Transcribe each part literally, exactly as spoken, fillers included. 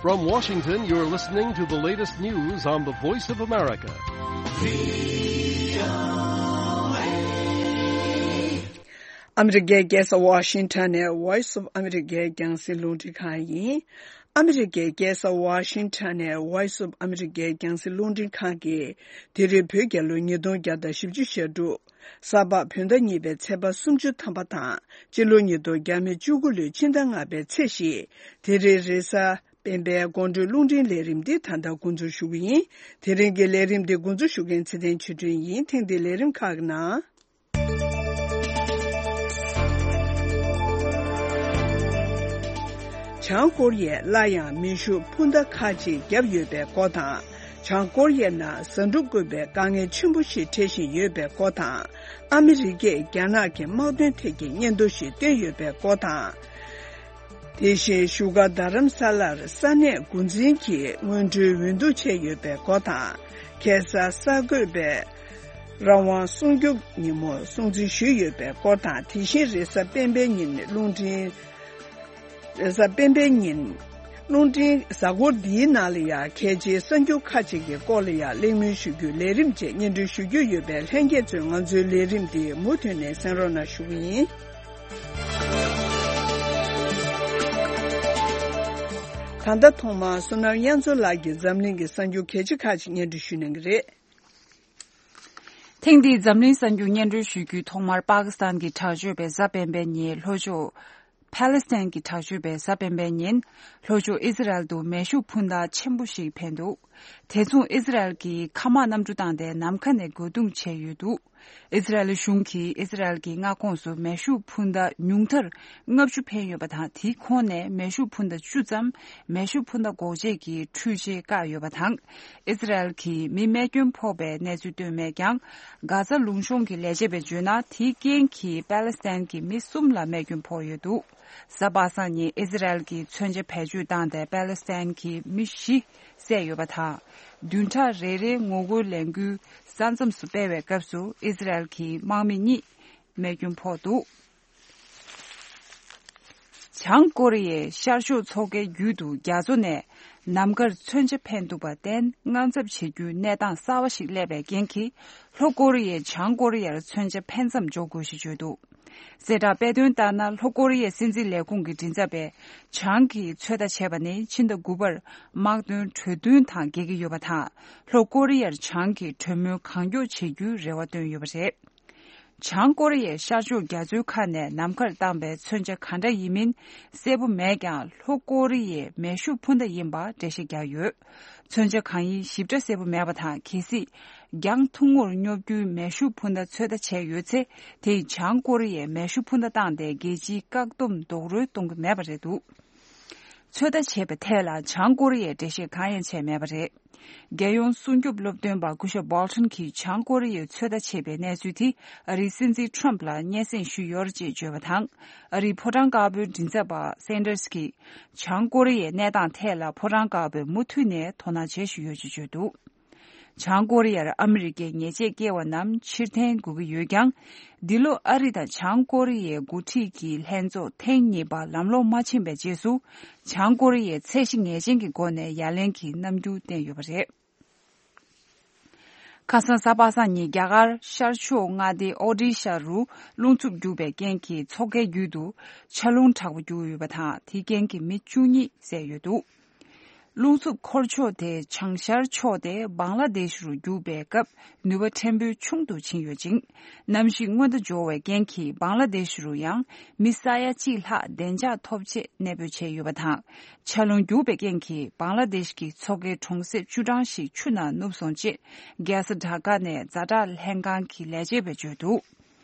From Washington, you're listening to the latest news on the Voice of America. ཨ་མི་རི་ཀའི་རྒྱལ་ས་ཝ་ཤིང་ཊོན་ནས་Voice of America རྒྱང་སྲིང་རླུང་འཕྲིན་ཁང་ཡིན། ཨ་མི་རི་ཀའི་རྒྱལ་ས་ཝ་ཤིང་ཊོན་ནས་Voice of America རྒྱང་སྲིང་རླུང་འཕྲིན་ཁང་གིས་དེ་རིང་བོད་རྒྱལ་ལོ་ཉིས་སྟོང་བརྒྱ་དང་བཞི་བཅུ་ཞེ་དྲུག་གཟའ་ཕུར་བུ་ཟླ་གཉིས་པའི་ཚེས་པ་སུམ་ཅུ་ཐམ་པ་དང་། སྤྱི་ལོ་ཉིས་སྟོང་བརྒྱ་མེད་བཅུ་དགུ་ལོའི་ཕྱི་ཟླ་ལྔ་པའི་ཚེས་བཞི། དེ་རིང་རེས་གཟའ་སྤེན་པའི་དགོང་དྲོའི་རླུང་འཕྲིན་ལས་རིམ་འདི་ད་ལྟ་འགོ་འཛུགས་ཞུ་གི་ཡིན། དེ་རིང་གི་ལས་རིམ་འདི་འགོ་འཛུགས་ཞུ་མཁན་ཚེ་བརྟན་ཆོས་སྒྲོན་ཡིན། ཐེངས་འདིའི་ལས་རིམ་ཁག་གི་ནང་། བྱང་ཀོ་རི་ཡས་སླར་ཡང་མེ་ཤུགས་འཕུར་མདའ་ཁག་ཅིག་བརྒྱབ་ཡོད་པའི་སྐོར་དང་། བྱང་ཀོ་རི་ཡའི་ནང་ཟ་འབྲུ་བཀོལ་བའི་དཀའ་ངལ་ཆེན་པོ་ཞིག་འཕྲད་བཞིན་ཡོད་པའི་སྐོར་དང་། ཨ་མི་རི་ཀས་རྒྱ་ནག་གི་དམག་དོན་ཐད་ཀྱི་སྙན་ཐོ་ཞིག་བཏོན་ཡོད་པའི་སྐོར་དང་། དེ་བཞིན་བཞུགས་སྒར་རྡ་རམ་ས་ལར་ས་གནས་འགོ་འཛིན་གྱིས་སྔོན་འགྲོའི་འོས་བསྡུ་བྱས་ཡོད་པའི་སྐོར་དང་། ཁ་སང་གསར་འགོད་པས་རང་དབང་སྲུང་སྐྱོབ་ཉིན་མོར་སྲུང་བརྩི་ཞུས་ཡོད་པའི་སྐོར་དང་། དེ་བཞིན་རེས་གཟའ་སྤེན་པའི་ཉིན་རླུང་འཕྲིན། རེས་གཟའ་སྤེན་པའི་ཉིན། རླུང་འཕྲིན་གཟའ་འཁོར་འདིའི་ནང་ལ་ཡང་གལ་ཆེའི་གསར་འགྱུར་ཁག་ཅིག་གི་སྐོར་ལ་ཡང་གླེང་མོལ་ཞུ་རྒྱུའི་ལས་རིམ་བཅས་སྙན་སྒྲོན་ཞུ་རྒྱུ་ཡོད་པས། ལྷན་རྒྱས་ཚོས་ང་ཚོའི་ལས་རིམ་འདི་མུ་མཐུད་ནས་གསན་རོགས་གནང་ཞུ་གི་ཡིན། ད་ལྟ་ཐོག་མར་བསོད་ནམས་དབྱངས་མཚོ་ལགས་ཀྱིས་འཛམ་གླིང་གི་གསར་འགྱུར་གལ་ཆེ་ཁག་ཅིག་སྙན་སྒྲོན་ཞུ་གནང་གི་རེད། ཐེངས་འདིའི་འཛམ་གླིང་གསར་འགྱུར་སྙན་སྒྲོན་ཞུ་རྒྱུའི་ཐོག་མར་པ་ཀི་སི་ཐན་གྱི་དྲག་སྤྱོད་པས་གཟའ་སྤེན་པའི་ཉིན་ལྷོ་ཕྱོགས། ཕཱ་ལེ་སི་ཐན་གྱི་དྲག་སྤྱོད་པས་གཟའ་སྤེན་པའི་ཉིན་ལྷོ་ཕྱོགས་ཨི་ཟི་རལ་དུ་མེ་ཤུགས་འཕུར་མདའ་ཆེན་པོ་ཞིག་འཕེན་འདུག་དེ་མཚུངས་ཨི་ཟི་རལ་གྱིས་མཁའ་དམག་གནམ་གྲུ་བཏང་སྟེ་ནམ་མཁའ་ནས་རྒོལ་རྡུང་བྱས་ཡོད་འདུག་ཨི་ཟི་རལ་གཞུང་གིས་ཨི་ཟི་རལ་གྱི་མངའ་ཁོངས་སུ་མེ་ཤུགས་འཕུར་མདའ་ཉུང་མཐར་ལྔ་བཅུ་འཕེན་ཡོད་པ་དང་། དེའི་ཁོངས་ནས་མེ་ཤུགས་འཕུར་མདའ་བཅུ་ཙམ་མེ་ཤུགས་འཕུར་མདའ་འགོག་བྱེད་ཀྱི་འཕྲུལ་ཆས་བཀག་ཡོད་པ་དང་། ཨི་ཟི་རལ་གྱིས་མི་རྨས་སྐྱོན་ཕོག་པའི་གནས་ཚུལ་བཏོན་མེད་ཀྱང་། གྷ་ཛ་ལུང་གཤོང་གི་ལས་བྱེད་པས་བརྗོད་ན། དེའི་རྐྱེན་གྱིས་པཱ་ལེ་སི་ཐན་གྱི་མི་གསུམ་ལ་རྨས་སྐྱོན་ཕོག་ཡོད་འདུག་གཟའ་པ་སངས་ཉིན་ཨི་ཟི་རལ་གྱིས་མཚོན་ཆ་བེད་སྤྱོད་བཏང་སྟེ་པཱ་ལེ་སི་ཐན་གྱི་མི་བཞི་བསད་ཡོད་པ་དང་། བདུན་ཕྲག་རེ་རེའི་ངོ་རྒོལ་ལས་འགུལ་ས་མཚམས་སུ་སྤེལ་བའི་སྐབས་སུ་ཨི་ཟི་རལ་གྱི་དམག་མི་གཉིས་རྨས་སྐྱོན་ཕོག་འདུག་བྱང་ཀོ་རི་ཡའི་ཤར་ཕྱོགས་མཚོ་ཁའི་རྒྱུད་དུ་རྒྱ་མཚོ་ནས་ནམ་མཁར་མཚོན་ཆ་འཕེན་ཐུབ་པ་བརྟེན། དངངས་འཚབ་བྱེད་རྒྱུའི་གནས་སྟངས་གསར་བ་ཞིག་སླེབས་པའི་རྐྱེན་གྱིས། ལྷོ་ཀོ་རི་ཡས་བྱང་ཀོ་རི་ཡར་མཚོན་ཆ་འཕེན་མཚམས་འཇོག་དགོས་ཞེས་བརྗོད་འདུག་གསལ་བསྒྲགས་སྤེལ་དོན་ལྟར་ན། ལྷོ་ཀོ་རི་ཡའི་སྲིད་འཛིན་ལས་ཁུངས་ཀྱི་མགྲིན་ཚབ་པས་བྱང་གིས་ཚོད་ལྟ་བྱས་པ་ནི་ཕྱི་ཟླ་དགུ་པར་དམག་དོན་གྲོས་མཐུན་དང་འགལ་གྱི་ཡོད་པ་དང་། ལྷོ་ཀོ་རི་ཡར་བྱང་གིས་གྲོས་མོལ་གང་མགྱོགས་བྱེད་རྒྱུའི་རེ་བ་བཏོན་ཡོད་པ་རེད། བྱང་ཀོ་རི་ཡའི་ཤར་ཕྱོགས་རྒྱ་མཚོའི་ཁ་ནས་ནམ་མཁར་བཏང་པའི་མཚོན་ཆ་ག་འདྲ་ཡིན་མིན་གསལ་པོ་མེད་ཀྱང་། ལྷོ་ཀོ་རི་ཡའི་མེ་ཤུགས་འཕུར་མདའ་ཡིན་པ་འགྲེལ་བཤད་བརྒྱབ་ཡོད། མཚོན་ཆ་གང་ཡིན་ཞིབ་ཕྲ་གསལ་པོ་མེད་པ་དང་། གལ་སྲིད་གྱང་ཐུང་ངུར་སྙོབ་རྒྱུའི་མེ་ཤུགས་འཕུར་མདའ་ཚོད་ལྟ་བྱས་ཡོད་ཚེ། དེས་བྱང་ཀོ་རི་ཡའི་མེ་ཤུགས་འཕུར་མདའ་བཏང་སྟེ་རྒྱལ་སྤྱིའི་བཀག་སྡོམ་རྡོག་རོལ་གཏོང་གི་མེད་པ་རེད་འདུག་ཚོད་ལྟ་བྱས་པའི་ཐད་ལ་བྱང་ཀོ་རི་ཡས་འགྲེལ་བཤད་གང་ཡང་བྱས་མེད་པ་རེད། རྒྱལ་ཡོངས་སྲུང་སྐྱོབ་སློབ་སྟོན་པ་སྐུ་ཞབས་Bolton གྱིས་བྱང་ཀོ་རི་ཡས་ཚོད་ལྟ་བྱས་པའི་གནས་ཚུལ་དེ་ཨ་རིའི་སྲིད་འཛིན་Trump ལ་སྙན་སེང་ཞུས་ཡོད་རེད་ཅེས་བརྗོད་པ་དང་། ཨ་རིའི་ཕོ་བྲང་དཀར་པོའི་མགྲིན་ཚབ་པ་Sanders གྱིས་བྱང་ཀོ་རི་ཡའི་གནས་སྟངས་ཐད་ལ་ཕོ་བྲང་དཀར་པོས་མུ་མཐུད་ནས་དོ་སྣང་བྱེད་བཞིན་ཡོད་ཅེས་བརྗོད་འདུག་བྱང་ཀོ་རི་ཡར་ཨ་མི་རི་ཀའི་ཉེས་ཆད་བཀལ་བ་རྣམས་ཕྱིར་འཐེན་དགོས་ཀྱི་ཡོད་ཀྱང་། འདི་ལོ་ཨ་རི་དང་བྱང་ཀོ་རི་ཡའི་འགོ་ཁྲིད་ཀྱི་ལྷན་ཚོགས་ཐེངས་གཉིས་པ་ལམ་ལྷོང་མ་ཕྱིན་པའི་རྗེས་སུ། བྱང་ཀོ་རི་ཡས་ཚད་གཞི་ངེས་ཅན་གྱི་སྒོ་ནས་ཡ་ལན་གྱི་རྣམ་འགྱུར་བསྟན་ཡོད་པ་རེད། ཁ་སང་གཟའ་པ་སངས་ཉིན་རྒྱ་གར་ཤར་ཕྱོགས་མངའ་སྡེ་ཨོ་ཌི་ཤ་རུ་རླུང་འཚུབ་རྒྱུག་པའི་རྐྱེན་གྱིས་མཚོ་ཁའི་རྒྱུད་དུ་ཆར་རླུང་དྲག་པོ་རྒྱུག་ཡོད་པ་དང་། དེའི་རྐྱེན་གྱིས་མི་བཅུ་གཉིས་བསད་ཡོད་འདུག་རླུང་འཚུབ་འཁོར་ཕྱོགས་དེ་བྱང་ཤར་ཕྱོགས་ཏེ་བང་ལ་དེ་ཤ་རུ་རྒྱུག་པའི་སྐབས་ནུས་པ་ཕྲན་བུ་ཆུང་དུ་ཕྱིན་ཡོད་ཅིང་། གནམ་གཤིས་སྔོན་བརྡ་འབྱོར་བའི་རྐྱེན་གྱིས་བང་ལ་དེ་ཤ་རུ་ཡང་མི་ས་ཡ་གཅིག་ལྷག་བདེ་འཇགས་ཐོབ་ཆེད་གནས་སྤོས་བྱས་ཡོད་པ་དང་། ཆར་རླུང་རྒྱུག་པའི་རྐྱེན་གྱིས་བང་ལ་དེ་ཤ་གི་མཚོ་ཁའི་གྲོང་གསེབ་བཅུ་གྲངས་ཤིག་ཆུ་ནང་ནུབ་སོང་ཅེས་རྒྱལ་ས་ཌ་ཀ་ནས་ཛ་དྲག་ལྷན་ཁང་གི་ལས་བྱེད་པས་བརྗོད་འདུག་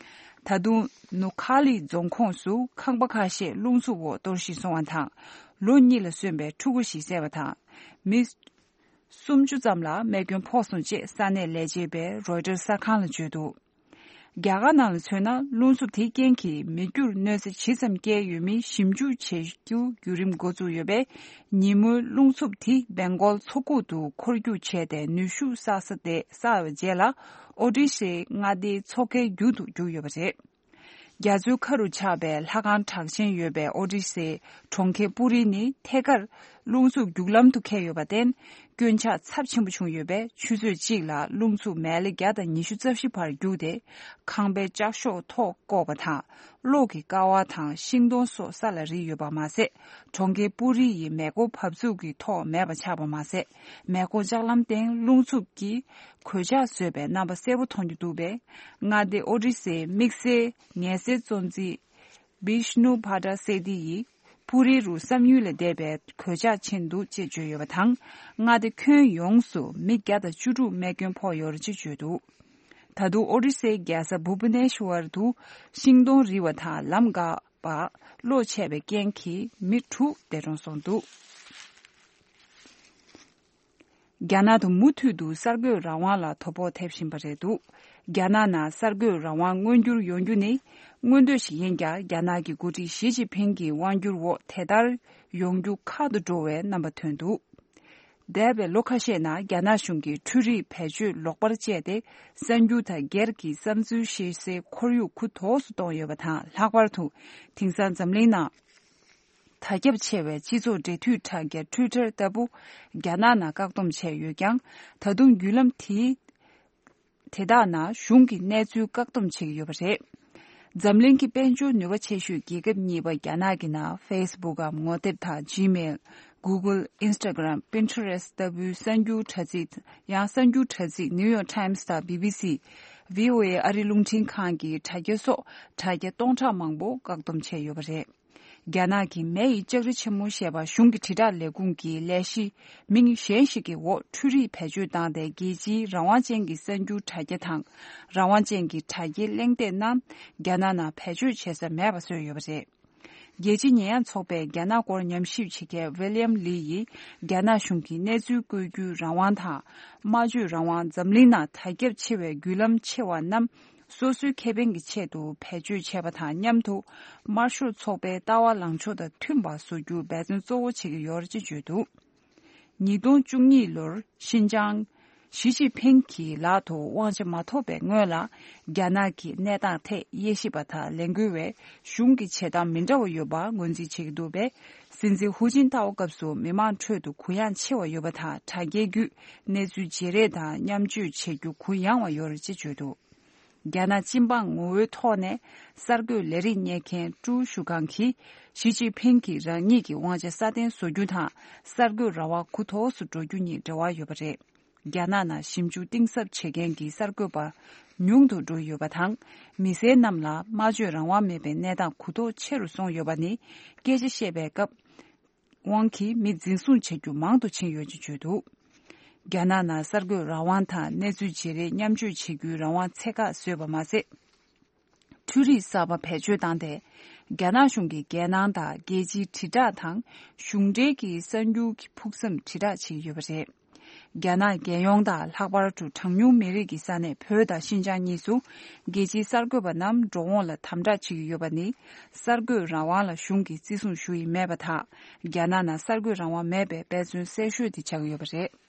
ད་དུང་ནུ་ཁ་ལི་རྫོང་ཁོངས་སུ་ཁང་པ་ཁ་ཤས་རླུང་འཚུབ་འོག་གཏོར་བཤིག་སོང་བ་དང་། ལོ་གཉིས་ལ་སོན་པའི་ཕྲུ་གུ་ཞིག་བསད་པ་དང་། མི་སུམ་ཅུ་ཙམ་ལ་རྨས་སྐྱོན་ཕོག་སོང་ཅེས་ས་གནས་ལས་བྱེད་པས་Reuters གསར་ཁང་ལ་བརྗོད་འདུག་རྒྱ་གར་ནང་ལ་མཚོན་ན། རླུང་འཚུབ་དེའི་རྐྱེན་གྱིས་མི་རྒྱུར་གནོད་འཚེ་ཇི་ཙམ་བསྐྱལ་ཡོད་མིན་ཞིབ་འཇུག་བྱེད་རྒྱུ་བརྒྱུད་རིམ་འགོ་བཙུགས་ཡོད་པས། ཉིན་མོའི་རླུང་འཚུབ་དེ་སྦེང་གོལ་མཚོ་ཁུག་ཏུ་འཁོར་རྒྱུག་བྱས་ཏེ་ནུས་ཤུགས་བསགས་ས་དེ་བསགས་པའི་རྗེས་ལ། ཨོ་ཌི་ཤའི་མངའ་སྡེའི་མཚོ་ཁའི་རྒྱུད་དུ་རྒྱུག་ཡོད་པ་རེད། རྒྱ་མཚོའི་ཁ་རུ་ཆགས་པའི་ལྷ་ཁང་གྲགས་ཅན་ཡོད་པའི་ཨོ་ཌི་ཤའི་གྲོང་ཁྱེར་པུ་རི་ནི་ཐད་ཀར་ རླུང་འཚུབ་རྒྱུག་ལམ་དུ་འཁེལ་ཡོད་པར་བརྟེན། སྐྱོན་ཆག་ཚབས་ཆེན་པོ་བྱུང་ཡོད་པས། ཆུ་ཚོད་གཅིག་ལ་རླུང་འཚུབ་མལ་ལེ་བརྒྱ་དང་ཉི་ཤུ་རྩ་བཞི་བར་རྒྱུག་སྟེ། ཁང་པའི་ལྕགས་ཤོག་ཐོག་བཀོག་པ་དང་། གློག་གི་ཀ་བ་དང་ཤིང་སྡོང་སོགས་ས་ལ་རིལ་ཡོད་པ་མ་ཟད། གྲོང་ཁྱེར་པུ་རི་ཡི་མེ་འཁོར་བབས་ཚུགས་ཀྱི་ཐོག་མེད་པ་ཆགས་པ་མ་ཟད། མེ་འཁོར་ལྕགས་ལམ་སྟེང་རླུང་འཚུབ་ཀྱིས་གོད་ཆག་བཟོས་པའི་རྣམ་པ་གསལ་པོ་མཐོང་རྒྱུ་འདུག་པས། མངའ་སྡེ་ཨོ་ཌི་སའི་དམིགས་བསལ་ངལ་སེལ་གཙོ་འཛིན་བིཤ་ནུ་བྷ་ཏྲ་སེ་ཏི་ཡིས། པུ་རི་རུ་བསམ་ཡུལ་ལས་འདས་པའི་གོད་ཆག་ཕྱིན་འདུག་ཅེས་བརྗོད་ཡོད་པ་དང་། མངའ་སྡེ་ཁྱོན་ཡོངས་སུ་མི་བརྒྱ་དང་བཅུ་དྲུག་རྨས་སྐྱོན་ཕོག་ཡོད་རེད་ཅེས་བརྗོད་འདུག། ད་དུང་ཨོ་རི་སའི་རྒྱལ་ས་བྷུ་བྷ་ནེ་ཤྭར་དུ་ཤིང་སྡོང་རིལ་བ་དང་ལམ་འགག་པ། གློག་ཆད་པའི་རྐྱེན་གྱིས་མི་དྲུག་འདས་གྲོངས་སོང་འདུག། རྒྱ་ནག་ཏུ་མུ་མཐུད་དུ་གསར་འགོད་རང་དབང་ལ་དོ་ཕོག་ཐེབས་བཞིན་པ་རེད་འདུག། རྒྱ་ནག་ནང་གསར་འགོད་རང་དབང་མངོན་འགྱུར་ཡོང་རྒྱུ་ནི་མངོན་འདོད་ཞིག་ཡིན་ཀྱང་། རྒྱ་ནག་གི་འགོ་ཁྲིད་ཞི་ཅིན་ཕིང་གི་དབང་སྒྱུར་འོག་དེ་ལྟར་ཡོང་རྒྱུ་ཁག་ཏུ་འགྲོ་བའི་རྣམ་པ་ཐོན་འདུག། འདས་པའི་ལོ་ཁ་ཤས་ནང་རྒྱ་ནག་གཞུང་གིས་འཕྲུལ་རིག་བེད་སྤྱོད་ལོག་པར་སྤྱད་དེ། གསར་འགྱུར་དང་སྒེར་གྱི་བསམ་ཚུལ་བཤད་སའི་ཁོར་ཡུག་འགུག་ཐོག་སུ་གཏོང་ཡོད་པ་དང་། ལྷག་པར་དུ་དེང་སང་འཛམ་གླིང་ནང་དར་ཁྱབ་ཆེ་བའི་སྤྱི་ཚོགས་འབྲེལ་མཐུད་དྲ་རྒྱ་Twitter་ལྟ་བུ་རྒྱ་ནག་ནང་བཀག་སྡོམ་བྱས་ཡོད་ཀྱང་། ད་དུང་བརྒྱུད་ལམ་དེའི་དེ་དག་ནང་གཞུང་གིས་གནས་ཚུལ་བཀག་སྡོམ་བྱེད་ཀྱི་ཡོད་པ་རེད། འཛམ་གླིང་གི་དཔལ་འབྱོར་ནུས་པ་ཆེ་ཤོས་རྒྱལ་ཁབ་གཉིས་པ་རྒྱ་ནག་གི་ནང་Facebook་འམ་ངོ་དེབ་དང་Gmail། Google། Instagram། Pinterest་ལྟ་བུའི་གསར་འགྱུར་དྲ་ཚིགས། ཡང་གསར་འགྱུར་དྲ་ཚིགས་New York Times་དང་B B C། V O A་ཨ་རི་རླུང་འཕྲིན་ཁང་གི་དྲ་རྒྱ་སོགས་དྲ་རྒྱ་སྟོང་ཕྲག་མང་པོ་བཀག་སྡོམ་བྱས་ཡོད་པ་རེད། རྒྱ་ནག་གི་མེ་ཡི་ལྕགས་རི་ཆེན་མོ་ཞེས་པ་གཞུང་གི་དྲིལ་བསྒྲགས་ལས་ཁུངས་ཀྱི་ལས་གཞི་མིང་གཞན་ཞིག་གི་འོག་འཕྲུལ་རིག་བེད་སྤྱོད་བཏང་སྟེ། རྒྱལ་སྤྱིའི་རང་དབང་ཅན་གྱི་གསར་འགྱུར་དྲ་རྒྱ་དང་། རང་དབང་ཅན་གྱི་དྲ་རྒྱའི་གླེང་སྟེགས་རྣམས་རྒྱ་ནག་ནང་བེད་སྤྱོད་བྱེད་ས་མེད་པ་བཟོས་ཡོད་པ་རེད། རྒྱལ་སྤྱིའི་ཉེས་ཡངས་ཚོགས་པས་རྒྱ་ནག་སྐོར་ཉམས་ཞིབ་བྱེད་མཁན་William Lee་ཡིས། རྒྱ་ནག་གཞུང་གིས་གནས་ཚུལ་བཀོད་རྒྱུའི་རང་དབང་དང་། སྨྲ་བརྗོད་རང་དབང་། འཛམ་གླིང་ནང་དར་ཁྱབ་ཆེ་བའི་བརྒྱུད་ལམ་ཆེ་བ་རྣམས་སོ་སོའི་ཁེ་ཕན་གྱི་ཆེད་དུ་བེད་སྤྱོད་བྱས་པ་དང་མཉམ་དུ། དམར་ཤོག་ཚོགས་པའི་ལྟ་བ་ལངས་ཕྱོགས་དང་མཐུན་པ་བཟོ་རྒྱུར་འབད་བརྩོན་གཙོ་བོ་བྱེད་ཀྱི་ཡོད་ཅེས་བརྗོད་འདུག། ཉིས་སྟོང་བཅུ་གཉིས་ལོར་ཤིན་ཅང་། ཞི་ཅིན་ཕིང་གི་ལག་ཏུ་དབང་ཆ་མ་ཐོབ་པའི་སྔོན་ལ། རྒྱ་ནག་གི་གནས་སྟངས་ཐད་དབྱེ་ཞིབ་པ་དང་ལས་འགུལ་བས་གཞུང་གི་བྱེད་སྟངས་མི་འདྲ་བ་ཡོད་པ་ངོས་འཛིན་བྱེད་ཀྱི་འདུག་པས། སྲིད་འཛིན་ཧུའུ་ཅིན་ཐའོ་སྐབས་སུ་མི་མང་ཁྲོད་དུ་གུ་ཡངས་ཆེ་བ་ཡོད་པ་དང་། དྲ་རྒྱའི་བརྒྱུད་གནས་ཚུལ་བརྗེ་རེས་དང་མཉམ་སྤྱོད་བྱེད་རྒྱུ་གུ་ཡངས་བ་ཡོད་རེད་ཅེས་བརྗོད་འདུག། རྒྱ་ནག་སྤྱི་འབངས་ངོ་བོའི་ཐོག་ནས་གསར་འགོད་ལས་རིགས་གཉེར་མཁན་ཀྲུའུ་ཞུ་ཁང་གིས། ཞི་ཅིན་ཕིང་གིས་རང་ཉིད་ཀྱི་དབང་ཆ་སྲ་བརྟན་བཟོ་རྒྱུ་དང་། གསར་འགོད་རང་དབང་འགུག་ཐོག་སུ་འགྲོ་རྒྱུ་གཉིས་འབྲེལ་བ་ཡོད་པ་རེད། རྒྱ་ནག་ནང་ཞིབ་འཇུག་གཏིང་ཟབ་བྱེད་མཁན་གྱི་གསར་འགོད་པ་ཉུང་དུ་འགྲོ་ཡོད་པ་དང་། མི་སེར་རྣམས་ལ་སྨྲ་བརྗོད་རང་དབང་མེད་པའི་གནས་སྟངས་འགུག་ཐོག་ཆེ་རུ་སོང་ཡོད་པ་ནི། སྐད་ཆ་བཤད་པའི་སྐབས་དབང་གིས་མི་འཛིན་བཟུང་བྱ་རྒྱུ་མང་དུ་ཕྱིན་ཡོད་ཅེས་བརྗོད་འདུག། རྒྱ་ནག་ནང་གསར་འགོད་རང་དབང་དང་གནས་ཚུལ་བརྗེ་རེས་མཉམ་སྤྱོད་བྱེད་རྒྱུའི་རང་དབང་ཚད་བཀག་བཟོས་པ་མ་ཟད། འཕྲུལ་རིག་གསར་པ་བེད་སྤྱོད་བཏང་སྟེ། རྒྱ་ནག་གཞུང་གི་རྒྱལ་ནང་དང་རྒྱལ་སྤྱིའི་དྲིལ་བསྒྲགས་དང་། གཞུང་འབྲེལ་གྱི་གསར་འགྱུར་གྱི་ཕུགས་བསམ་དྲིལ་བསྒྲགས་བྱེད་ཀྱི་ཡོད་པ་རེད། རྒྱ་ནག་རྒྱལ་ཡོངས་དང་། ལྷག་པར་དུ་གྲངས་ཉུང་མི་རིགས་ཀྱི་ས་གནས་བོད་དང་ཤིན་ཅང་གཉིས་སུ། རྒྱལ་སྤྱིའི་གསར་འགོད་པ་རྣམས་འགྲོ་འོང་ལ་དམ་དྲག་བྱེད་ཀྱི་ཡོད་པ་ནི། གསར་འགོད་རང་དབང་ལ་གཞུང་གིས་བརྩི་སྲུང་ཞུ་ཡི་མེད་པ་དང་། རྒྱ་ནག་ནང་གསར་འགོད་རང་དབང་མེད་པའི་འབད་བརྩོན་གསལ་ཤོས་དེ་ཆགས་ཀྱི་ཡོད་པ་རེད།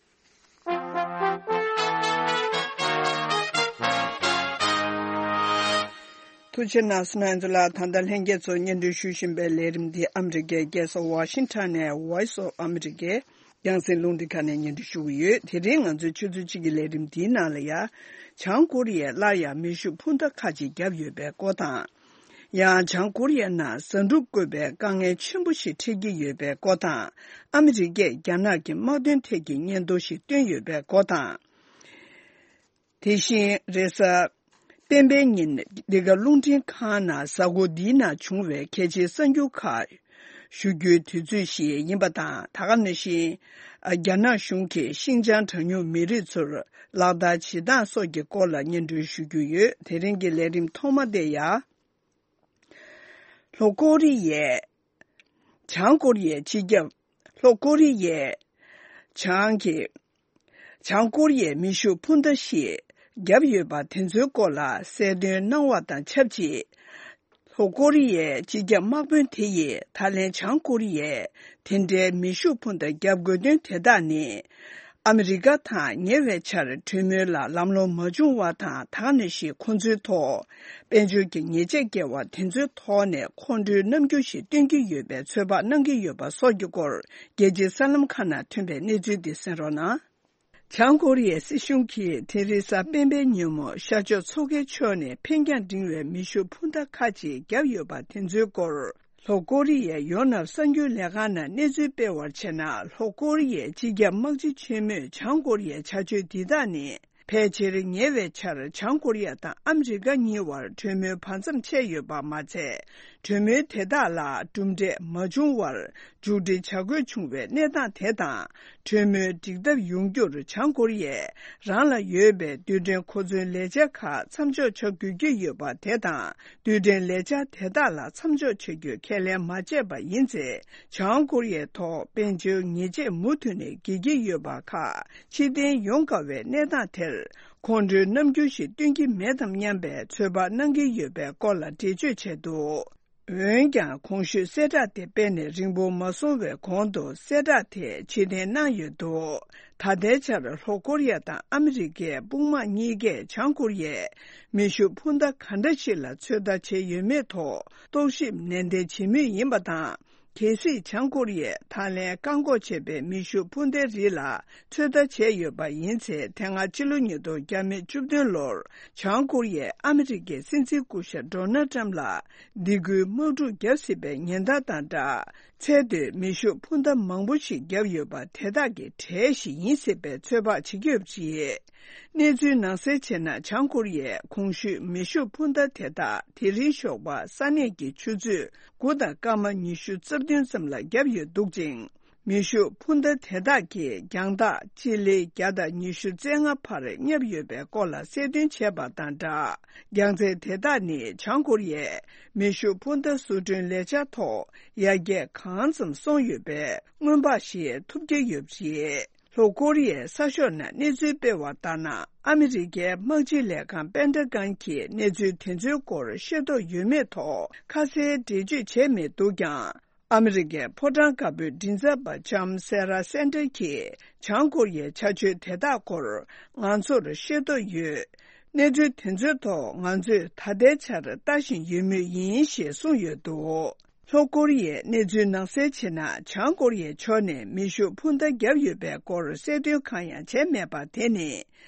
ཐུགས་རྗེ་གནང་སོང་། ང་ཚོ་ལ་ད་ལྟ་ལྷན་རྒྱས་ཚོ་སྙན་སྒྲོན་ཞུ་བཞིན་པའི་ལས་རིམ་འདི་ཨ་མི་རི་ཀའི་རྒྱལ་ས་ཝ་ཤིང་ཊོན་ནས་Voice of America་རྒྱང་སྲིང་རླུང་འཕྲིན་ཁང་ནས་སྙན་སྒྲོན་ཞུ་གི་ཡོད། དེ་རིང་ང་ཚོའི་ཆུ་ཚོད་གཅིག་གི་ལས་རིམ་འདིའི་ནང་ལ་ཡ། བྱང་ཀོ་རི་ཡས་སླར་ཡང་མེ་ཤུགས་འཕུར་མདའ་ཁག་ཅིག་བརྒྱབ་ཡོད་པའི་སྐོར་དང་། ཡང་བྱང་ཀོ་རི་ཡའི་ནང་ཟ་འབྲུ་བཀོལ་བའི་དཀའ་ངལ་ཆེན་པོ་ཞིག་འཕྲད་ཀྱི་ཡོད་པའི་སྐོར་དང་། ཨ་མི་རི་ཀས་རྒྱ་ནག་གི་དམག་དོན་ཐད་ཀྱི་སྙན་ཐོ་ཞིག་བཏོན་ཡོད་པའི་སྐོར་དང་། དེ་བཞིན་རེས་གཟའ་སྤེན་པའི་ཉིན་འདི་ག་རླུང་འཕྲིན་ཁང་ནང་གཟའ་འཁོར་འདིའི་ནང་བྱུང་བའི་གལ་ཆེའི་གསར་འགྱུར་ཁག་ཞུ་རྒྱུའི་དུས་ཚོད་ཞིག་ཡིན་པ་དང་། ད་ག་ནང་བཞིན་རྒྱ་ནག་གཞུང་གིས་ཤིན་ཅང་གྲངས་ཉུང་མི་རིགས་ཚོར་ལག་བསྟར་བྱེད་སྟངས་སོགས་ཀྱི་སྐོར་ལ་སྙན་སྒྲོན་ཞུ་རྒྱུ་ཡོད། དེ་རིང་གི་ལས་རིམ་ཐོག་མ་དེ་ཡང་། ལྷོ་ཀོ་རི་ཡས། བྱང་ཀོ་རི་ཡའི་སྤྱི་ཁྱབ། ལྷོ་ཀོ་རི་ཡས། བྱང་གི། བྱང་ཀོ་རི་ཡས་མེ་ཤུགས་འཕུར་མདའ་ཞིག་བརྒྱབ་ཡོད་པ་དེ་ཚོའི་སྐོར་ལ་གསལ་སྟོན་གནང་བ་དང་ཆབས་ཅིག། ལྷོ་ཀོ་རི་ཡའི་སྤྱི་ཁྱབ་དམག་དཔོན་དེ་ཡིས་ད་ལན་བྱང་ཀོ་རི་ཡས་དེ་འདྲའི་མེ་ཤུགས་འཕུར་མདའ་བརྒྱབ་དགོས་དོན་དེ་དག་ནི། ཨ་མི་རི་ཀ་དང་ཉེ་བའི་ཆར་གྲོས་མོལ་ལ་ལམ་ལྷོང་མ་བྱུང་བ་དང་། ད་ག་ནང་བཞིན་ཁོ་ཚོའི་ཐོག་དཔལ་འབྱོར་གྱི་ཉེས་ཆད་བཀལ་བ་དེ་ཚོའི་ཐོག་ནས་ཁོང་ཁྲོའི་རྣམ་འགྱུར་ཞིག་སྟོན་གྱི་ཡོད་པའི་ཚོད་དཔག་གནང་གི་ཡོད་པ་སོགས་ཀྱི་སྐོར། རྒྱལ་སྤྱིའི་གསར་ལམ་ཁག་ནང་ཐོན་པའི་གནས་ཚུལ་འདི་གསན་རོགས་གནང་། བྱང་ཀོ་རི་ཡའི་སྲིད་གཞུང་གིས་དེ་རིང་གཟའ་སྤེན་པའི་ཉིན་མོ་ཤར་ཕྱོགས་མཚོ་ཁའི་ཕྱོགས་ནས་འཕེན་རྒྱང་འབྲིང་བའི་མེ་ཤུགས་འཕུར་མདའ་ཁག་ཅིག་བརྒྱབ་ཡོད་པ་དེ་ཚོའི་སྐོར། ལྷོ་ཀོ་རི་ཡའི་ཡོ་ནབ་གསར་འགྱུར་ལས་ཁང་ནང་གནས་ཚུལ་སྤེལ་བར་བྱས་ན། ལྷོ་ཀོ་རི་ཡའི་སྤྱི་ཁྱབ་དམག་སྤྱི་ཆེན་མོས་བྱང་ཀོ་རི་ཡའི་བྱ་སྤྱོད་འདི་དག་ནི། ཕལ་ཆེར་ཉེ་བའི་ཆར་བྱང་ཀོ་རི་ཡ་དང་ཨ་མི་རི་ཀ་གཉིས་བར་གྲོས་མོལ་བར་མཚམས་ཆད་ཡོད་པ་མ་ཚད། གྲོས་མོལ་དེ་དག་ལ་གྲུབ་འབྲས་མ་བྱུང་བར་མཇུག་སྒྲིལ་བྱ་དགོས་བྱུང་བའི་གནས་སྟངས་དེ་དང་། གྲོས་མོལ་འགྲིག་ཐབས་ཡོང་རྒྱུར་བྱང་ཀོ་རི་ཡས་རང་ལ་ཡོད་པའི་རྡུལ་ཕྲན་གོ་མཚོན་ལས་འཆར་ཁག་མཚམས་འཇོག་བྱ་དགོས་ཀྱི་ཡོད་པ་དེ་དང་། རྡུལ་ཕྲན་ལས་འཆར་དེ་དག་ལ་མཚམས་འཇོག་བྱ་རྒྱུ་ཁས་ལེན་མ་བྱས་པ་ཡིན་ཚེ། བྱང་ཀོ་རི་ཡའི་ཐོག་དཔལ་འབྱོར་ཉེས་ཆད་མུ་མཐུད་ནས་འགེལ་གྱི་ཡོད་པ་ཁག་ཕྱིར་འཐེན་ཡོང་དཀའ་བའི་གནས་སྟངས་དེར། ཁོང་ཁྲོའི་རྣམ་འགྱུར་ཞིག་སྟོན་གྱི་མེད་དམ་སྙམ་པའི་ཚོད་དཔག་གནང་གི་ཡོད་པའི་སྐོར་ལ་འགྲེལ་བརྗོད་བྱས་འདུག་འོན་ཀྱང་། གོང་ཞུས་གསལ་བསྒྲགས་དེ་སྤེལ་ནས་རིང་པོ་མ་སོང་བའི་གོང་དུ་གསལ་བསྒྲགས་དེ་ཕྱིར་འཐེན་གནང་ཡོད་འདུག་ད་ལྟའི་ཆར་ལྷོ་ཀོ་རི་ཡ་དང་ཨ་མི་རི་ཀའི་དཔུང་དམག་གཉིས་ཀས་བྱང་ཀོ་རི་ཡས་མེ་ཤུགས་འཕུར་མདའ་ག་འདྲ་ཞིག་ལ་ཚོད་ལྟ་བྱས་ཡོད་མེད་ཐོག་རྟོག་ཞིབ་ནན་ཏན་བྱེད་མུས་ཡིན་པ་དང་། གལ་སྲིད་བྱང་ཀོ་རི་ཡས་ད་ལན་བཀག་འགོག་བྱས་པའི་མེ་ཤུགས་འཕུར་མདའི་རིགས་ལ་ཚོད་ལྟ་བྱས་ཡོད་པ་ཡིན་ཚེ། དེ་སྔ་ཕྱི་ལོ་ཉིས་སྟོང་བརྒྱ་མེད་བཅུ་བདུན་ལོར་བྱང་ཀོ་རི་ཡས་ཨ་མི་རི་ཀའི་སྲིད་འཛིན་སྐུ་ཞབས་ཌོ་ནལ་ཊམ་ལ་སྡིགས་སྐུལ་དམག་འཁྲུག་བརྒྱབ་སྲིད་པའི་ཉེན་བརྡ་དང་སྦྲགས། ཚད་མཐོའི་མེ་ཤུགས་འཕུར་མདའ་མང་པོ་ཞིག་བརྒྱབ་ཡོད་པ་དེ་དག་གི་གྲས་ཤིག་ཡིན་སྲིད་པའི་ཚོད་དཔག་བྱེད་ཀྱི་ཡོད་པ་རེད། གནས་ཚུལ་ནང་གསལ་བྱས་ན། བྱང་ཀོ་རི་ཡས་གོང་ཞུས་མེ་ཤུགས་འཕུར་མདའ་དེ་དག་དེ་རིང་ཞོགས་པ་ས་གནས་ཀྱི་ཆུ་ཚོད་དགུ་དང་སྐར་མ་ཉི་ཤུ་རྩ་བདུན་ཙམ་ལ་བརྒྱབ་ཡོད་འདུག་ཅིང་། མེ་ཤུགས་འཕུར་མདའ་དེ་དག་གི་རྒྱང་ཐག་སྤྱི་ལེ་བརྒྱ་དང་ཉི་ཤུ་རྩ་ལྔ་བར་བསྙབས་ཡོད་པའི་སྐོར་ལ་གསལ་སྟོན་བྱས་པ་དང་སྦྲགས། རྒྱང་ཚད་དེ་དག་ནི་བྱང་ཀོ་རི་ཡས་མེ་ཤུགས་འཕུར་མདའ་བཟོ་སྐྲུན་ལས་འཆར་ཐོག་ཡར་རྒྱས་གང་ཙམ་སོང་ཡོད་པའི་སྔོན་དཔག་ཞིག་ཐུབ་ཀྱི་ཡོད་པ་རེད། ལྷོ་ཀོ་རི་ཡའི་གསར་ཤོག་ནང་གནས་ཚུལ་སྤེལ་བ་ལྟར་ན། ཨ་མི་རི་ཀའི་དམག་སྤྱི་ལས་ཁང་པེན་ཏ་གོན་གྱིས་གནས་ཚུལ་དེ་ཚོའི་སྐོར་ཤེས་རྟོགས་ཡོད་མེད་ཐོག་ཁ་གསལ་འགྲེལ་བརྗོད་བྱས་མེད་འདུག་ཀྱང་། ཨ་མི་རི་ཀའི་ཕོ་བྲང་དཀར་པོའི་མགྲིན་ཚབ་པ་ལྕམ་སེ་ར་སན་ཏར་གྱིས་བྱང་ཀོ་རི་ཡའི་བྱ་སྤྱོད་དེ་དག་སྐོར་ང་ཚོར་ཤེས་རྟོགས་ཡོད། གནས་ཚུལ་དེ་ཚོའི་ཐོག་ང་ཚོས་ད་ལྟའི་ཆར་ལྟ་བཞིན་ཡོད་མུས་ཡིན་ཞེས་གསུངས་ཡོད་འདུག་ལྷོ་ཀོ་རི་ཡའི་གནས་ཚུལ་ནང་གསལ་བྱས་ན། བྱང་ཀོ་རི་ཡའི་ཕྱོགས་ནས་མེ་ཤུགས་འཕུར་མདའ་བརྒྱབ་ཡོད་པའི་སྐོར་གསལ་སྟོན་གང་ཡང་བྱས་མེད་པ་དེ་ནི།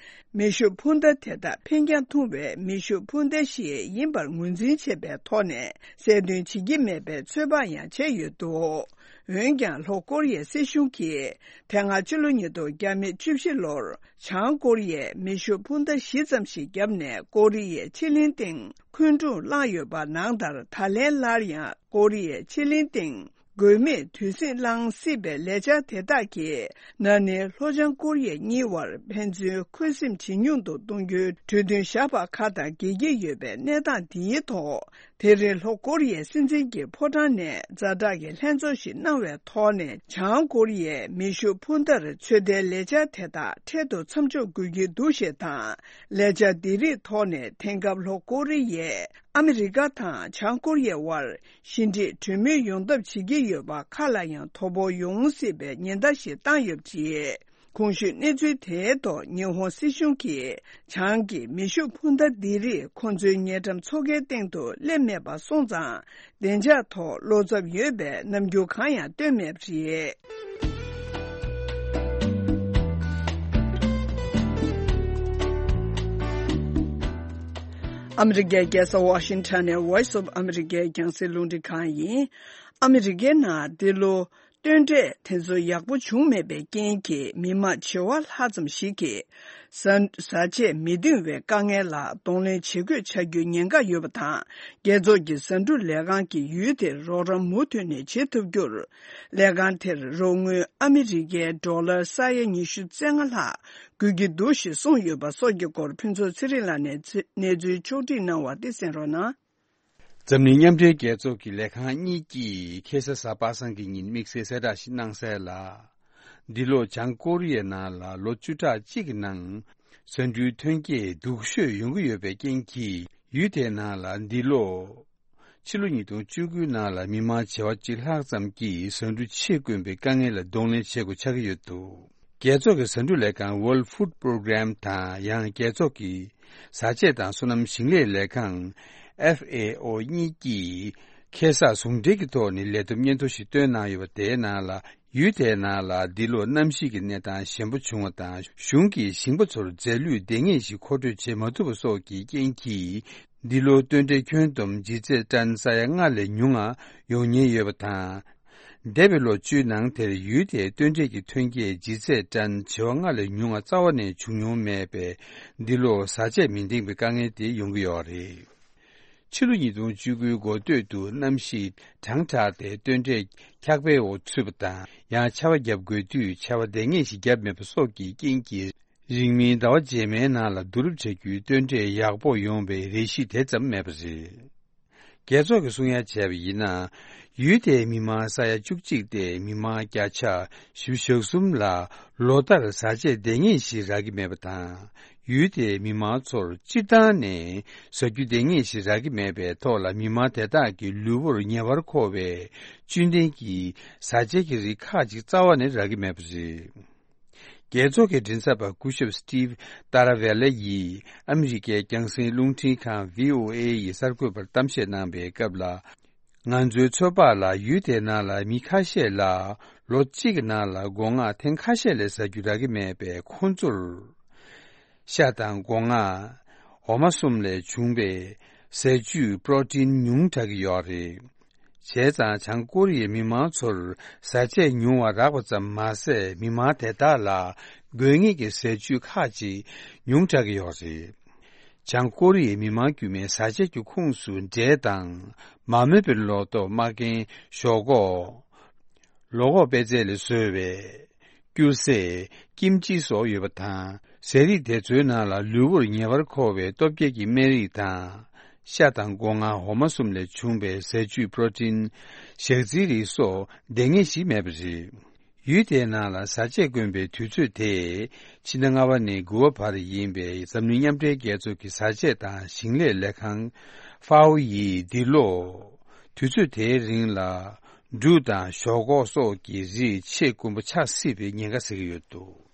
མེ་ཤུགས་འཕུར་མདའ་དེ་དག་འཕེན་རྒྱང་ཐུང་བའི་མེ་ཤུགས་འཕུར་མདའ་ཞིག་ཡིན་པར་ངོས་འཛིན་བྱས་པའི་ཐོག་ནས་གསལ་སྟོན་བྱེད་ཀྱི་མེད་པའི་ཚོད་དཔག་ཡང་བྱས་ཡོད་འདུག་འོན་ཀྱང་། ལྷོ་ཀོ་རི་ཡའི་སྲིད་གཞུང་གིས་དེ་སྔ་ཕྱི་ལོ་ཉིས་སྟོང་བརྒྱ་མེད་བཅུ་བཞི་ལོར་བྱང་ཀོ་རི་ཡས་མེ་ཤུགས་འཕུར་མདའ་བཞི་ཙམ་ཞིག་བརྒྱབ་ནས། ཀོ་རི་ཡའི་ཕྱེད་གླིང་སྟེང་འཁོན་འཁྲུག་བསླངས་ཡོད་པ་ནང་ལྟར། ད་ལན་སླར་ཡང་ཀོ་རི་ཡའི་ཕྱེད་གླིང་སྟེང་དགོས་མེད་དུས་ཟིང་བསླང་སྲིད་པའི་ལས་འཆར་དེ་དག་གིས། ན་ནིང་ལྷོ་བྱང་ཀོ་རི་ཡ་གཉིས་བར་ཕན་ཚུན་འཁོན་སེམས་ཇེ་ཉུང་དུ་གཏོང་རྒྱུའི་གྲོས་མཐུན་བཞག་པ་ཁག་དང་འགལ་གྱི་ཡོད་པའི་གནས་སྟངས་འདིའི་ཐོག་དེ་རིང་ལྷོ་ཀོ་རི་ཡའི་སྲིད་འཛིན་གྱི་ཕོ་བྲང་ནས་ཛ་དྲག་གི་ལྷན་ཚོགས་ཤིག་གནང་བའི་ཐོག་ནས། བྱང་ཀོ་རི་ཡས་མེ་ཤུགས་འཕུར་མདའ་ཚོད་ལྟའི་ལས་འཆར་དེ་དག་འཕྲལ་དུ་མཚམས་འཇོག་དགོས་ཀྱི་འདུག་ཞེས་དང་། ལས་འཆར་འདི་རིགས་ཐོག་ནས་དེང་སྐབས་ལྷོ་ཀོ་རི་ཡས་ཨ་མི་རི་ཀ་དང་བྱང་ཀོ་རི་ཡའི་དབར་ཞི་འགྲིག་གྲོས་མོལ་ཡོང་ཐབས་བྱེད་ཀྱི་ཡོད་པ་ཁག་ལ་ཡང་དོ་ཕོག་ཡོང་སྲིད་པའི་ཉེན་བརྡ་ཞིག་བཏང་ཡོད་པ་རེད། གོང་ཞུས་གནས་ཚུལ་དེའི་ཐོག་ཉི་ཧོང་སྲིད་གཞུང་གིས་བྱང་གི་མེ་ཤུགས་འཕུར་མདའ་འདི་རིགས་ཁོང་ཚོའི་ཉེ་འགྲམ་མཚོ་ཁའི་སྟེང་དུ་སླེབས་མེད་པ་སོང་ཙང་། བདེ་འཇགས་ཐོག་བློ་འཚབ་ཡོད་པའི་རྣམ་འགྱུར་གང་ཡང་སྟོན་མེད་པ་རེད། ཨ་མི་རི་ཀའི་རྒྱལ་ས་ཝ་ཤིང་ཊོན་ནས་Voice of America་རྒྱང་སྲིང་རླུང་འཕྲིན་ཁང་ཡིན། ཨ་མི་རི་ཀའི་ནང་འདི་ལོ་སྟོན་འབྲས་དེ་ཚོ་ཡག་པོ་བྱུང་མེད་པའི་རྐྱེན་གྱིས། མི་མང་བྱེ་བ་ལྷག་ཙམ་ཞིག་གིས་བཟའ་བཟའ་ཆས་མི་འདང་བའི་དཀའ་ངལ་ལ་གདོང་ལེན་བྱེད་དགོས་ཆགས་རྒྱུའི་ཉེན་ཁ་ཡོད་པ་དང་། རྒྱལ་ཚོགས་ཀྱི་བཟའ་འབྲུ་ལས་ཁང་གིས་ཡུལ་དེར་རོགས་རམ་མུ་མཐུད་ནས་བྱེད་ཐུབ་རྒྱུར། ལས་ཁང་དེར་རོགས་དངུལ་ཨ་མི་རི་ཀའི་ཌོ་ལར་ས་ཡ་ཉི་ཤུ་རྩ་ལྔ་ལྷག་དགོས་ཀྱི་འདུག་ཞེས་གསུངས་ཡོད་པ་སོགས་ཀྱི་སྐོར། ཕུན་ཚོགས་ཚེ་རིང་ལགས་ནས་གནས་ཚུལ་ཕྱོགས་བསྒྲིགས་གནང་བ་དེ་གསན་རོགས་གནང་། འཛམ་གླིང་མཉམ་འབྲེལ་རྒྱལ་ཚོགས་ཀྱི་ལས་ཁང་གཉིས་ཀྱིས་ཁ་སང་གཟའ་པ་སངས་ཀྱི་ཉིན་དམིགས་བསལ་གསལ་བསྒྲགས་ཤིག་གནང་གསལ་ལ། འདི་ལོ་བྱང་ཀོ་རི་ཡའི་ནང་ལ་ལོ་བཅུ་ཕྲག་གཅིག་གི་ནང་བཟའ་འབྲུའི་ཐོན་སྐྱེད་སྡུག་ཤོས་ཡོང་གི་ཡོད་པའི་རྐྱེན་གྱིས། ཡུལ་དེའི་ནང་ལ་འདི་ལོ་ཕྱི་ལོ་ཉིས་སྟོང་བཅུ་དགུའི་ནང་ལ་མི་མང་བྱེ་བ་གཅིག་ལྷག་ཙམ་གྱིས་བཟའ་འབྲུ་ཕྱིར་བསྐོན་པའི་དཀའ་ངལ་ལ་གདོང་ལེན་བྱེད་དགོས་ཆགས་ཀྱི་ཡོད་འདུག་རྒྱལ་ཚོགས་ཀྱི་ཟ་འབྲུ་ལས་ཁང་World Food Program དང་ཡང་རྒྱལ་ཚོགས་ཀྱི་བཟའ་ཆས་དང་སོ་ནམ་ཞིང་ལས་ལས་ཁང་F A O གཉིས་ཀྱིས་ཁེ་བཟང་ཟུང་འབྲེལ་གྱི་ཐོག་ནས་ལས་བསྡོམས་སྙན་ཐོ་ཞིག་བཏོན་གནང་ཡོད་པ། དེའི་ནང་ལ། ཡུལ་དེའི་ནང་ལ་འདི་ལོ་གནམ་གཤིས་ཀྱི་གནས་སྟངས་ཞན་པོ་བྱུང་བ་དང་། གཞུང་གིས་ཞིང་པ་ཚོར་རྫས་ལུད་འདེབས་ངེས་ཤིག་མཁོ་སྤྲོད་བྱེད་མ་ཐུབ་པ་སོགས་ཀྱི་རྐྱེན་གྱིས། འདི་ལོ་སྟོན་འབྲས་ཁྱོན་བསྡོམས་ལྗིད་ཚད་ཏན་ས་ཡ་ལྔ་ལས་ཉུང་ང་ཡོང་ཉེན་ཡོད་པ་དང་། འདས་པའི་ལོ་བཅུའི་ནང་དེར་ཡུལ་དེའི་སྟོན་འབྲས་ཀྱི་ཐོན་སྐྱེད་ལྗིད་ཚད་ཏན་བྱེ་བ་ལྔ་ལས་ཉུང་ང་རྩ་བ་ནས་བྱུང་མྱོང་མེད་པས། འདི་ལོ་བཟའ་ཆས་མི་འདེང་བའི་དཀའ་ངལ་དེ་ཡོང་གི་ཡོད་རེད། ཕྱི་ལོ་ཉིས་སྟོང་བཅུ་དགུའི་འགོ་སྟོད་དུ་གནམ་གཤིས་གྲང་དྲགས་ཏེ་སྟོན་འབྲས་འཁྱགས་པའི་འོག་ཚུད་པ་དང་། ཡང་ཆར་པ་བརྒྱབ་དགོས་དུས་ཆར་པ་འདེང་ངེས་ཤིག་བརྒྱབ་མེད་པ་སོགས་ཀྱི་རྐྱེན་གྱིས། རིང་མིན་ཟླ་བ་རྗེས་མའི་ནང་ལ་བསྡུ་རུབ་བྱ་རྒྱུའི་སྟོན་འབྲས་ཡག་པོ་ཡོང་བའི་རེ་གཞི་དེ་ཙམ་མེད་པ་རེད། རྒྱལ་ཚོགས་ཀྱིས་གསུང་ཡ་བྱས་པ་ཡིན་ན། ཡུལ་དེའི་མི་མང་ས་ཡ་བཅུ་གཅིག་སྟེ་མི་མང་བརྒྱ་ཆ་བཞི་བཅུ་ཞེ་གསུམ་ལ་ལོ་ལྟར་བཟའ་ཆས་འདེང་ངེས་ཤིག་རག་གི་མེད་པ་དང་། ཡུལ་དེའི་མི་མང་ཚོར་སྤྱིར་བཏང་ནས་བཟའ་རྒྱུ་འདེང་ངེས་ཤིག་རག་གི་མེད་པའི་ཐོག་ལ། མི་མང་དེ་དག་གི་ལུས་པོར་ཉེ་བར་མཁོ་བའི་བཅུད་ལྡན་གྱི་བཟའ་ཆས་ཀྱི་རིགས་ཁག་ཅིག་རྩ་བ་ནས་རག་གི་མེད་པ་རེད། རྒྱལ་ཚོགས་ཀྱི་མགྲིན་ཚབ་པ་སྐུ་ཞབས་Steve Taravella ཡིས་ཨ་མི་རི་ཀའི་རྒྱང་སྲིང་རླུང་འཕྲིན་ཁང་V O A ཡི་གསར་འགོད་པར་གཏམ་བཤད་གནང་པའི་སྐབས་ལ། ང་ཚོའི་ཚོད་དཔག་ལ། ཡུལ་དེའི་ནང་ལ་མི་ཁ་ཤས་ལ་ལོ་གཅིག་གི་ནང་ལ་སྒོ་ང་ཐེངས་ཁ་ཤས་ལས་ཟ་རྒྱུ་རག་གི་མེད་པས། ཁོང་ཚོར་ཤ་དང་སྒོ་ང་འོ་མ་གསུམ་ལས་བྱུང་བའི་ཟས་བཅུད་པྲོ་ཊིན་ཉུང་དྲགས་ཀྱི་ཡོད་རེད། བྱས་ཙང་། བྱང་ཀོ་རི་ཡའི་མི་མང་ཚོར་བཟའ་ཆས་ཉུང་བ་རག་པ་ཙམ་མ་ཟད། མི་མང་དེ་དག་ལ་དགོས་ངེས་ཀྱི་ཟས་བཅུད་ཁག་ཅིག་ཉུང་དྲགས་ཀྱི་ཡོད་རེད། བྱང་ཀོ་རི་ཡའི་མི་མང་དཀྱུས་མའི་བཟའ་ཆས་ཀྱི་ཁོངས་སུ་འབྲས་དང་། མ་རྨོས་པའི་ལོ་ཏོག། མ་རྒན། ཞོག་ཁོག། ལོ་ཁོག་པད་ཚལ་ལས་བཟོས་པའི་སྐྱུར་ཟས། ཀིམ་ཅི་སོགས་ཡོད་པ་དང་། ཟས་རིགས་དེ་ཚོའི་ནང་ལ་ལུས་པོར་ཉེ་བར་མཁོ་བའི་སྟོབས་སྐྱེད་ཀྱི་སྨན་རིགས་དང་། ཤ་དང་སྒོ་ང་། འོ་མ་གསུམ་ལས་བྱུང་བའི་ཟས་བཅུད་པྲོ་ཊིན། ཞག་རྩིའི་རིགས་སོགས་འདེང་ངེས་ཤིག་མེད་པ་རེད། ཡུལ་དེའི་ནང་ལ་བཟའ་ཆས་དཀོན་པའི་དུས་ཚོད་དེ། ཕྱི་ཟླ་ལྔ་པ་ནས་དགུ་པ་བར་ཡིན་པས། འཛམ་གླིང་མཉམ་འབྲེལ་རྒྱལ་ཚོགས་ཀྱི་བཟའ་ཆས་དང་ཞིང་ལས་ལས་ཁང་FAO ཡིས་འདི་ལོ་དུས་ཚོད་དེའི་རིང་ལ་འབྲུ་དང་ཞོག་ཁོག་སོགས་ཀྱི་རིགས་ཆེས་དཀོན་པོ་ཆགས་སྲིད་པའི་ཉེན་ཁ་ཟེར་གྱི་ཡོད་འདུག།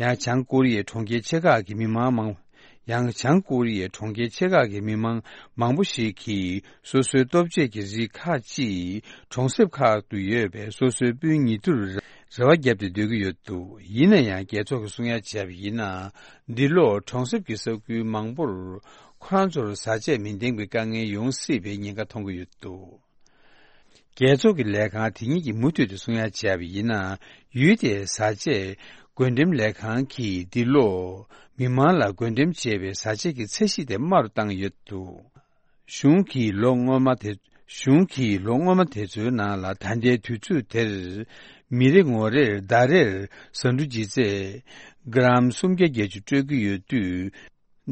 ཡང་བྱང་ཀོ་རི་ཡའི་གྲོང་ཁྱེར་ཆེ་ཁག་གི་མི་མང་མང་། ཡང་བྱང་ཀོ་རི་ཡའི་གྲོང་ཁྱེར་ཆེ་ཁག་གི་མི་མང་མང་པོ་ཞིག་གིས་སོ་སོའི་ལྟོ་ཆས་ཀྱི་རིགས་ཁག་ཅིག་གྲོང་གསེབ་ཁག་ཏུ་ཡོད་པའི་སོ་སོའི་སྤུན་ཉེ་དུར་རེ་བ་བརྒྱབ་སྟེ་སྡོད་ཀྱི་ཡོད་འདུག། ཡིན་ན་ཡང་། རྒྱལ་ཚོགས་ཀྱིས་གསུང་ཡ་བྱས་པ་ཡིན་ན། འདི་ལོ་གྲོང་གསེབ་ཀྱི་ས་ཁུལ་མང་པོར་ཁོ་རང་ཚོར་བཟའ་ཆས་མི་འདེང་བའི་དཀའ་ངལ་ཡོང་སྲིད་པའི་ཉེན་ཁ་མཐོང་གི་ཡོད་འདུག། རྒྱལ་ཚོགས་ཀྱི་ལས་ཁང་དེ་ཉིད་ཀྱིས་མུ་མཐུད་དུ་གསུང་ཡ་བྱས་པ་ཡིན་ན། ཡུལ་དེའི་བཟའ་ཆས་བགོ་འགྲེམས་ལས་ཁང་གིས་འདི་ལོ་མི་མང་ལ་བགོ་འགྲེམས་བྱས་པའི་བཟའ་ཆས་ཀྱི་ཚད་གཞི་དེ་དམའ་རུ་བཏང་ཡོད་འདུག། གཞུང་གིས་ལོ་སྔོན་མ་དེ། གཞུང་གིས་ལོ་སྔོན་མ་དེ་ཚོའི་ནང་ལ། ད་ལྟའི་དུས་ཚོད་དེར་མི་རེ་ངོ་རེར་ཟླ་རེར་ཟ་འབྲུ་ལྗིད་ཚད་གྲམ་སུམ་བརྒྱ་བརྒྱད་ཅུ་སྤྲོད་ཀྱི་ཡོད་དུས།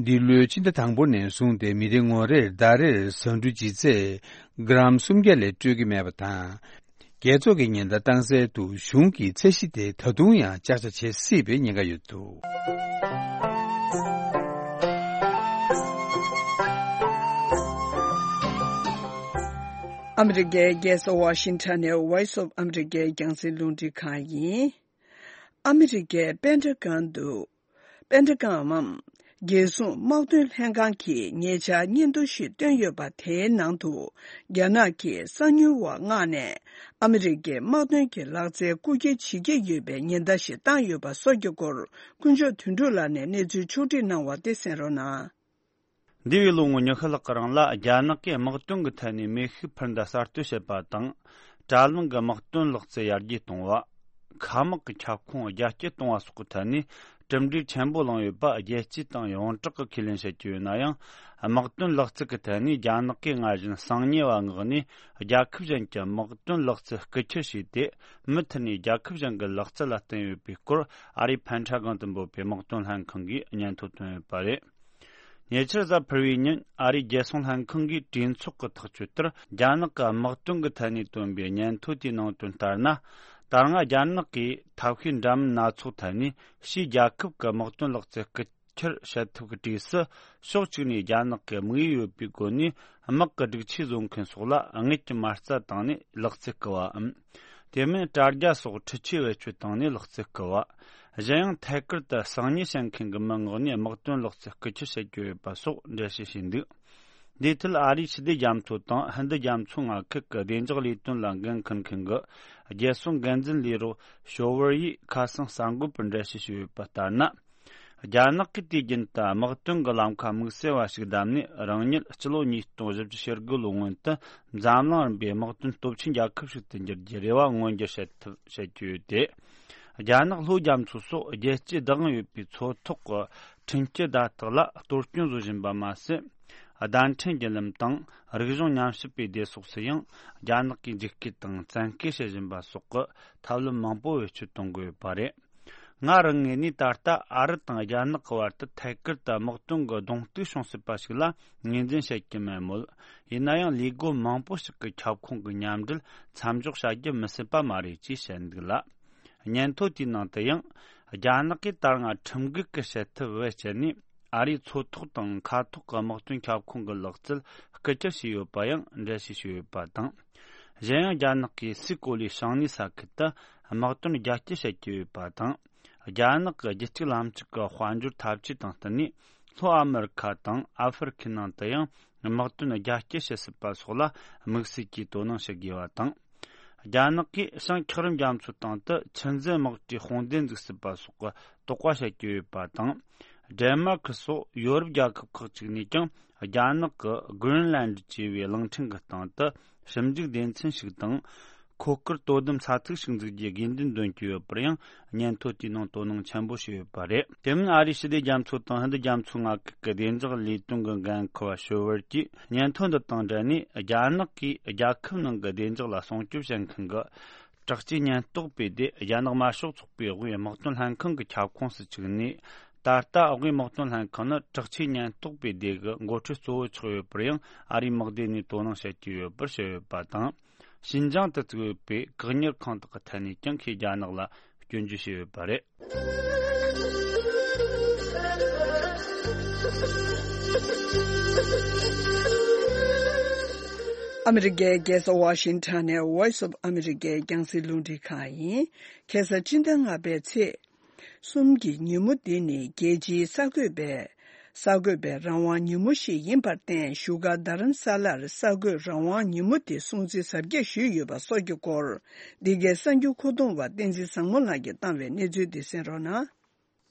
འདི་ལོའི་ཕྱི་ཟླ་དང་པོ་ནས་བཟུང་སྟེ་མི་རེ་ངོ་རེར་ཟླ་རེར་ཟ་འབྲུ་ལྗིད་ཚད་གྲམ་སུམ་བརྒྱ་ལས་སྤྲོད་ཀྱི་མེད་པ་དང་། རྒྱལ་ཚོགས་ཀྱིས་ཉེན་བརྡ་བཏང་གསལ་དུ། གཞུང་གིས་ཚད་གཞི་དེ་ད་དུང་ཡང་ཅག་ཅག་བྱེད་སྲིད་པའི་ཉེན་ཁ་ཡོད་འདུག། ཨ་མི་རི་ཀའི་རྒྱལ་ས་ཝ་ཤིང་ཊོན་ནས་Voice of America རྒྱང་སྲིང་རླུང་འཕྲིན་ཁང་ཡིན། ཨ་མི་རི་ཀའི་པེན་ཊ་གོན་དུ། པེན་ཊ་གོན་འམ། རྒྱལ་སྲུང་དམག་དོན་ལྷན་ཁང་གིས་ཉེ་ཆར་སྙན་ཐོ་ཞིག་བཏོན་ཡོད་པ། དེའི་ནང་དུ། རྒྱ་ནག་གིས་གསང་ཉུལ་བ་མངགས་ནས་ཨ་མི་རི་ཀའི་དམག་དོན་གྱི་ལག་རྩལ་རྐུ་འཁྱེར་བྱེད་ཀྱི་ཡོད་པའི་ཉེན་བརྡ་ཞིག་བཏང་ཡོད་པ་སོགས་ཀྱི་སྐོར། དཀོན་མཆོག་དོན་གྲུབ་ལགས་ནས་གནས་ཚུལ་ཕྱོགས་བསྒྲིགས་གནང་བ་དེ་གསན་རོགས་གནང་། འདས་པའི་ལོ་ངོ་ཉི་ཤུ་ལྷག་གི་རིང་ལ། རྒྱ་ནག་གིས་དམག་དོན་གྱི་ཐད་ནས་མེ་ཤུགས་འཕུར་མདའ་གསར་གཏོད་བྱེད་པ་དང་། དྲ་ལམ་གྱི་དམག་དོན་ལག་རྩལ་ཡར་རྒྱས་གཏོང་བ། མཁའ་དམག་གི་ཁྱབ་ཁོངས་རྒྱ་སྐྱེད་གཏོང་བ་སོགས་ཀྱི་ཐད་ནས་གྲུབ་འབྲས་ཆེན་པོ་བླངས་ཡོད་པ། རྒྱལ་སྤྱི་དང་ཡོངས་གྲགས་ཀྱིས་ཁས་ལེན་བྱེད་ཀྱི་ཡོད་ན་ཡང་། དམག་དོན་ལག་རྩལ་གྱི་ཐད་ནས་རྒྱ་ནག་གིས་སྔར་བཞིན་གསང་ཉེས་པ་མངགས་ནས། རྒྱལ་ཁབ་གཞན་གྱི་དམག་དོན་ལག་རྩལ་རྐུ་འཁྱེར་བྱས་ཏེ། མུ་མཐུད་ནས་རྒྱལ་ཁབ་གཞན་གྱི་ལག་རྩལ་ལ་བརྟེན་ཡོད་པའི་སྐོར། ཨ་རིའི་ཕན་ཁྲ་སྒང་དུ་འབོད་པའི་དམག་དོན་ལྷན་ཁང་གིས་སྙན་ཐོ་བཏོན་ཡོད་པ་རེད། ཉེ་ཆར་གཟའ་ཕུར་བུའི་ཉིན། ཨ་རིའི་རྒྱལ་སྲུང་ལྷན་ཁང་གིས་གྲོས་ཚོགས་ཀྱི་ཐག་གཅོད་ལྟར། རྒྱ་ནག་གི་དམག་དོན་གྱི་ཐད་ནས་བཏོན་པའི་སྙན་ཐོ་དེའི་ནང་དོན་ལྟར་ན། ད་སྔ་རྒྱ་ནག་གིས་ཐབས་ཤེས་འདྲ་མིན་སྣ་ཚོགས་ཐད་ནས། ཕྱིའི་རྒྱལ་ཁབ་ཀྱི་དམག་དོན་ལག་རྩལ་རྐུ་འཁྱེར་བྱེད་ཐབས་ཀྱི་གྲས་སུ། ཕྱོགས་གཅིག་ནས་རྒྱ་ནག་གི་དམིགས་ཡུལ་ཡོད་པའི་སྒོ་ནས། དམག་གི་སྒྲིག་ཆས་བཟོ་མཁན་སོགས་ལ་དངུལ་གྱི་མ་རྩ་བཏང་ནས་ལག་རྩལ་རྐུ་བའམ། དེ་མིན་དྲ་རྒྱ་སོགས་འཕྲུལ་ཆས་བེད་སྤྱོད་བཏང་ནས་ལག་རྩལ་རྐུ་བ། གཞན་ཡང་ཐད་ཀར་དུ་གསང་ཉུལ་བྱེད་མཁན་གྱི་མི་མངགས་ནས་དམག་དོན་ལག་རྩལ་རྐུ་འཁྱེར་བྱེད་ཀྱི་ཡོད་པ་སོགས་འགྲེལ་བཤད་བྱས་འདུག་འདིའི་ཐད་ཨ་རིའི་ཕྱི་སྡེ་རྒྱ་མཚོ་དང་ཧིན་རྡུ་རྒྱ་མཚོའི་མངའ་ཁུལ་གྱི་བདེ་འཇགས་ལས་དོན་ལ་འགན་འཁུར་མཁན་གྱི་རྒྱལ་སྲུང་འགན་འཛིན་ལས་རོགས་ཤོ་ཝར་ཡིས་ཁ་སང་གསར་འགོད་པར་འགྲེལ་བཤད་ཞུས་ཡོད་པ་ལྟར་ན། རྒྱ་ནག་གིས་དུས་རྒྱུན་དུ་དམག་དོན་གྱི་ལམ་ཁ་དམིགས་བསལ་བ་ཞིག་བདམས་ནས། རང་ཉིད་སྤྱི་ལོ་ཉིས་སྟོང་བཞི་བཅུ་ཞེ་དགུ་ལོའི་སྔོན་དུ་འཛམ་གླིང་རིམ་པའི་དམག་དོན་སྟོབས་ཆེན་རྒྱལ་ཁབ་ཞིག་ཏུ་འགྱུར་རྒྱུའི་རེ་བ་མངོན་འགྱུར་བྱེད་ཐུབ་བྱེད་ཀྱི་ཡོད་དེ། རྒྱ་ནག་ལྷོ་རྒྱ་མཚོ་སོགས་རྒྱལ་སྤྱིའི་བདག་དབང་ཡོད་པའི་མཚོ་ཐོག་གི་ཁྲིམས་སྤྱོད་བརྡ་རྟགས་ལ་གཏོར་སྐྱོན་བཟོ་བཞིན་པ་མ་ཟད། བརྡ་འཕྲིན་བརྒྱུད་ལམ་དང་རིག་གཞུང་ཉམས་ཞིབ་པའི་སྡེ་སོགས་སུ་ཡང་རྒྱ་ནག་གིས་འཇིགས་སྐུལ་དང་བཙན་སྐུལ་བྱེད་བཞིན་པ་སོགས་ཀྱི་ཐབས་ལམ་མང་པོ་བེད་སྤྱོད་གཏོང་གི་ཡོད་པ་རེད། ང་རང་ངོས་ནས་ད་ལྟ་ཨ་རི་དང་རྒྱ་ནག་གི་བར་དུ་ཐད་ཀར་དུ་དམག་དོན་གྱི་གདོང་གཏུག་བྱུང་སྲིད་པ་ཞིག་ལ་ངོས་འཛིན་བྱེད་ཀྱི་མེད་མོད། ཡིན་ན་ཡང་ལས་སྒོ་མང་པོ་ཞིག་གི་ཁྱབ་ཁོངས་ཀྱི་མཉམ་འབྲེལ་མཚམས་འཇོག་བྱ་རྒྱུ་མི་སྲིད་པ་མ་རེད་ཅེས་བཤད་འདུག་ལ། སྙན་ཐོ་དེའི་ནང་དུ་ཡང་། རྒྱ་ནག་གིས་ད་སྔ་ཁྲིམས་འགལ་གྱི་བྱེད་ཐབས་བེད་སྤྱད་ནས་ཨ་རིའི་མཚོ་ཐོག་དང་མཁའ་ཐོག་གི་དམག་དོན་ཁྱབ་ཁོངས་ཀྱི་ལག་རྩལ་རྐུ་འཁྱེར་བྱས་ཡོད་པ་ཡང་འགྲེལ་བཤད་བྱས་ཡོད་པ་དང་། གཞན་ཡང་རྒྱ་ནག་གིས་སའི་གོ་ལའི་བྱང་སྣེའི་ས་ཁུལ་དུ་དམག་དོན་རྒྱ་སྐྱེད་བྱེད་ཀྱི་ཡོད་པ་དང་། རྒྱ་ནག་གི་རྒྱུད་གཅིག་ལམ་གཅིག་གི་དཔལ་འབྱོར་འཐབ་ཇུས་དང་བསྟུན་ནས་ལྷོ་ཨ་མེ་རི་ཁ་དང་ཨ་ཧྥེ་རི་ཁའི་ནང་དུ་ཡང་དམག་དོན་རྒྱ་སྐྱེད་བྱེད་སྲིད་པ་སོགས་ལ་དམིགས་བསལ་གྱིས་དོ་སྣང་བྱེད་དགོས་པ་དང་། རྒྱ་ནག་གིས་བྱང་འཁྱགས་རོམ་རྒྱ་མཚོའི་སྟེང་དུ་ཆུ་འཛིན་དམག་གྲུའི་དཔུང་སྡེ་འཛུགས་སྲིད་པ་སོགས་ཀྱི་དོགས་པ་བྱེད་ཀྱི་ཡོད་པ་དང་། ཌེན་མཱར་ཀི་སོགས་ཡོ་རོབ་རྒྱལ་ཁབ་ཁག་ཅིག་ནས་ཀྱང་རྒྱ་ནག་གི་གྷི་རིན་ལན་ཌི་ཅེས་པའི་གླིང་ཕྲན་གྱི་སྟེང་དུ་ཞིབ་འཇུག་སྡེ་ཚན་ཞིག་དང་། ཁོ་ཀར་དོ་དམ་ས་ཚིགས་ཤིག་འཛུགས་རྒྱུའི་དགོས་འདུན་འདོན་གྱི་ཡོད་པར་ཡང་སྙན་ཐོ་དེའི་ནང་དོ་སྣང་ཆེན་པོ་བྱས་ཡོད་པ་རེད། དེ་མིན་ཨ་རིའི་ཕྱི་སྡེ་རྒྱ་མཚོ་དང་ཧིན་རྡུ་རྒྱ་མཚོའི་མངའ་ཁུལ་གྱི་བདེ་འཇགས་ལས་དོན་གྱི་འགན་འཁུར་བ་ཤོ་ཝར་གྱིས་སྙན་ཐོ་འདི་དང་འབྲེལ་ནས། རྒྱ་ནག་གིས་རྒྱལ་ཁབ་ནང་གི་བདེ་འཇགས་ལ་སྲུང་སྐྱོབ་བྱེད་མཁན་གྱི་དྲག་ཆས་ཉེན་རྟོག་པའི་སྡེ། རྒྱ་ནག་དམར་ཤོག་ཚོགས་པའི་དབུས་དམག་དོན་ལྷན་ཁང་གི་ཁྱབ་ཁོངས་སུ་བཅུག་ནས། ད་ལྟ་དབུས་དམག་དོན་ལྷན་ཁང་ནི་དྲག་ཆས་ཉེན་རྟོག་པའི་སྡེ་གི་འགོ་ཁྲིད་གཙོ་བོ་ཆགས་ཡོད་པར་ཡང་ཨ་རིའི་དམག་སྡེ་ནས་དོ་སྣང་བྱེད་ཀྱི་ཡོད་པར་བཤད་ཡོད་པ་དང་། ཤིན་ཅང་དུ་བཙུགས་ཡོད་པའི་བཀག་ཉར་ཁང་དག་གི་ཐད་ནས་ཀྱང་ཁོས་རྒྱ་ནག་ལ་སྐྱོན་བརྗོད་བྱས་ཡོད་པ་རེད། ཨ་མི་རི་ཀའི་རྒྱལ་ས་ཝ་ཤིང་ཊོན་ནས་Voice of America་རྒྱང་སྲིང་རླུང་འཕྲིན་ཁང་ཡིན། ཁ་སང་སྤྱི་ཟླ་ལྔ་པའི་ཚེས་གསུམ་གྱི་ཉིན་མོ་འདི་ནི་རྒྱལ་སྤྱིའི་གསར་འགོད་པའི་གསར་འགོད་པའི་རང་དབང་ཉིན་མོ་ཞིག་ཡིན་པར་བརྟེན། བཞུགས་སྒར་རྡ་རམ་ས་ལར་གསར་འགོད་རང་དབང་ཉིན་མོ་དེ་སྲུང་བརྩི་གཟབ་རྒྱས་ཞུས་ཡོད་པ་སོགས་ཀྱི་སྐོར། འདི་གའི་གསར་འགྱུར་མཁོ་གཏོང་བ་བསྟན་འཛིན་བཟང་མོ་ལགས་ཀྱིས་བཏང་བའི་གནས་ཚུལ་འདི་གསན་རོགས་གནང་།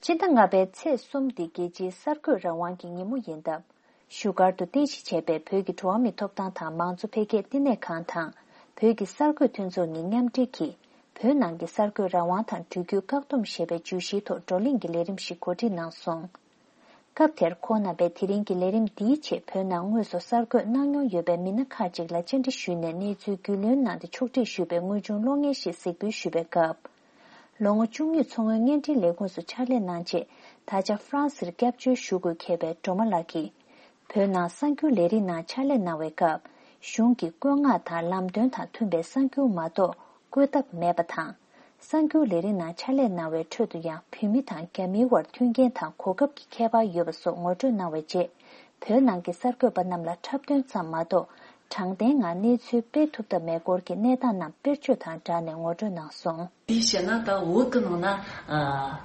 སྤྱི་ཟླ་ལྔ་པའི་ཚེས་གསུམ་འདི་རྒྱལ་སྤྱིའི་གསར་འགོད་རང་དབང་གི་ཉིན་མོ་ཡིན་སྟབས། བཞུགས་སྒར་དུ་རྟེན་གཞི་བྱས་པའི་བོད་ཀྱི་འགྲོ་བ་མིའི་ཐོབ་ཐང་དང་མང་གཙོ་འཕེལ་རྒྱས་བསྟི་གནས་ཁང་དང་། བོད་ཀྱི་གསར་འགོད་མཐུན་ཚོགས་གཉིས་མཉམ་འབྲེལ་གྱིས། བོད་ནང་གི་གསར་འགོད་རང་དབང་དང་འགྲུལ་སྐྱོད་བཀག་སྡོམ་ཞེས་པའི་བརྗོད་གཞིའི་ཐོག་བགྲོ་གླེང་གི་ལས་རིམ་ཞིག་གོ་སྒྲིག་གནང་སོང་། སྐབས་དེར་ཁོང་རྣམ་པས་དེ་རིང་གི་ལས་རིམ་འདིའི་ཆེད་བོད་ནང་དངོས་སུ་གསར་འགོད་གནང་མྱོང་ཡོད་པའི་མི་སྣ་ཁག་ཅིག་ལ་བཅར་འདྲི་ཞུས་ནས་གནས་ཚུལ་རྒྱུས་ལོན་གནང་སྟེ་ཕྱོགས་སྒྲིག་ཞུས་པའི་དངོས་བྱུང་གློག་བརྙན་ཞིག་གཟིགས་འབུལ་ཞུས་པའི་སྐབས། ལོ་ངོ་བཅུ་གཉིས་མཚོ་སྔོན་བརྙན་འཕྲིན་ལས་ཁུངས་སུ་ཕྱག་ལས་གནང་རྗེས། ད་ཆ་ཧྥ་རན་སིར་སྐྱབས་བཅོལ་ཞུ་དགོས་འཁེལ་བའི་སྒྲོལ་མ་ལགས་ཀྱིས། བོད་ནང་གསར་འགྱུར་ལས་རིགས་ནང་ཕྱག་ལས་གནང་བའི་སྐབས། གཞུང་གི་བཀོད་མངགས་དང་ལམ་སྟོན་དང་མཐུན་པའི་གསར་འགྱུར་མ་གཏོགས་བཀོད་ཐབས་མེད་པ་དང་། གསར་འགྱུར་ལས་རིགས་ནང་ཕྱག་ལས་གནང་བའི་ཁྲོད་དུ་ཡང་བོད་མི་དང་རྒྱ་མིའི་དབར་མཐུན་རྐྱེན་དང་གོ་སྐབས་ཀྱི་ཁྱད་པར་ཡོད་པ་སོགས་ངོ་སྤྲོད་གནང་བའི་རྗེས། བོད་ནང་གི་གསར་འགོད་པ་རྣམས་ལ་འཁྲབ་སྟོན་ཙམ་མ་གཏོགས། དྲང་བདེན་ངང་གནས་ཚུལ་སྤེལ་ཐུབ་ཐབས་མེད་སྐོར་གྱི་གནས་སྟངས་རྣམས་དཔེར་བརྗོད་དང་སྦྲགས་ནས་ངོ་སྤྲོད་གནང་སོང་། དེའི་ཕྱིར་ན་ད་བོད་ཀྱི་ནང་ན་ཨ་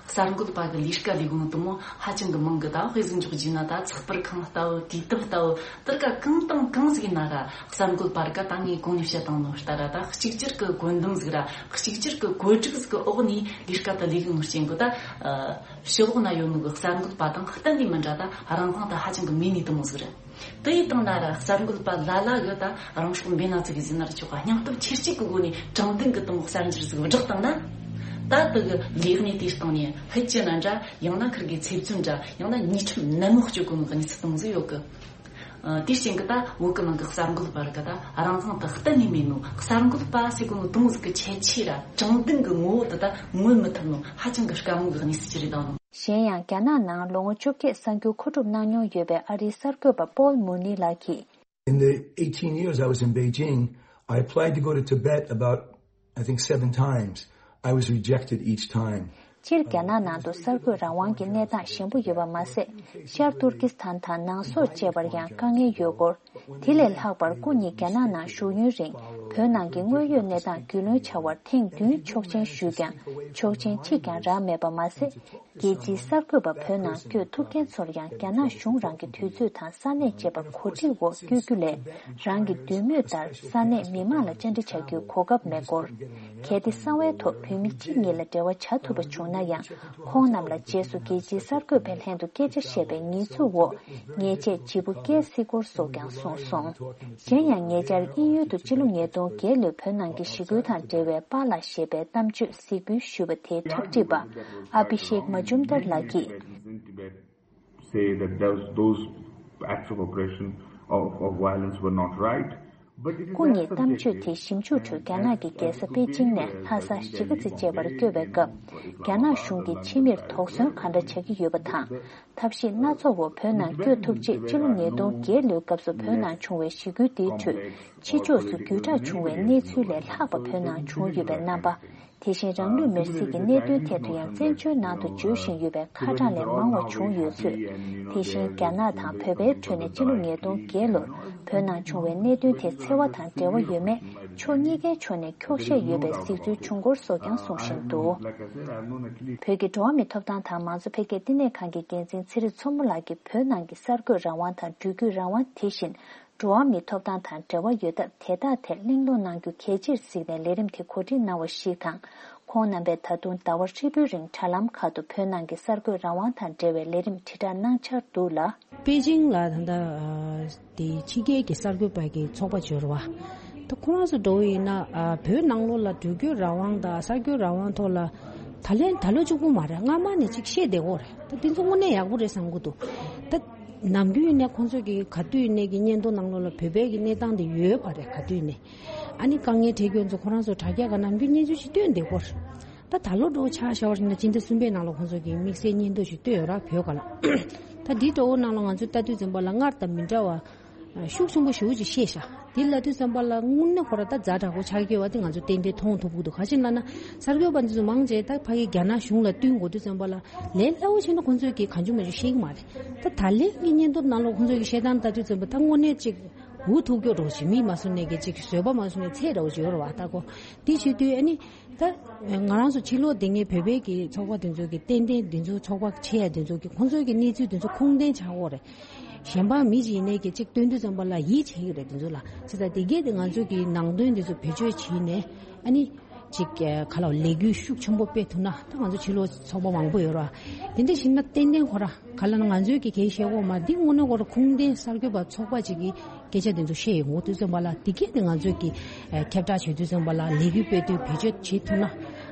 གསར་འགོད་པ་གི་ལས་ཀ་ལས་ཁུངས་དེ་མོ་ཧ་ཅང་གི་མང་གི། ད་དཔེ་ཟིག་འཇོག་རྒྱུ་ན་ད་ཚགས་པར་ཁང་ལྟ་བུ། དུས་དེབ་ལྟ་བུ། དེར་ཀ་གང་དང་གང་ཟིག་ན་ར་གསར་འགོད་པར་ཀ་ད་ངས་གོང་ནས་བཤད་བཏང་ནོ་ལྟར་ར། ད་གཅིག་གྱུར་གི་བཀོད་འདོམས་ཟིག་ར་གཅིག་གྱུར་གི་བཀོད་སྒྲིག་ཟིག་གི་འོག་ནས་ལས་ཀ་དེ་ལས་གི་ནོ་རྐྱེན་གི། ད་ཨ་ཕྱི་ལོགས་ན་ཡོད་ནོ་གི་གསར་འགོད་པ་དང་གཏན་ནས་མི་འདྲ། ད་རང་དབང་དེ་ཧ་ཅང་གི་མེད་ནི་དེ་མོ་ཟིག་རེད། དེ་ཡི་སྟེང་ན་ར་གསར་འགོད་པ་ལ་ལ་གི་ད་རང་སྲོག་འབེན་ན་ཚིག་གི་ཟིན་ན་ར་ཆོག་ག་སྙིང་སྟོབས་ཆེར་སྐྱེད་ཀྱི་སྒོ་ནས་དྲང་བདེན་གྱི་དེ་མོ་གསར་འགྱུར་ཟིག་བསྒྲགས་བཏང་ན། ད་དེ་གི་ལས་གནས་དེའི་སྟེང་ནས་ཕལ་ཆེར་ན་འདྲ། ཡང་ན་ཁིར་གི་ཚེ་བཙོན་འདྲ། ཡང་ན་ཉེས་ཁྲིམས་ནན་མོ་གཅོད་དགོས་ནོ་གི་གནས་ཚུལ་དེ་མོ་ཟིག་ཡོད་གི། ཨ་དེའི་རྐྱེན་གི་ད་བོད་གི་ནང་གི་གསར་འགོད་པར་གི་ད་རང་དབང་དེ་གཏན་ནས་མེད་ནོ། གསར་འགོད་པ་ཟེར་གོ་ནོ་དེ་མོ་ཟིག་གི་ཁྱད་ཆོས་ར་དྲང་བདེན་གི་ངོ་བོ་དེ་ད་མངོན་མི་ཐུབ་ནོ་ཧ་ཅང་གི་དཀའ་མོ་གི་གནས་ཚུལ་ཅིག་རེད་ད་ནོ། གཞན་ཡང་། རྒྱ་ནག་ནང་ལོ་ངོ་བཅོ་བརྒྱད་གསར་འགྱུར་མཁོ་སྒྲུབ་གནང་མྱོང་ཡོད་པའི་ཨ་རིའི་གསར་འགོད་པ་པོལ་མུར་ནི་ལགས་ཀྱིས། In the eighteen years I was in Beijing, I applied to go to Tibet about, I think, seven times. I was rejected each time. སྤྱིར་རྒྱ་ནག་ནང་དུ་གསར་འགོད་རང་དབང་གི་གནས་སྟངས་ཞན་པོ་ཡོད་པ་མ་ཟད། ཤར་ཏུར་ཀི་སི་ཐན་དང་ནང་སོག་བཅས་པར་ཡང་དཀའ་ངལ་ཡོད་སྐོར། དེ་ལས་ལྷག་པར་སྐུ་ཉིད་རྒྱ་ནག་ནང་བཞུགས་ཡུན་རིང་བོད་ནང་གི་དངོས་ཡོད་གནས་སྟངས་རྒྱུས་ལོན་བྱ་བར་ཐེངས་བདུན་ཆོག་མཆན་ཞུས་ཀྱང་ཆོག་མཆན་གཅིག་ཀྱང་རག་མེད་པ་མ་ཟད། རྒྱལ་སྤྱིའི་གསར་འགོད་པ་བོད་ནང་བསྐྱོད་ཐུབ་མཁན་ཚོར་ཡང་རྒྱ་ནག་གཞུང་རང་གི་དུས་ཚོད་དང་ས་གནས་བཅས་པར་གོ་སྒྲིག་འོག་བསྐྱོད་རྒྱུ་ལས་རང་གི་འདོད་མོས་ལྟར་ས་གནས་མི་མང་ལ་བཅར་འདྲི་བྱ་རྒྱུའི་གོ་སྐབས་མེད་སྐོར། གལ་ཏེ་གསང་བའི་ཐོག་བོད་མི་གཅིག་གཉིས་ལ་འབྲེལ་བ་བྱ་ཐུབ་པ་བྱུང་ན་ཡང་ཁོང་རྣམས་ལ་རྗེས་སུ་རྒྱལ་སྤྱིའི་གསར་འགོད་པའི་ལྷན་དུ་སྐད་ཆ་བཤད་པའི་ཉེས་འཛུགས་འོག་ཉེས་ཆད་ལྗིད་པོ་བཀལ་སྲིད་སྐོར་སོགས་ཀྱང་གསུངས་སོང་། གཞན་ཡང་ཉེ་ཆར་དབྱིན་ཡུལ་དུ་སྤྱི་ལོ་ཉིས་སྟོང་བརྒྱད་ལོའི་བོད་ནང་གི་ཞི་རྒོལ་དང་འབྲེལ་བའི་པཱ་ལགས་ཞེས་པའི་གཏམ་བརྗོད་གཟིགས་འབུལ་ཞུས་པ་དེའི་འཁྲབ་ཁྲིད་པ་ཨ་བྷི་ཤེག་མ་ཇུམ་དར་ལགས་ཀྱིས། Say that those, those acts of oppression, of, of violence were not right. But it is སྐུ་ཉིད་གཏམ་བརྗོད་དེ་ཞིབ་འཇུག་ཁྲོད་རྒྱ་ནག་གི་རྒྱལ་ས་པེ་ཅིང་ནས་ལྷ་ས་གཞིས་ཀ་རྩེ་བཅས་པར་བསྐྱོད་པའི་སྐབས་རྒྱ་ནག་གཞུང་གིས་ཕྱི་མིར་དོགས་ཟོན་ག་འདྲ་བྱ་གི་ཡོད་པ་དང་། ཐབས་ཤེས་སྣ་ཚོགས་འོག་བོད་ནང་བསྐྱོད་ཐུབ་ཆེད་ཕྱི་ལོ་ཉིས་སྟོང་བརྒྱད་ལོའི་སྐབས་སུ་བོད་ནང་བྱུང་བའི་ཞི་རྒོལ་འདིའི་ཁྲོད་ཕྱི་ཕྱོགས་སུ་བརྒྱུད་བསྒྲགས་བྱུང་བའི་གནས་ཚུལ་ལས་ལྷག་པ་བོད་ནང་བྱུང་ཡོད་པའི་རྣམ་པ། དེ་བཞིན་རང་ལུས་མེར་སྲེག་གི་གནད་དོན་ཐད་དུ་ཡང་བཙན་བྱོལ་ནང་དུ་བརྗོད་བཞིན་ཡོད་པའི་ཁ་གྲངས་ལས་མང་བ་བྱུང་ཡོད་ཚུལ། དེ་བཞིན་རྒྱ་ནག་དང་བོད་པའི་ཁྲོད་ནས་ཕྱི་ལོ་ཉིས་སྟོང་བརྒྱད་ལོར་བོད་ནང་བྱུང་བའི་གནད་དོན་དེ་འཚེ་བ་དང་འབྲེལ་བ་ཡོད་མེད་ཕྱོགས་གཉིས་ཀའི་ཕྱོགས་ནས་འཁྱོག་བཤད་ཡོད་པའི་གཟིགས་ཚུལ་བྱུང་སྐོར་སོགས་ཀྱང་གསུང་བཞིན་འདུག་བོད་ཀྱི་འགྲོ་བ་མིའི་ཐོབ་ཐང་དང་མང་གཙོ་འཕེལ་རྒྱས་བསྟི་གནས་ཁང་གི་འགན་འཛིན་ཚེ་རིང་མཚོ་མོ་ལགས་ཀྱིས་བོད་ནང་གི་གསར་འགོད་རང་དབང་དང་འགྲུལ་སྐྱོད་རང་དབང་དེ་བཞིན། འགྲོ་བ་མིའི་ཐོབ་ཐང་དང་འབྲེལ་བ་ཡོད་སྟབས་དེ་དག་ཐད་གླེང་སློང་གནང་རྒྱུ་གལ་ཆེར་གཟིགས་ནས་ལས་རིམ་དེ་གོ་སྒྲིག་གནང་བ་ཞིག་དང་། ཁོང་རྣམ་པས་ད་དུང་ཟླ་བ་ཧྲིལ་པོའི་རིང་དྲ་ལམ་ཁག་ཏུ་བོད་ནང་གི་གསར་འགོད་རང་དབང་དང་འབྲེལ་བའི་ལས་རིམ་དྲིལ་བསྒྲགས་གནང་འཆར་འདུག་ལ། པེ་ཅིང་ལ་ད་ལྟ་དེ་ཕྱི་རྒྱལ་གྱི་གསར་འགོད་པ་གི་ཚོགས་པ་འབྱོར་བ་ད་ཁོ་རང་ཚོ་འགྲོ་བ་ཡིན་ན་བོད་ནང་ལོགས་ལ་འགྲུལ་སྐྱོད་རང་དབང་དང་གསར་འགོད་རང་དབང་ཐོག་ལ་ད་ལན་ད་ལོ་གཅིག་པུ་མ་རེད། སྔ་མ་ནས་ཅིག་བཤད་བསྡད་ཡོད་རེད། ད་དེ་ཚོ་དངོས་གནས་ཡག་པོ་རེད་བསམ་གི་འདུག་ད། ནམ་རྒྱུན་ནས་ཁོང་ཚོས་ཀྱི་ག་དུས་ནས་ཀྱི་སྙན་ཐོ་ནང་ལོགས་ལ་བོད་པའི་ཀྱི་གནས་སྟངས་དེ་ཡོད་པ་རེད། ག་དུས་ནས་ཨ་ནི་དཀའ་ངལ་འཕྲད་ཁྱོད་ཚོ་ཁོ་རང་ཚོ་དྲ་རྒྱ་ག་ནམ་རྒྱུན་སྙན་ཞུ་ཞིག་བཏོན་བསྡད་ཡོད་རེད། ད་ད་ལོ་འགྲོ་ཆ་བཞག་པ་ཡིན་ན་སྤྱི་ཟླ་གསུམ་པའི་ནང་ལ་ཁོང་ཚོས་ཀྱི་དམིགས་བསལ་སྙན་ཐོ་ཞིག་བཏོན་ཡོད་ར་བོད་སྒང་ལ། ད་འདི་འདྲ་བོ་ནང་ལ་ང་ཚོས་ལྟ་དུས་ཙམ་པ་ལ་སྔར་དང་མི་འདྲ་བ་ཤུགས་ཆེན་པོ་ཞེ་པོ་ཅིག་བཤད་ཤག་འདི་ལ་དུས་ཙམ་པ་ལ་དངོས་གནས་ཁོ་ར་ད་ཛ་དྲག་པོ་ཆགས་ཀྱི་ཡོད་པ་དེ་ང་ཚོ་ཏན་ཏན་མཐོང་ཐུབ་ཀྱི་འདུག་ག་ཅི་ལབ་ན་གསར་འགོད་པ་འདི་ཚོ་མང་ཆེ་ད་ཕ་གི་རྒྱ་ནག་གཞུང་ལ་བསྟུན་དགོས་དུས་ཙམ་པ་ལ་ལས་སླ་བོ་བྱས་ན་ཁོང་ཚོས་ཀྱི་གང་བྱུང་མང་བྱུང་བཤད་ཀྱི་མ་རེད། ད་ད་ལན་གྱི་སྙན་ཐོ་ནང་ལ་ཁོང་ཚོས་ཀྱི་བཤད་སྟངས་ལྟ་དུས་ཙམ་པ་ད་དངོས་གནས་ཅིག་འུ་ཐུག་སྐྱོ་འདྲ་བོ་ཅིག་མིག་མ་བཟོ་ནས་ཀྱི་ཅིག་བཟོད་པ་མ་བཟོ་ནས་ཚད་འདྲ་བོ་ཅིག་ཡོད་རེད་བ། ད་ཁོ་འདི་བྱེད་དུས་ཨ་ནི། ད་ང་རང་ཚོ་ཕྱི་ལོགས་དེ་ངའི་བོད་པའི་གི་ཚོགས་པ་དེ་ཚོ་གི་ཏན་ཏན་དེ་ཚོ་ཚོགས་པ་ཆེ་ཡ་དེ་ཚོ་གི་ཁོང་ཚོའི་གི་གནས་ཚུལ་དེ་ཚོ་ཁུངས་ལྡན་ཆགས་ཡོད་རེད། གཞན་པ་མི་ཞིག་ཡིན་ནའི་གི་ཅིག་སྟོན་དུས་ཙམ་པ་ལ་ཡིད་ཆེས་ཀྱི་རེད་དེ་ཚོ་ལ། བྱས་ཙང་དེ་གས་དེ་ང་ཚོ་གི་ནང་དོན་དེ་ཚོ་བེད་སྤྱོད་བྱས་ནས་ཨ་ནི་ཅིག་ག་ལ་ལས་འགུལ་ཤུགས་ཆེན་པོ་སྤེལ་ཐུབ་ན་ད་ང་ཚོ་ཕྱི་ལོགས་ཚོགས་པ་མང་པོ་ཡོད་རེད། དེ་འདྲ་ཞིག་ན་ཏན་ཏན་ཁོ་ར་ག་ལ་ན་ང་ཚོའི་གི་གལ་ཤེས་གོ་མ་འདི་དངོས་གནས་ཁོ་ར་ཁུངས་ལྡན་གསར་འགོད་པ་ཚོགས་པ་ཅིག་གི་སྐད་ཆ་དེ་ཚོ་བཤད་ཡོང་དུས་ཙམ་པ་ལ་དེ་གས་དེ་ང་ཚོས་ཀྱི་ཨ་ཁྱབ་བསྒྲགས་བྱེད་དུས་ཙམ་པ་ལ་ལས་འགུལ་སྤེལ་དུས་བེད་སྤྱོད་བྱེད་ཐུབ་ན་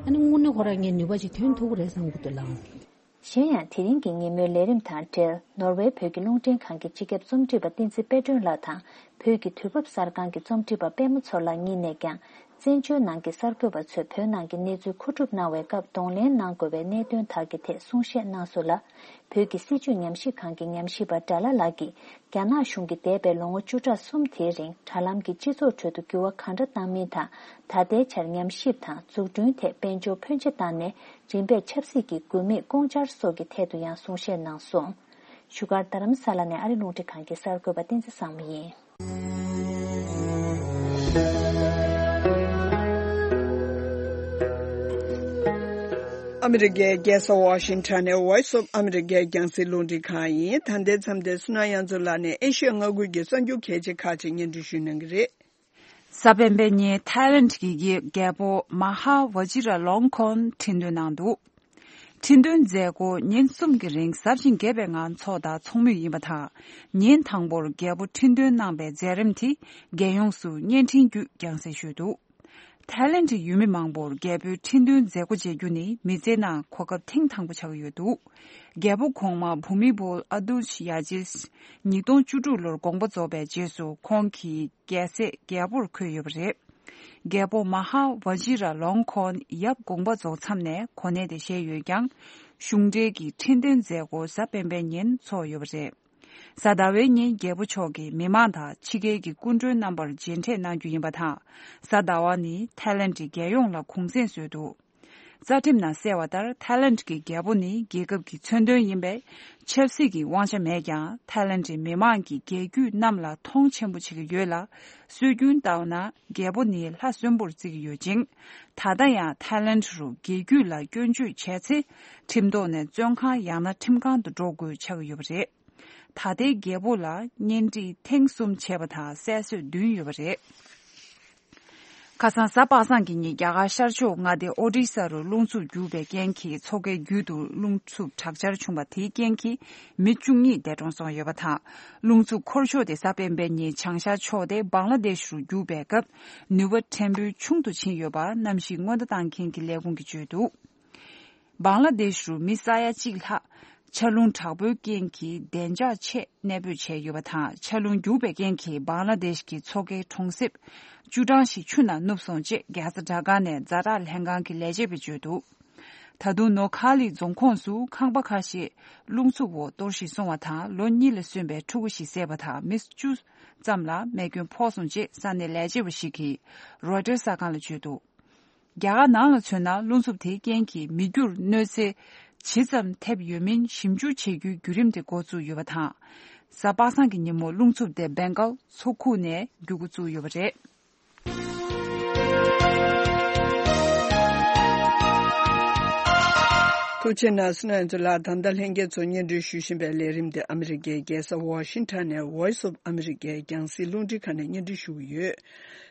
ཨ་ནི་དངོས་གནས་ཁོ་རང་ངས་ནུས་པ་ཅིག་ཐོན་ཐུབ་ཀྱི་རེད་བསམ་གྱི་འདུག་ལགས། གཞན་ཡང་དེ་རིང་གི་ཉིན་མོའི་ལས་རིམ་དང་འབྲེལ་ནོར་ཝེ་བོད་ཀྱི་རླུང་འཕྲིན་ཁང་གི་སྤྱི་ཁྱབ་རྩོམ་སྒྲིག་པ་བསྟན་འཛིན་དཔལ་སྒྲོན་ལགས་དང་བོད་ཀྱི་དུས་བབ་གསར་ཁང་གི་རྩོམ་སྒྲིག་པ་པད་མ་མཚོ་ལགས་གཉིས་ནས་ཀྱང་བཙན་བྱོལ་ནང་གི་གསར་འགོད་པ་ཚོས་བོད་ནང་གི་གནས་ཚུལ་མཁོ་སྒྲུབ་གནང་བའི་སྐབས་གདོང་ལེན་གནང་དགོས་པའི་གནད་དོན་དག་གི་ཐད་གསུང་བཤད་གནང་སོང་ལ། བོད་ཀྱི་སྲིད་བྱུས་ཉམས་ཞིབ་ཁང་གི་ཉམས་ཞིབ་པ་སྒྲ་བླ་ལགས་ཀྱིས་རྒྱ་ནག་གཞུང་གིས་འདས་པའི་ལོ་ངོ་བཅུ་ཕྲག་གསུམ་དེའི་རིང་དྲ་ལམ་གྱིས་སྤྱི་ཚོགས་ཁྲོད་དུ་འགྱུར་བ་གང་འདྲ་བཏང་མིན་དང་། ད་ལྟའི་ཆར་ཉམས་ཞིབ་དང་འཛུགས་སྐྲུན་ཐད་དཔལ་འབྱོར་ཕོན་ཆེ་བཏང་ནས་རིམ་པས་ཆབ་སྲིད་ཀྱི་དགོས་དམིགས་ལྐོག་འཆར་སོགས་ཀྱི་ཐད་དུ་ཡང་གསུང་བཤད་གནང་སོང་། བཞུགས་སྒར་རྡ་རམ་ས་ལ་ནས་ཨ་རི་རླུང་འཕྲིན་ཁང་གི་གསར་འགོད་པ་བསྟན་འཛིན་བཟང་མོ་ཡིན། ཨ་མི་རི་ཀའི་རྒྱལ་ས་ཝ་ཤིང་ཊོན་ནས་Voice of America རྒྱང་སྲིང་རླུང་འཕྲིན་ཁང་ཡིན། ད་ལྟའི་མཚམས་དེར་བསོད་ནམས་དབྱངས་མཚོ་ལགས་ནས་ཨེ་ཤི་ཡ་མངའ་ཁུལ་གྱི་གསར་འགྱུར་གལ་ཆེ་ཁག་ཅིག་སྙན་སྒྲོན་ཞུ་གནང་གི་རེད། གཟའ་སྤེན་པའི་ཉིན་ཐའི་ལེན་གྱི་རྒྱལ་པོ་མ་ཧཱ་ཝ་ཇི་ར་ལོང་ཁོན་ཁྲི་འདོན་གནང་འདུག་ཁྲི་འདོན་མཛད་སྒོ་ཉིན་གསུམ་གྱི་རིང་ཟབ་ཅིང་རྒྱས་པའི་ངང་འཚོགས་དང་འཚོགས་མུས་ཡིན་པ་དང་། ཉིན་དང་པོར་རྒྱལ་པོ་ཁྲི་འདོན་གནང་པའི་མཛད་རིམ་དེ་རྒྱལ་ཡོངས་སུ་བརྙན་འཕྲིན་བརྒྱུད་རྒྱང་སྲིང་ཞུས་འདུག་ཐའི་ལེན་གྱི་ཡུལ་མི་མང་པོར་རྒྱལ་པོའི་ཁྲི་འདོན་མཛད་སྒོ་མཇལ་རྒྱུ་ནི་མི་ཚེའི་ནང་གོ་སྐབས་ཐེངས་དང་པོ་ཆགས་ཀྱི་ཡོད་འདུག་རྒྱལ་པོ་གོང་མ་བྷུ་མི་བོལ་ཨ་དུལ་ཡ་ཇིས་ཉིས་སྟོང་བཅུ་དྲུག་ལོར་དགོངས་པ་རྫོགས་པའི་རྗེས་སུ་ཁོང་གིས་རྒྱལ་སྲས་རྒྱལ་པོར་འཁོད་ཡོད་པ་རེད། རྒྱལ་པོ་མ་ཧཱ་ཝ་ཇི་ར་ལོང་ཁོན་ཡབ་དགོངས་པ་རྫོགས་མཚམས་ནས་གོ་གནས་དེ་བཞེས་ཡོད་ཀྱང་། གཞུང་འབྲེལ་གྱི་ཁྲི་འདོན་མཛད་སྒོ་གཟའ་སྤེན་པའི་ཉིན་འཚོགས་ཡོད་པ་རེད། གཟའ་ཟླ་བའི་ཉིན་རྒྱལ་པོ་མཆོག་གིས་མི་མང་དང་ཕྱི་རྒྱལ་གྱི་སྐུ་མགྲོན་རྣམ་པར་མཇལ་འཕྲད་གནང་རྒྱུ་ཡིན་པ་དང་། གཟའ་ཟླ་བ་ནི་ཐའི་ལེན་གྱི་རྒྱལ་ཡོངས་ལ་གུང་སེང་བཟོས་འདུག་རྩ་ཁྲིམས་ནང་གསལ་བ་ལྟར། ཐའི་ལེནཌ་གྱི་རྒྱལ་པོ་ནི་རྒྱལ་ཁབ་ཀྱི་མཚོན་དོན་ཡིན་པས། ཆབ་སྲིད་ཀྱི་དབང་ཆ་མེད་ཀྱང་། ཐའི་ལེནཌ་མི་མང་གིས་རྒྱལ་རྒྱུད་རྣམས་ལ་མཐོང་ཆེན་པོ་བྱེད་ཀྱི་ཡོད་ལ། སྲོལ་རྒྱུན་ལྟར་ན། རྒྱལ་པོ་ནི་ལྷ་གསོན་པོར་བརྩི་གི་ཡོད་ཅིང་། ད་ལྟ་ཡང་ཐའི་ལེནཌ་རུ་རྒྱལ་རྒྱུད་ལ་སྐྱོན་བརྗོད་བྱས་ཚེ། ཁྲིམས་ཐོག་ནས་བཙོན་ཁང་ཡང་ན་ཁྲིམས་ཁང་དུ་འགྲོ་དགོས་ཆགས་ཀྱི་ཡོད་པ་རེད། ད་ལྟའི་རྒྱལ་པོ་ལ་གཉེན་སྒྲིག་ཐེངས་གསུམ་བྱས་པ་དང་། སྲས་གསོལ་བདུན་ཡོད་པ་རེད། ཁ་སང་གཟའ་པ་སངས་ཀྱི་ཉིན། རྒྱ་གར་ཤར་ཕྱོགས་མངའ་སྡེ་ཨོ་ཌི་ས་རུ་རླུང་འཚུབ་རྒྱུག་པའི་རྐྱེན་གྱིས། མཚོ་ཁའི་རྒྱུད་དུ་རླུང་འཚུབ་དྲག་ཆར་བྱུང་བ་དེའི་རྐྱེན་གྱིས། མི་བཅུ་གཉིས་འདས་གྲོངས་སོང་ཡོད་པ་དང་། རླུང་འཚུབ་འཁོར་ཕྱོགས་དེ་གཟའ་སྤེན་པའི་ཉིན་བྱང་ཤར་ཕྱོགས་ཏེ་བང་ལ་དེཤ་རུ་རྒྱུག་པའི་སྐབས། ནུས་པ་ཕྲན་བུ་ཆུང་དུ་ཕྱིན་ཡོད་པ་གནམ་གཤིས་སྔོན་བརྡ་བཏང་མཁན་གྱི་ལས་ཁུངས་ཀྱིས་བརྗོད་འདུག་བང་ལ་དེཤ་རུ་མི་ས་ཡ་གཅིག་ལྷག་ཆར་རླུང་དྲག་པོའི་རྐྱེན་གྱིས་བདེ་འཇགས་ཆེད་གནས་སྤོས་བྱས་ཡོད་པ་དང་། ཆར་རླུང་རྒྱུག་པའི་རྐྱེན་གྱིས་བང་ལ་དེཤ་གི་མཚོ་ཁའི་གྲོང་གསེབ་བཅུ་གྲངས་ཤིག་ཆུ་ནང་ནུབ་སོང་ཅེས། རྒྱལ་ས་ཌ་ཀ་ནས་ཛ་དྲག་ལྷན་ཁང་གི་ལས་བྱེད་པས་བརྗོད་འདུག་ད་དུང་ནོ་ཁ་ལི་རྫོང་ཁོངས་སུ་ཁང་པ་ཁ་ཤས་རླུང་འཚུབ་འོག་གཏོར་བཤིག་སོང་བ་དང་། ལོ་གཉིས་ལ་སོན་པའི་ཕྲུ་གུ་ཞིག་བསད་པ་དང་། མི་བཅུ་ཙམ་ལ་རྨས་སྐྱོན་ཕོག་སོང་ཅེས་ས་གནས་ལས་བྱེད་པ་ཞིག་གིས་རོའི་ཊར་གསར་ཁང་ལ་བརྗོད་འདུག་རྒྱ་གར་ནང་ལ་མཚོན་ན། རླུང་འཚུབ་དེའི་རྐྱེན་གྱིས་མི་རྒྱུར་གནོད་འཚེ་ཇི་ཙམ་ཐེབས་ཡོད་མིན་ཞིབ་འཇུག་བྱེད་རྒྱུའི་བརྒྱུད་རིམ་དེ་འགོ་བཙུགས་ཡོད་པ་དང་། གཟའ་པ་སངས་ཀྱི་ཉིན་མོ་རླུང་འཚུབ་དེ་སྦེང་གྷལ་མཚོ་ཁུག་ནས་རྒྱུག་འགོ་བཙུགས་ཡོད་པ་རེད། ཐུགས་རྗེ་གནང་སོང་། ང་ཚོ་ལ་ད་ལྟ་ལྷན་རྒྱས་ཚོ་སྙན་སྒྲོན་ཞུ་བཞིན་པའི་ལས་རིམ་དེ་ཨ་མི་རི་ཀའི་རྒྱལ་ས་ཝ་ཤིང་ཊོན་ནས་Voice of America རྒྱང་སྲིང་རླུང་འཕྲིན་ཁང་ནས་སྙན་སྒྲོན་ཞུ་གི་ཡོད།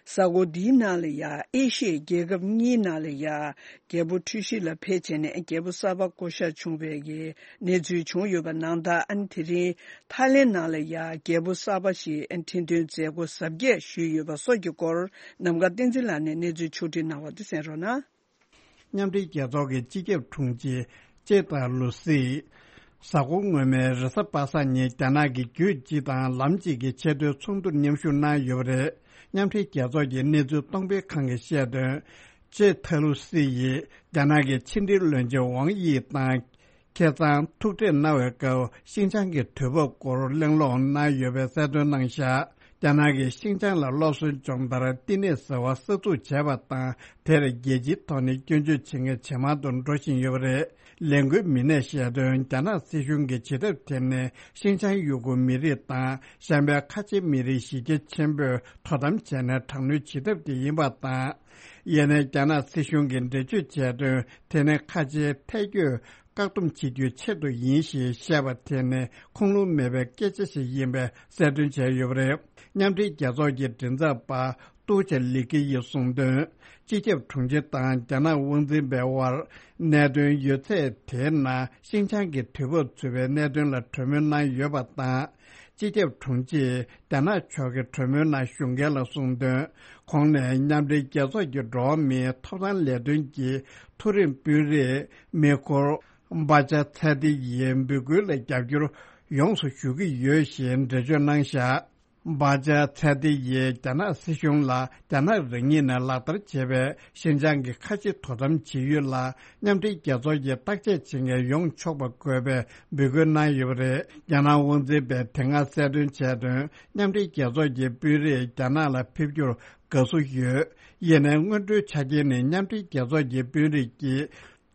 གཟའ་འཁོར་འདིའི་ནང་ལ་ཡ་ཨེ་ཤི་ཡའི་རྒྱལ་ཁབ་གཉིས་ནང་ལ་ཡ་རྒྱལ་པོ་འཁྲུལ་ཞིག་ལ་ཕེབས་བྱས་ནས་རྒྱལ་པོ་གསར་པ་བསྐོ་གཞག་བྱུང་བའི་གི་གནས་ཚུལ་བྱུང་ཡོད་པ་ནང་ལྟར། ཨ་ནི་དེ་རིང་ཐའི་ལེན་ནང་ལ་ཡ་རྒྱལ་པོ་གསར་པ་ཞིག་ཁྲི་འདོན་མཛད་སྒོ་གཟབ་རྒྱས་ཞུས་ཡོད་པ་སོགས་ཀྱི་སྐོར་ནམ་མཁའ་བསྟན་འཛིན་ལགས་ནས་གནས་ཚུལ་ཕྱོགས་སྒྲིག་གནང་བ་དེ་གསན་རོགས་གནང་། མཉམ་འབྲེལ་རྒྱལ་ཚོགས་ཀྱི་སྤྱི་ཁྱབ་དྲུང་ཆེ་ཅེ་ཏ་ལུ་སི། གཟའ་འཁོར་སྔོན་མའི་རེས་གཟའ་པ་སངས་ཉིན་རྒྱ་ནག་གི་རྒྱུད་སྤྱི་དང་ལམ་གཅིག་གི་ཆེས་མཐོའི་ཚོགས་འདུར་མཉམ་ཞུགས་གནང་ཡོད་པ་རེད། མཉམ་འབྲེལ་རྒྱལ་ཚོགས་ཀྱི་གནས་ཚུལ་གཏོང་ཕེབས་ཁང་གིས་བཤད་དོན། ཅེ་ཐ་ལུ་སི་ཡིས་རྒྱ་ནག་གི་ཕྱི་འབྲེལ་བློན་ཆེན་ཝང་དབྱི་དང་། ཁ་སང་ཐུག་འཕྲད་གནང་བའི་སྐབས། ཤིན་ཅང་གི་དུས་བབ་སྐོར་གླེང་སློང་གནང་ཡོད་པའི་གསལ་སྟོན་གནང་བཞག་རྒྱ་ནག་གིས་ཤིན་ཅང་ལ་སློབ་གསོའི་སྦྱོང་བརྡར་བསྟི་གནས་ཟེར་བ་གསར་འཛུགས་བྱས་པ་དང་། དེར་རྒྱལ་སྤྱིའི་ཐོག་ནས་སྐྱོན་བརྗོད་བྱེད་མཁན་ཇེ་མང་དུ་འགྲོ་བཞིན་ཡོད་པ་རེད། ལས་འགུལ་མི་སྣས་བཤད་དོན། རྒྱ་ནག་སྲིད་གཞུང་གིས་བྱེད་ཐབས་དེ་ནི་ཤིན་ཅང་ཡུ་གུར་མི་རིགས་དང་གཞན་པའི་ཁ་ཆེ་མི་རིགས་གཞི་རྒྱ་ཆེན་པོས་དོ་དམ་བྱས་ནས་དྲག་གནོན་བྱེད་ཐབས་དེ་ཡིན་པ་དང་། ཡིན་ནའི་རྒྱ་ནག་སྲིད་གཞུང་གིས་འགྲེལ་བརྗོད་བྱས་དོན། དེ་ནི་ཁ་ཆེའི་ཐལ་སྐྱོད་བཀག་སྡོམ་བྱེད་རྒྱུའི་ཆེད་དུ་ཡིན་ཞེས་བཤད་པ་དེ་ནི་ཁུངས་ལུང་མེད་པའི་སྐད་ཆ་ཞིག་ཡིན་པའི་གསལ་སྟོན་བྱས་ཡོད་པ་རེད། མཉམ་འབྲེལ་རྒྱལ་ཚོགས་ཀྱི་མགྲིན་ཚབ་པ་ཏུའུ་ཅེ་ལི་ཀི་ཡིས་གསུངས་དོན། སྤྱི་ཁྱབ་དྲུང་ཆེ་དང་རྒྱ་ནག་དབང་འཛིན་པའི་དབར་གནད་དོན་ཡོད་ཚད་དེའི་ནང་ཤིན་ཅང་གི་དུས་བབ་ཚུད་པའི་གནད་དོན་ལ་གྲོས་མོལ་གནང་ཡོད་པ་དང་། སྤྱི་ཁྱབ་དྲུང་ཆེས་རྒྱ་ནག་ཕྱོགས་ཀྱི་གྲོས་མོལ་ནང་ཞུགས་མཁན་ལ་གསུངས་དོན། གོང་ནས་མཉམ་འབྲེལ་རྒྱལ་ཚོགས་ཀྱི་འགྲོ་བ་མིའི་ཐོབ་ཐང་ལས་དོན་གྱི་མཐོ་རིམ་དཔོན་རིགས་མི་ཁོར་བྷ་ཅ་ཚ་ཏི་ཡིས་འབོད་སྐུལ་ལ་རྒྱབ་སྐྱོར་ཡོངས་སུ་ཞུ་གི་ཡོད་ཞེས་འགྲེལ་བརྗོད་གནང་བཞག་བྷ་ཅ་ཚ་ཏི་ཡིས་རྒྱ་ནག་སྲིད་གཞུང་ལ་རྒྱ་ནག་རང་ཉིད་ནས་ལག་བསྟར་བྱས་པའི་ཤིན་ཅང་གི་ཁ་ཆེ་དོ་དམ་བྱེད་ཡུལ་ལ་མཉམ་འབྲེལ་རྒྱལ་ཚོགས་ཀྱིས་བརྟག་དཔྱད་བྱེད་མཁན་ཡོང་ཆོག་པ་དགོས་པའི་འབོད་སྐུལ་གནང་ཡོད་པ་རེད། རྒྱ་ནག་དབང་འཛིན་པས་དེ་སྔ་གསལ་སྟོན་བྱས་དོན། མཉམ་འབྲེལ་རྒྱལ་ཚོགས་ཀྱི་དཔོན་རིགས་རྒྱ་ནག་ལ་ཕེབས་རྒྱུར་དགའ་བསུ་ཡོད། ཡིན་ནའི་སྔོན་འགྲོའི་ཆ་རྐྱེན་ནི་མཉམ་འབྲེལ་རྒྱལ་ཚོགས་ཀྱི་དཔོན་རིགས་ཀྱིས་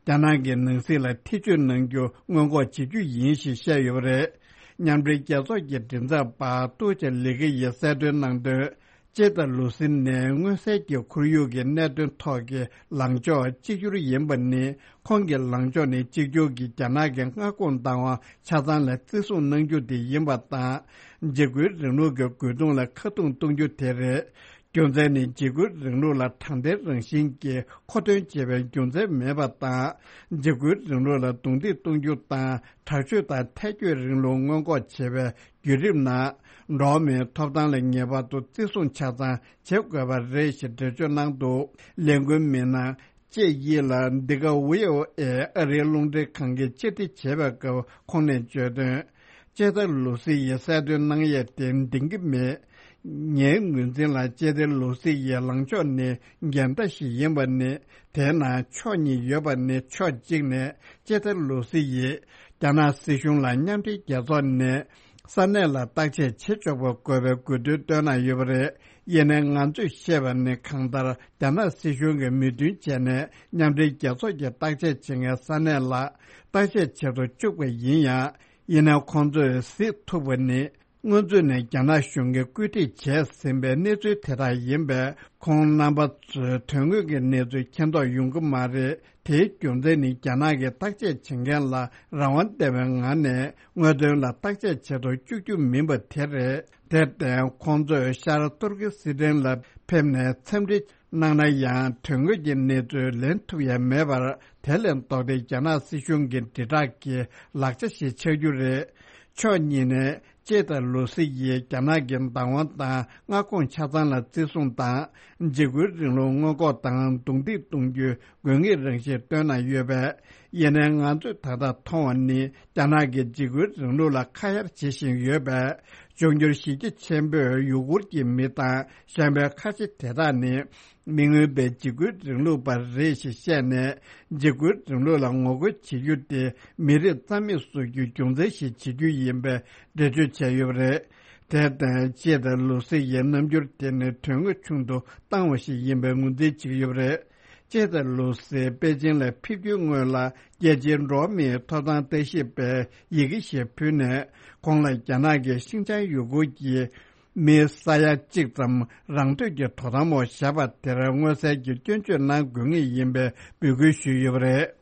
རྒྱ་ནག་གི་ནང་སྲིད་ལ་ཐེ་བྱུས་གནང་རྒྱུ་སྔོན་འགོག་བྱེད་རྒྱུ་ཡིན་ཞེས་བཤད་ཡོད་པ་རེད། མཉམ་འབྲེལ་རྒྱལ་ཚོགས་ཀྱི་མགྲིན་ཚབ་པ་ཏུའུ་ཅེ་ལི་ཀི་ཡིས་གསལ་སྟོན་གནང་དོན། ཅེ་ཏ་ལུ་སི་ནི་མངོན་གསལ་གྱིས་ཁོར་ཡུག་གི་གནད་དོན་ཐོག་གི་ལངས་ཕྱོགས་གཅིག་གྱུར་ཡིན་པ་ནི། ཁོང་གི་ལངས་ཕྱོགས་ནི་གཅིག་གྱུར་གྱིས་རྒྱ་ནག་གི་མངའ་ཁོངས་བཏང་བ་ཆ་ཚང་ལ་བརྩི་སྲུང་གནང་རྒྱུ་དེ་ཡིན་པ་དང་། འཇིགས་སྐུལ་རིང་ལུགས་ཀྱི་རྒོལ་རྡུང་ལ་ཁ་རྡུང་གཏོང་རྒྱུ་དེ་རེད། རྒྱུ་མཚན་ནི་འཇིགས་སྐུལ་རིང་ལུགས་ལ་དྲང་བདེན་རང་བཞིན་གྱིས་མཁོ་འདོན་བྱེད་པའི་རྒྱུ་མཚན་མེད་པ་དང་། འཇིགས་སྐུལ་རིང་ལུགས་ལ་རྡུང་རྡེག་གཏོང་རྒྱུ་དང་དྲག་སྤྱོད་དང་ཐལ་སྐྱོད་རིང་ལུགས་སྔོན་འགོག་བྱེད་པའི་བརྒྱུད་རིམ་ནང་། འགྲོ་བ་མིའི་ཐོབ་ཐང་ལ་ངེས་པར་དུ་བརྩི་སྲུང་ཆ་ཚང་བྱེད་དགོས་པ་རེད་ཞེས་འགྲེལ་བརྗོད་གནང་འདུག་ལས་འགུལ་མི་སྣ་ཅེ་ཡི་ལ་འདི་ག་ཝི་ཨོ་ཨེ་ཨ་རིའི་རླུང་འཕྲིན་ཁང་གིས་བཅར་འདྲི་བྱས་པའི་སྐབས་ཁོང་ནས་བརྗོད་དོན། ཅེ་ཏ་ལུ་སི་ཡིས་གསལ་སྟོན་གནང་ཡས་དེ་འདང་གི་མེད། ངའི་ངོས་འཛིན་ལ་ཅེ་ཏ་ལུ་སི་ཡི་ལངས་ཕྱོགས་ནི་འགལ་ཟླ་ཞིག་ཡིན་པ་ནི། དེའི་ནང་ཕྱོགས་གཉིས་ཡོད་པ་ནི། ཕྱོགས་གཅིག་ནས་ཅེ་ཏ་ལུ་སི་ཡིས་རྒྱ་ནག་སྲིད་གཞུང་ལ་མཉམ་འབྲེལ་རྒྱལ་ཚོགས་ནས་ས་གནས་ལ་བརྟག་དཔྱད་བྱེད་ཆོག་པ་དགོས་པའི་དགོས་འདུན་བཏོན་གནང་ཡོད་པ་རེད། ཡིན་ནའི་ང་ཚོས་ཤེས་པ་ནི། གང་ལྟར་རྒྱ་ནག་སྲིད་གཞུང་གིས་མོས་མཐུན་བྱས་ནས་མཉམ་འབྲེལ་རྒྱལ་ཚོགས་ཀྱིས་བརྟག་དཔྱད་བྱེད་མཁན་ས་གནས་ལ་བརྟག་དཔྱད་བྱེད་དུ་བཅུག་པ་ཡིན་ཡང་། ཡིན་ནའི་ཁོང་ཚོས་གཟིགས་ཐུབ་པ་ནི། སྔོན་ཚུད་ནས་རྒྱ་ནག་གཞུང་གིས་བཀོད་སྒྲིག་བྱས་ཟིན་པའི་གནས་ཚུལ་དེ་དག་ཡིན་པས། ཁོང་རྣམ་པ་ཚོས་དོན་དངོས་ཀྱི་གནས་ཚུལ་མཁྱེན་རྟོགས་ཡོང་གི་མ་རེད། དེའི་རྒྱུ་མཚན་ནི། རྒྱ་ནག་གིས་བརྟག་དཔྱད་བྱེད་མཁན་ལ་རང་དབང་ལྡན་པའི་ངང་ནས་དངོས་དོན་ལ་བརྟག་དཔྱད་བྱེད་དུ་བཅུག་རྒྱུ་མིན་པ་དེ་རེད། དེར་བརྟེན། ཁོང་ཚོས་ཤར་ཏུར་ཀི་སི་ཐན་ལ་ཕེབས་ནས་འཚམས་འདྲི་གནང་ན་ཡང་། དོན་དངོས་ཀྱི་གནས་ཚུལ་ལེན་ཐུབ་ཡ་མེད་པར། དེ་ལས་ལྡོག་སྟེ། རྒྱ་ནག་སྲིད་གཞུང་གི་དྲིལ་བསྒྲགས་ཀྱི་ལག་ཆ་ཞིག་ཆགས་རྒྱུ་རེད། ཕྱོགས་གཉིས་ནས་ཅེ་དང་ལུ་སི་ཡིས་རྒྱ་ནག་གི་བདག་དབང་དང་མངའ་ཁོངས་ཆ་ཚང་ལ་བརྩི་སྲུང་དང་། འཇིགས་སྐུལ་རིང་ལུགས་སྔོན་འགོག་དང་རྡུང་རྡེག་གཏོང་རྒྱུའི་དགོས་ངེས་རང་བཞིན་བཏོན་གནང་ཡོད་པས། ཡིན་ནའི་ང་ཚོས་ད་ལྟ་མཐོང་བ་ནི། རྒྱ་ནག་གིས་འཇིགས་སྐུལ་རིང་ལུགས་ལ་ཁ་གཡར་བྱེད་བཞིན་ཡོད་པས། འབྱུང་འགྱུར་གཞི་རྒྱ་ཆེན་པོས་ཡུ་གུར་གྱི་མི་དང་གཞན་པའི་ཁ་ཆེ་དེ་དག་ནི། མི་མངོན་པའི་འཇིགས་སྐུལ་རིང་ལུགས་པ་རེད་ཞེས་བཤད་ནས། འཇིགས་སྐུལ་རིང་ལུགས་ལ་ངོ་རྒོལ་བྱེད་རྒྱུ་དེ་མི་རིགས་རྩ་མེད་བཟོ་རྒྱུའི་རྒྱུ་མཚན་ཞིག་བྱེད་རྒྱུ་ཡིན་པའི་འགྲེལ་བརྗོད་བྱས་ཡོད་པ་རེད། དེར་བརྟེན། ཅེ་དང་ལུ་སི་ཡི་རྣམ་འགྱུར་དེ་ནི་དོན་དངོས་ཆུང་དུ་བཏང་བ་ཞིག་ཡིན་པའི་ངོས་འཛིན་བྱེད་ཀྱི་ཡོད་པ་རེད། ཅེ་དང་ལུ་སི་པེ་ཅིང་ལ་ཕེབས་རྒྱུའི་སྔོན་ལ། རྒྱལ་སྤྱིའི་འགྲོ་བ་མིའི་ཐོབ་ཐང་ལྟ་ཞིབ་པས་ཡི་གེ་ཞིག་ཕུལ་ནས། ཁོང་ལ་རྒྱ་ནག་གིས་ཤིན་ཅང་ཡུ་གུར་གྱི་མི་ས་ཡ་གཅིག་ཙམ་རང་འདོད་ཀྱིས་དོ་དམ་འོག་བཞག་པ་དེར་མངོན་གསལ་གྱིས་སྐྱོན་བརྗོད་གནང་དགོས་ངེས་ཡིན་པའི་འབོད་སྐུལ་ཞུས་ཡོད་པ་རེད།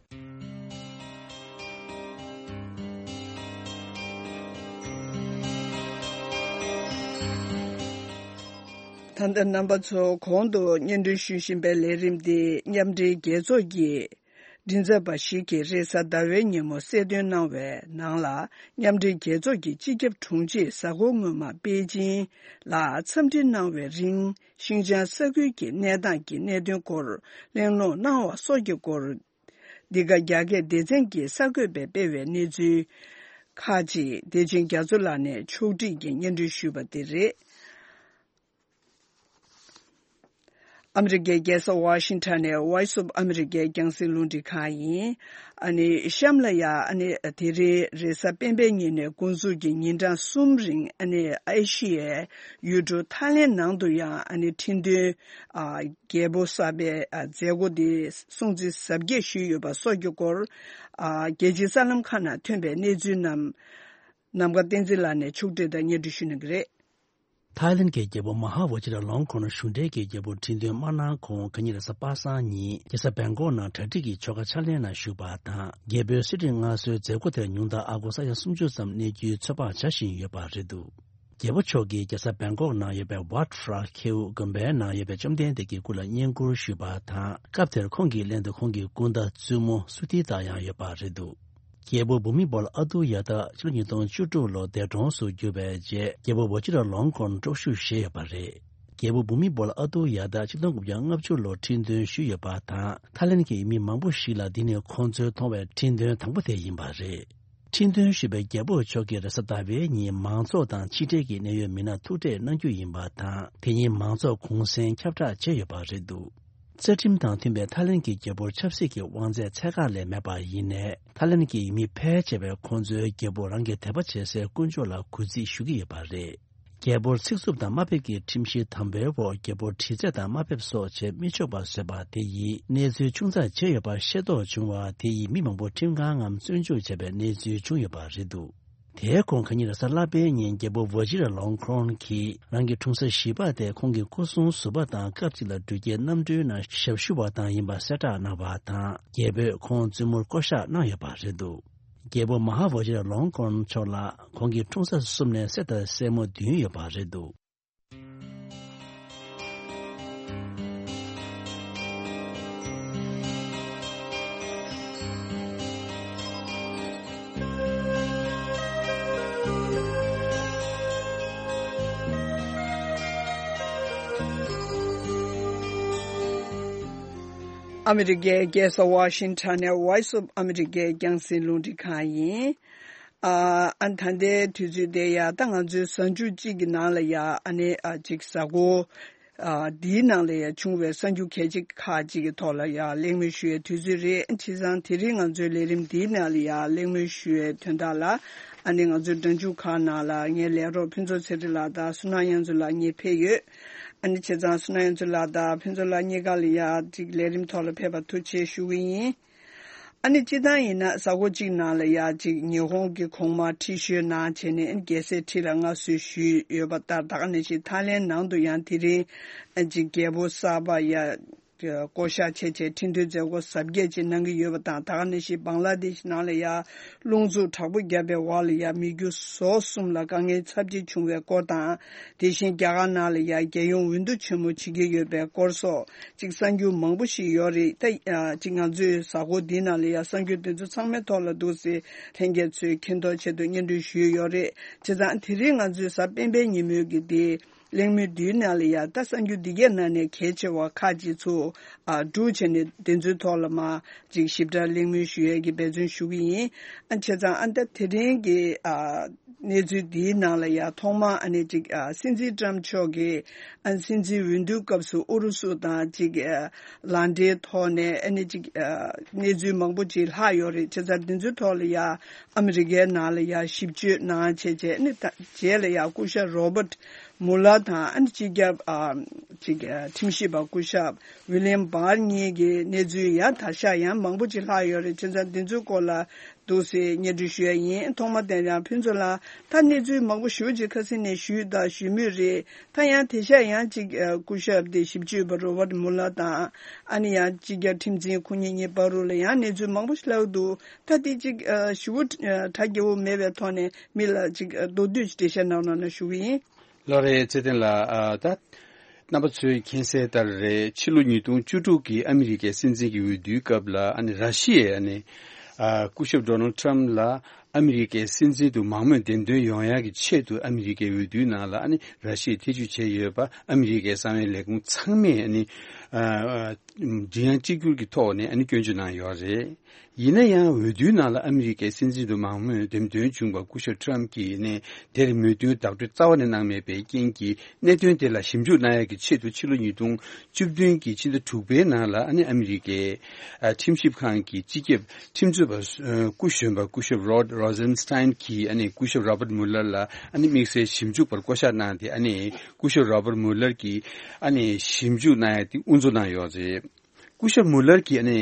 ད་ལྟ་རྣམ་པ་ཚོ་གོང་དུ་སྙན་སྒྲོན་ཞུ་བཞིན་པའི་ལས་རིམ་འདི་མཉམ་འབྲེལ་རྒྱལ་ཚོགས་ཀྱི་མགྲིན་ཚབ་པ་ཞིག་གིས་རེས་གཟའ་ཟླ་བའི་ཉིན་མོ་གསལ་སྟོན་གནང་བའི་ནང་ལ། མཉམ་འབྲེལ་རྒྱལ་ཚོགས་ཀྱི་སྤྱི་ཁྱབ་དྲུང་ཆེས་གཟའ་འཁོར་སྔོན་མ་པེ་ཅིང་ལ་འཚམས་འདྲི་གནང་བའི་རིང་། ཤིན་ཅང་ས་ཁུལ་གྱི་གནས་སྟངས་ཀྱི་གནད་དོན་སྐོར་གླེང་སློང་གནང་བ་སོགས་ཀྱི་སྐོར། འདི་ག་རྒྱ་སྐད་སྡེ་ཚན་གྱི་གསར་འགོད་པས་སྤེལ་བའི་གནས་ཚུལ་ཁག་ཅིག་བདེ་ཆེན་རྒྱ་མཚོ་ལགས་ནས་ཕྱོགས་སྒྲིག་གིས་སྙན་སྒྲོན་ཞུས་པ་དེ་རེད། ཨ་མི་རི་ཀའི་རྒྱལ་ས་ཝ་ཤིང་ཊོན་ནས་Voice of America རྒྱང་སྲིང་རླུང་འཕྲིན་ཁང་ཡིན། ཨ་ནི་གཤམ་ལ་ཡ། ཨ་ནི་དེ་རིང་རེས་གཟའ་སྤེན་པའི་ཉིན་ནས་འགོ་འཛུགས་ཀྱིས་ཉིན་གྲངས་གསུམ་རིང་། ཨ་ནི་ཨེ་ཤི་ཡའི་ཡུལ་གྲུ་ཐའི་ལེན་ནང་དུ་ཡང་། ཨ་ནི་ཁྲིན་ཏུའུ་ཨ་རྒྱལ་པོ་གསར་པའི་ཨ་མཛད་སྒོ་དེ་སྲུང་བརྩི་གཟབ་རྒྱས་ཞུས་ཡོད་པ་སོགས་ཀྱི་སྐོར། ཨ་རྒྱལ་སྤྱིའི་གསར་ལམ་ཁག་ནང་ཐོན་པའི་གནས་ཚུལ་རྣམས། ནམ་མཁའ་བསྟན་འཛིན་ལགས་ནས་ཕྱོགས་སྒྲིག་དང་སྙན་སྒྲོན་ཞུ་གནང་གི་རེད། ཐའི་ལེན་གྱི་རྒྱལ་པོ་མ་ཧཱ་ཝ་ཅི་ར་ལོང་ཁོན་གཞུང་འབྲེལ་གྱི་རྒྱལ་པོ་ཁྲི་འདོན་མ་གནང་གོང་། ཁ་ཉིན་རེས་གཟའ་པ་སངས་ཉིན་རྒྱལ་ས་བེང་ཀོག་ནང་གྲ་སྒྲིག་གི་ཆོ་ག་ཕྱག་ལེན་ནང་ཞུགས་པ་དང་། རྒྱལ་པོའི་གསོལ་ཁྲིད་སྔར་སྲོལ་མཛད་སྒོ་དེར་ཉུང་མཐར་ཨ་སྒོར་ས་ཡ་སུམ་ཅུ་ཙམ་གནས་རྒྱུའི་ཚོད་དཔག་བྱ་བཞིན་ཡོད་པ་རེད་འདུག་རྒྱལ་པོ་མཆོག་གིས་རྒྱལ་ས་བེང་ཀོག་ནང་ཡོད་པའི་ཝཱཊ་ཧྲ་ཁེའུ་དགོན་པའི་ནང་ཡོད་པའི་བཅོམ་ལྡན་འདས་ཀྱི་སྐུ་ལ་བསྙེན་བཀུར་ཞུས་པ་དང་། སྐབས་དེར་ཁོང་གི་ལྷན་དུ་ཁོང་གི་སྐུ་ཟླ་བཙུན་མོ་སུ་ཐི་ཏཱ་ཡང་ཡོད་པ་རེད་འདུག་རྒྱལ་པོ་བྷུ་མི་བོ་ལ་ཨ་ཏུ་ཡ་ཏ་ཕྱི་ལོ་ཉིས་སྟོང་བཅུ་དྲུག་ལོར་འདས་གྲོངས་སུ་གྱུར་བའི་རྗེས། རྒྱལ་པོ་ཝ་ཅི་ར་ལོང་ཁོན་དཀྲོག་ཞུགས་བཞེས་ཡོད་པ་རེད། རྒྱལ་པོ་བྷུ་མི་བོ་ལ་ཨ་ཏུ་ཡ་ཏ་ཆིག་སྟོང་དགུ་བརྒྱ་ལྔ་བཅུ་ལོར་ཁྲི་འདོན་ཞུས་ཡོད་པ་དང་། ཐའི་ལེན་གྱི་ཡུལ་མི་མང་པོ་ཞིག་ལ་འདི་ནི་ཁོང་ཚོའི་མཐོང་བའི་ཁྲི་འདོན་དང་པོ་དེ་ཡིན་པ་རེད། ཁྲི་འདོན་ཞུས་པའི་རྒྱལ་པོ་མཆོག་གིས་རེས་གཟའ་ཟླ་བའི་ཉིན་མང་ཚོགས་དང་ཕྱི་འབྲེལ་གྱི་གནད་ཡོད་མི་སྣར་ཐུག་འཕྲད་གནང་རྒྱུ་ཡིན་པ་དང་། དེ་ཉིན་མང་ཚོགས་གུང་སེང་ཁྱབ་བསྒྲགས་བྱས་ཡོད་པ་རེད་འདུག་རྩ་ཁྲིམས་དང་མཐུན་པའི་ཐའི་ལེན་གྱི་རྒྱལ་པོར་ཆབ་སྲིད་ཀྱི་དབང་ཚད་ཚད་བཀག་ལས་མེད་པ་ཡིན་ནའི། ཐའི་ལེན་གྱི་ཡུལ་མི་ཕལ་ཆེ་བས་ཁོང་ཚོའི་རྒྱལ་པོ་རང་གི་དད་པ་བྱེད་སའི་དཀོན་མཆོག་ལ་གུས་བརྩི་ཞུ་གི་ཡོད་པ་རེད། རྒྱལ་པོར་ཚིག་རྩུབ་དང་དམའ་འབེབས་ཀྱི་ཁྲིམས་གཞི་དམ་པོའི་འོག་རྒྱལ་པོར་དྲི་རྩད་དང་དམའ་འབེབས་སོགས་བྱེད་མི་ཆོག་པ་བཟོས་པ་དེ་ཡིས་གནས་ཚུལ་ཆུང་ཙག་བྱས་ཡོད་པ་ཤེས་རྟོགས་བྱུང་བ་དེ་ཡིས་མི་མང་པོ་ཁྲིམས་ཁང་ངམ་བཙོན་འཇུག་བྱས་པའི་གནས་ཚུལ་བྱུང་ཡོད་པ་རེད་འདུག་དེའི་གོང་ཁ་ཉིན་རེས་གཟའ་ལྷག་པའི་ཉིན་རྒྱལ་པོ་ཝ་ཇི་ར་ལོང་ཁོན་གྱིས་རང་གི་འཁྲུངས་ས་གཞིས་པ་དེ་ཁོང་གི་སྐུ་སྲུང་ཟུར་པ་དང་སྐབས་གཅིག་ལ་འགྲུལ་སྐྱེལ་གནམ་གྲུའི་ནང་ཞབས་ཞུ་བ་དང་ཡིན་པ་གསལ་བསྒྲགས་གནང་བ་དང་། རྒྱལ་པོས་ཁོང་བཙུན་མོར་བསྐོ་བཞག་གནང་ཡོད་པ་རེད་འདུག་རྒྱལ་པོ་མ་ཧཱ་ཝ་ཇི་ར་ལོང་ཁོན་མཆོག་ལ་ཁོང་གི་འཁྲུངས་ས་གསུམ་ནས་སྲས་དང་སྲས་མོ་བདུན་ཡོད་པ་རེད་འདུག་ཨ་མི་རི་ཀའི་རྒྱལ་ས་ཝ་ཤིང་ཊོན་ནས་Voice of America རྒྱང་སྲིང་རླུང་འཕྲིན་ཁང་ཡིན། ཨ་ཨ་ད་ལྟའི་དུས་ཚོད་དེ་ཡ། ད་ང་ཚོའི་གཟའ་མཇུག་གཅིག་གི་ནང་ལ་ཡ། ཨ་ནི་ཨ་ཅིག་གཟའ་འཁོར་ཨ་འདིའི་ནང་ལ་ཡ་བྱུང་བའི་གསར་འགྱུར་གལ་ཆེ་ཁག་ཅིག་གི་ཐོག་ལ་ཡ་གླེང་མོལ་ཞུ་ཡའི་དུས་ཚོད་རེད། བྱས་ཙང་དེ་རིང་ང་ཚོའི་ལས་རིམ་འདིའི་ནང་ལ་ཡ་གླེང་མོལ་ཞུ་ཡའི་དོན་དག་ལ། ཨ་ནི་ང་ཚོའི་སྒྲ་འཇུག་ཁང་ནང་ལ་ངའི་ལས་རོགས་ཕུན་ཚོགས་ཚེ་རིང་ལགས་དང་བསོད་ནམས་དབྱངས་མཚོ་ལགས་གཉིས་ཕེབས་ཡོད། ཨ་ནི་བྱས་ཙང་བསོད་ནམས་དབྱངས་ཚོགས་ལགས་དང་ཕུན་ཚོགས་ལགས་གཉིས་ཀ་ལ་ཡ་ཅིག་ལས་རིམ་ཐོག་ལ་ཕེབས་པར་ཐུགས་རྗེ་ཆེ་ཞུ་གི་ཡིན། ཨ་ནི་སྤྱིར་བཏང་ཡིན་ན་གཟའ་འཁོར་གཅིག་ནང་ལ་ཡ་ཅིག་ཉི་ཧོང་གི་གོང་མ་ཁྲི་ཤོད་ནང་བྱས་ནས་ཨ་ནི་རྒྱལ་སྲས་ཁྲི་ལ་མངའ་གསོལ་ཞུས་ཡོད་པ་ལྟར། ད་ག་ནང་བཞིན་ཐའི་ལེན་ནང་དུ་ཡང་དེ་རིང་ཨ་ཅིག་རྒྱལ་པོ་གསར་པ་ཡ་བསྐོ་བཞག་བྱས་བྱས་ཁྲི་འདོན་མཛད་སྒོ་གཟབ་རྒྱས་ཅིག་གནང་གི་ཡོད་པ་དང་། ད་ག་ནང་བཞིན་བང་ལ་དེཤ་ནང་ལ་ཡ་རླུང་འཚུབ་དྲག་པོ་བརྒྱབ་པའི་འོག་ལ་ཡ་མི་རྒྱུ་ཟོག་གསུམ་ལ་དཀའ་ངལ་ཚབས་ཆེ་བྱུང་བའི་སྐོར་དང་། དེ་བཞིན་རྒྱ་གར་ནང་ལ་ཡ་རྒྱལ་ཡོངས་འོས་བསྡུ་ཆེན་མོ་བྱེད་ཀྱི་ཡོད་པའི་སྐོར་སོགས་ཅིག་གསར་འགྱུར་མང་པོ་ཞིག་ཡོད་རེད། ད་ཨ་ཅིག་ང་ཚོས་གཟའ་འཁོར་འདིའི་ནང་ལ་ཡ་གསར་འགྱུར་འདི་ཚོ་ཚང་མའི་ཐོག་ལ་འདུག་སེ་ལྷན་རྒྱས་ཚོའི་མཁྱེན་རྟོགས་ཆེད་དུ་སྙན་སྒྲོན་ཞུས་ཡོད་རེད། བྱས་ཙང་དེ་རིང་ང་ཚོའི་གཟའ་སྤེན་པའི་ཉིན་མོའི་གི་དེ་གླེང་མོལ་འདིའི་ནང་ལ་ཡ་ད་གསར་འགྱུར་འདི་གའི་ནང་ནས་གལ་ཆེ་བ་ཁག་ཅིག་ཚུར་ཨ་སྒྲུག་བྱས་ནས་དེ་ཚོའི་ཐོག་ལ་མ་ཅིག་ཞིབ་ཕྲ་གླེང་མོལ་ཞུ་ཡས་ཀྱི་འབད་བརྩོན་ཞུ་གི་ཡིན། ཨ་བྱས་ཙང་ཨ་ད་དེ་རིང་གི་ཨ་གནས་ཚུལ་འདིའི་ནང་ལ་ཡ་ཐོག་མར་ཨ་ནི་ཅིག་ཨ་སྲིད་འཛིན་ཊམ་མཆོག་གིས་ཨ་སྲིད་འཛིན་འོས་བསྡུའི་སྐབས་སུ་ཨུ་རུ་སུ་དང་ཅིག་ཨ་ལག་འབྲེལ་ཐོག་ནས་ཨ་ནི་ཅིག་ཨ་གནས་ཚུལ་མང་པོ་ཅིག་ལྷག་ཡོད་རེད། བྱས་ཙང་འདི་ཚོའི་ཐོག་ལ་ཡ་ཨ་མི་རི་ཀའི་ནང་ལ་ཡ་ཞིབ་དཔྱོད་གནང་བྱས་བྱས་ཨ་ནི་ད་རྗེས་ལ་ཡ་སྐུ་ཞབས་རོ་བརྟ་མུ་ལར་དང་ཨ་ནི་སྤྱི་ཁྱབ་ཨ་ཅིག་ཨ་ཁྲིམས་ཞིབ་པ་སྐུ་ཞབས་ཝི་ལི་ཡམ་བར་གཉིས་ཀྱི་གནས་ཚུལ་ཡ་དར་ཤ་ཡང་མང་པོ་ཅིག་ལྷག་ཡོད་རེད། བྱས་ཙང་འདི་ཚོའི་སྐོར་ལ་འདུག་སེ་སྙན་སྒྲོན་ཞུ་ཡ་ཡིན། ཐོག་མ་དེ་ཡང་ཕུན་ཚོགས་ལགས་ད་གནས་ཚུལ་མང་པོ་ཞེ་པོ་ཅིག་ཁ་སང་ནས་ཞུས་དང་ཞུ་མུས་རེད། ད་ཡང་དེ་ཤ་ཡང་ཅིག་ཨ་སྐུ་ཞབས་དེ་ཞིབ་དཔྱོད་པ་རོ་བརྟ་མུ་ལར་དང་ཨ་ནི་ཡང་སྤྱི་ཁྱབ་ཁྲིམས་འཛིན་ཁོ་གཉིས་གཉིས་བར་དུ་ལ་ཡང་གནས་ཚུལ་མང་པོ་ཞིག་ལྷག་འདུག་ད་དེ་ཅིག་ཨ་ཞེ་པོ་ཨ་གྲ་རྒྱས་པོ་མེད་པའི་ཐོག་ནས་མི་ལ་ཅིག་ཨ་མདོར་བསྡུས་ཤིག་འགྲེལ་བཤད་གནང་རོགས་གནང་ཞུ་གི་ཡིན། ལགས་རེད། ཚེ་བརྟན་ལགས། ཨ་ད་རྣམ་པ་ཚོས་མཁྱེན་གསལ་ལྟར་རེད། ཕྱི་ལོ་ཉིས་སྟོང་བཅུ་དྲུག་གི་ཨ་མི་རི་ཀའི་སྲིད་འཛིན་གྱི་འོས་བསྡུའི་སྐབས་ལ་ཨ་ནི་ར་ཤི་ཡས་ཨ་ནི་ཨ་སྐུ་ཞབས་ཌོ་ནལ་ཊམ་ལ་ཨ་མི་རི་ཀའི་སྲིད་འཛིན་དུ་མང་མོས་འདེམས་ཐོན་ཡོང་ཡག་གི་ཆེད་དུ་ཨ་མི་རི་ཀའི་འོས་བསྡུའི་ནང་ལ་ཨ་ནི་ར་ཤི་ཡས་ཐེ་བྱུས་བྱས་ཡོད་པ་ཨ་མི་རི་ཀའི་གསང་བའི་ལས་ཁུངས་ཚང་མས་ཨ་ནི་ཨ་ཨ་མགྲིན་དབྱངས་གཅིག་གྱུར་གྱི་ཐོག་ནས་ཨ་ནི་སྐྱོན་བརྗོད་གནང་ཡོད་རེད། ཡིན་ན་ཡང་འོས་བསྡུའི་ནང་ལ་ཨ་མི་རི་ཀའི་སྲིད་འཛིན་དུ་མང་མོས་འདེམས་ཐོན་བྱུང་བ་སྐུ་ཞབས་ཊམ་གྱིས་ནས་དེར་མོས་མཐུན་བརྡ་སྤྲོད་རྩ་བ་ནས་གནང་མེད་པའི་རྐྱེན་གྱིས། གནད་དོན་དེ་ལ་ཞིབ་འཇུག་གནང་ཡག་གི་ཆེད་དུ་ཕྱི་ལོ་ཉིས་སྟོང་བཅུ་བདུན་གྱི་ཕྱི་ཟླ་དྲུག་པའི་ནང་ལ་ཨ་ནི་ཨ་མི་རི་ཀའི་ཨ་ཁྲིམས་ཞིབ་ཁང་གི་སྤྱི་ཁྱབ་ཁྲིམས་རྩོད་པ་སྐུ་གཞོན་པ་སྐུ་ཞབས་རོཌ་རོ་ཛེན་སི་ཊན་གྱིས་ཨ་ནི་སྐུ་ཞབས་རོ་བརྟ་མུ་ལར་ལ་ཨ་ནི་དམིགས་བསལ་ཞིབ་འཇུག་པར་བསྐོ་གཞག་གནང་སྟེ། ཨ་ནི་སྐུ་ཞབས་རོ་བརྟ་མུ་ལར་གྱིས་ཨ་ནི་ཞིབ་འཇུག་གནང་ཡག་དེ་དབུ་འཛུགས་གནང་ཡོད་རེད། སྐུ་ཞབས་མུ་ལར་གྱིས་ཨ་ནི་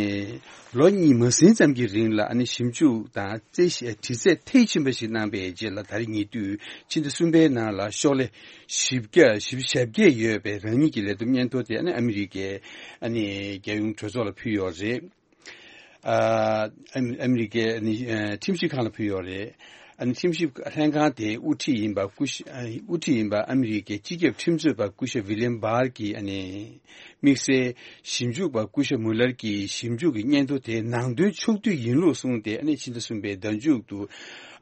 ལོ་གཉིས་མ་ཟིན་ཙམ་གྱི་རིང་ལ་ཨ་ནི་ཞིབ་འཇུག་དང་རྩད་ཞིབ་དྲི་རྩད་མཐིལ་ཕྱིན་པ་ཞིག་གནང་པའི་རྗེས་ལ། ད་རེས་ཉེ་དུས་ཕྱི་ཟླ་གསུམ་པའི་ནང་ལ་ཤོག་ལྷེ་བཞི་བརྒྱ་བཞི་བཅུ་ཞེ་བརྒྱད་ཡོད་པའི་རང་ཉིད་ཀྱི་ལས་བསྡོམས་སྙན་ཐོ་དེ་ཨ་ནི་ཨ་མི་རི་ཀའི་ཨ་ནི་རྒྱལ་ཡོངས་གྲོས་ཚོགས་ལ་ཕུལ་ཡོད་རེད། ཨ་ཨ་མི་རི་ཀའི་ཨ་ནི་ཨ་ཁྲིམས་ཞིབ་ཁང་ལ་ཕུལ་ཡོད་རེད། ཨ་ནི་ཁྲིམས་ཞིབ་ལྷན་ཁང་དེའི་དབུ་ཁྲིད་ཡིན་པ་སྐུ་ཞབས་ཨ་དབུ་ཁྲིད་ཡིན་པ་ཨ་མི་རི་ཀའི་སྤྱི་ཁྱབ་ཁྲིམས་རྩོད་པ་སྐུ་ཞབས་ཝི་ལི་ཡམ་བར་གྱིས་ཨ་ནི་དམིགས་བསལ་ཞིབ་འཇུག་པ་སྐུ་ཞབས་མུ་ལར་གྱི་ཞིབ་འཇུག་གི་སྙན་ཐོ་དེ་ནང་དོན་ཕྱོགས་བསྡུས་ཡིན་ལུགས་གསུངས་ཏེ། ཨ་ནི་ཕྱི་ཟླ་གསུམ་པའི་ཟླ་མཇུག་ཏུ་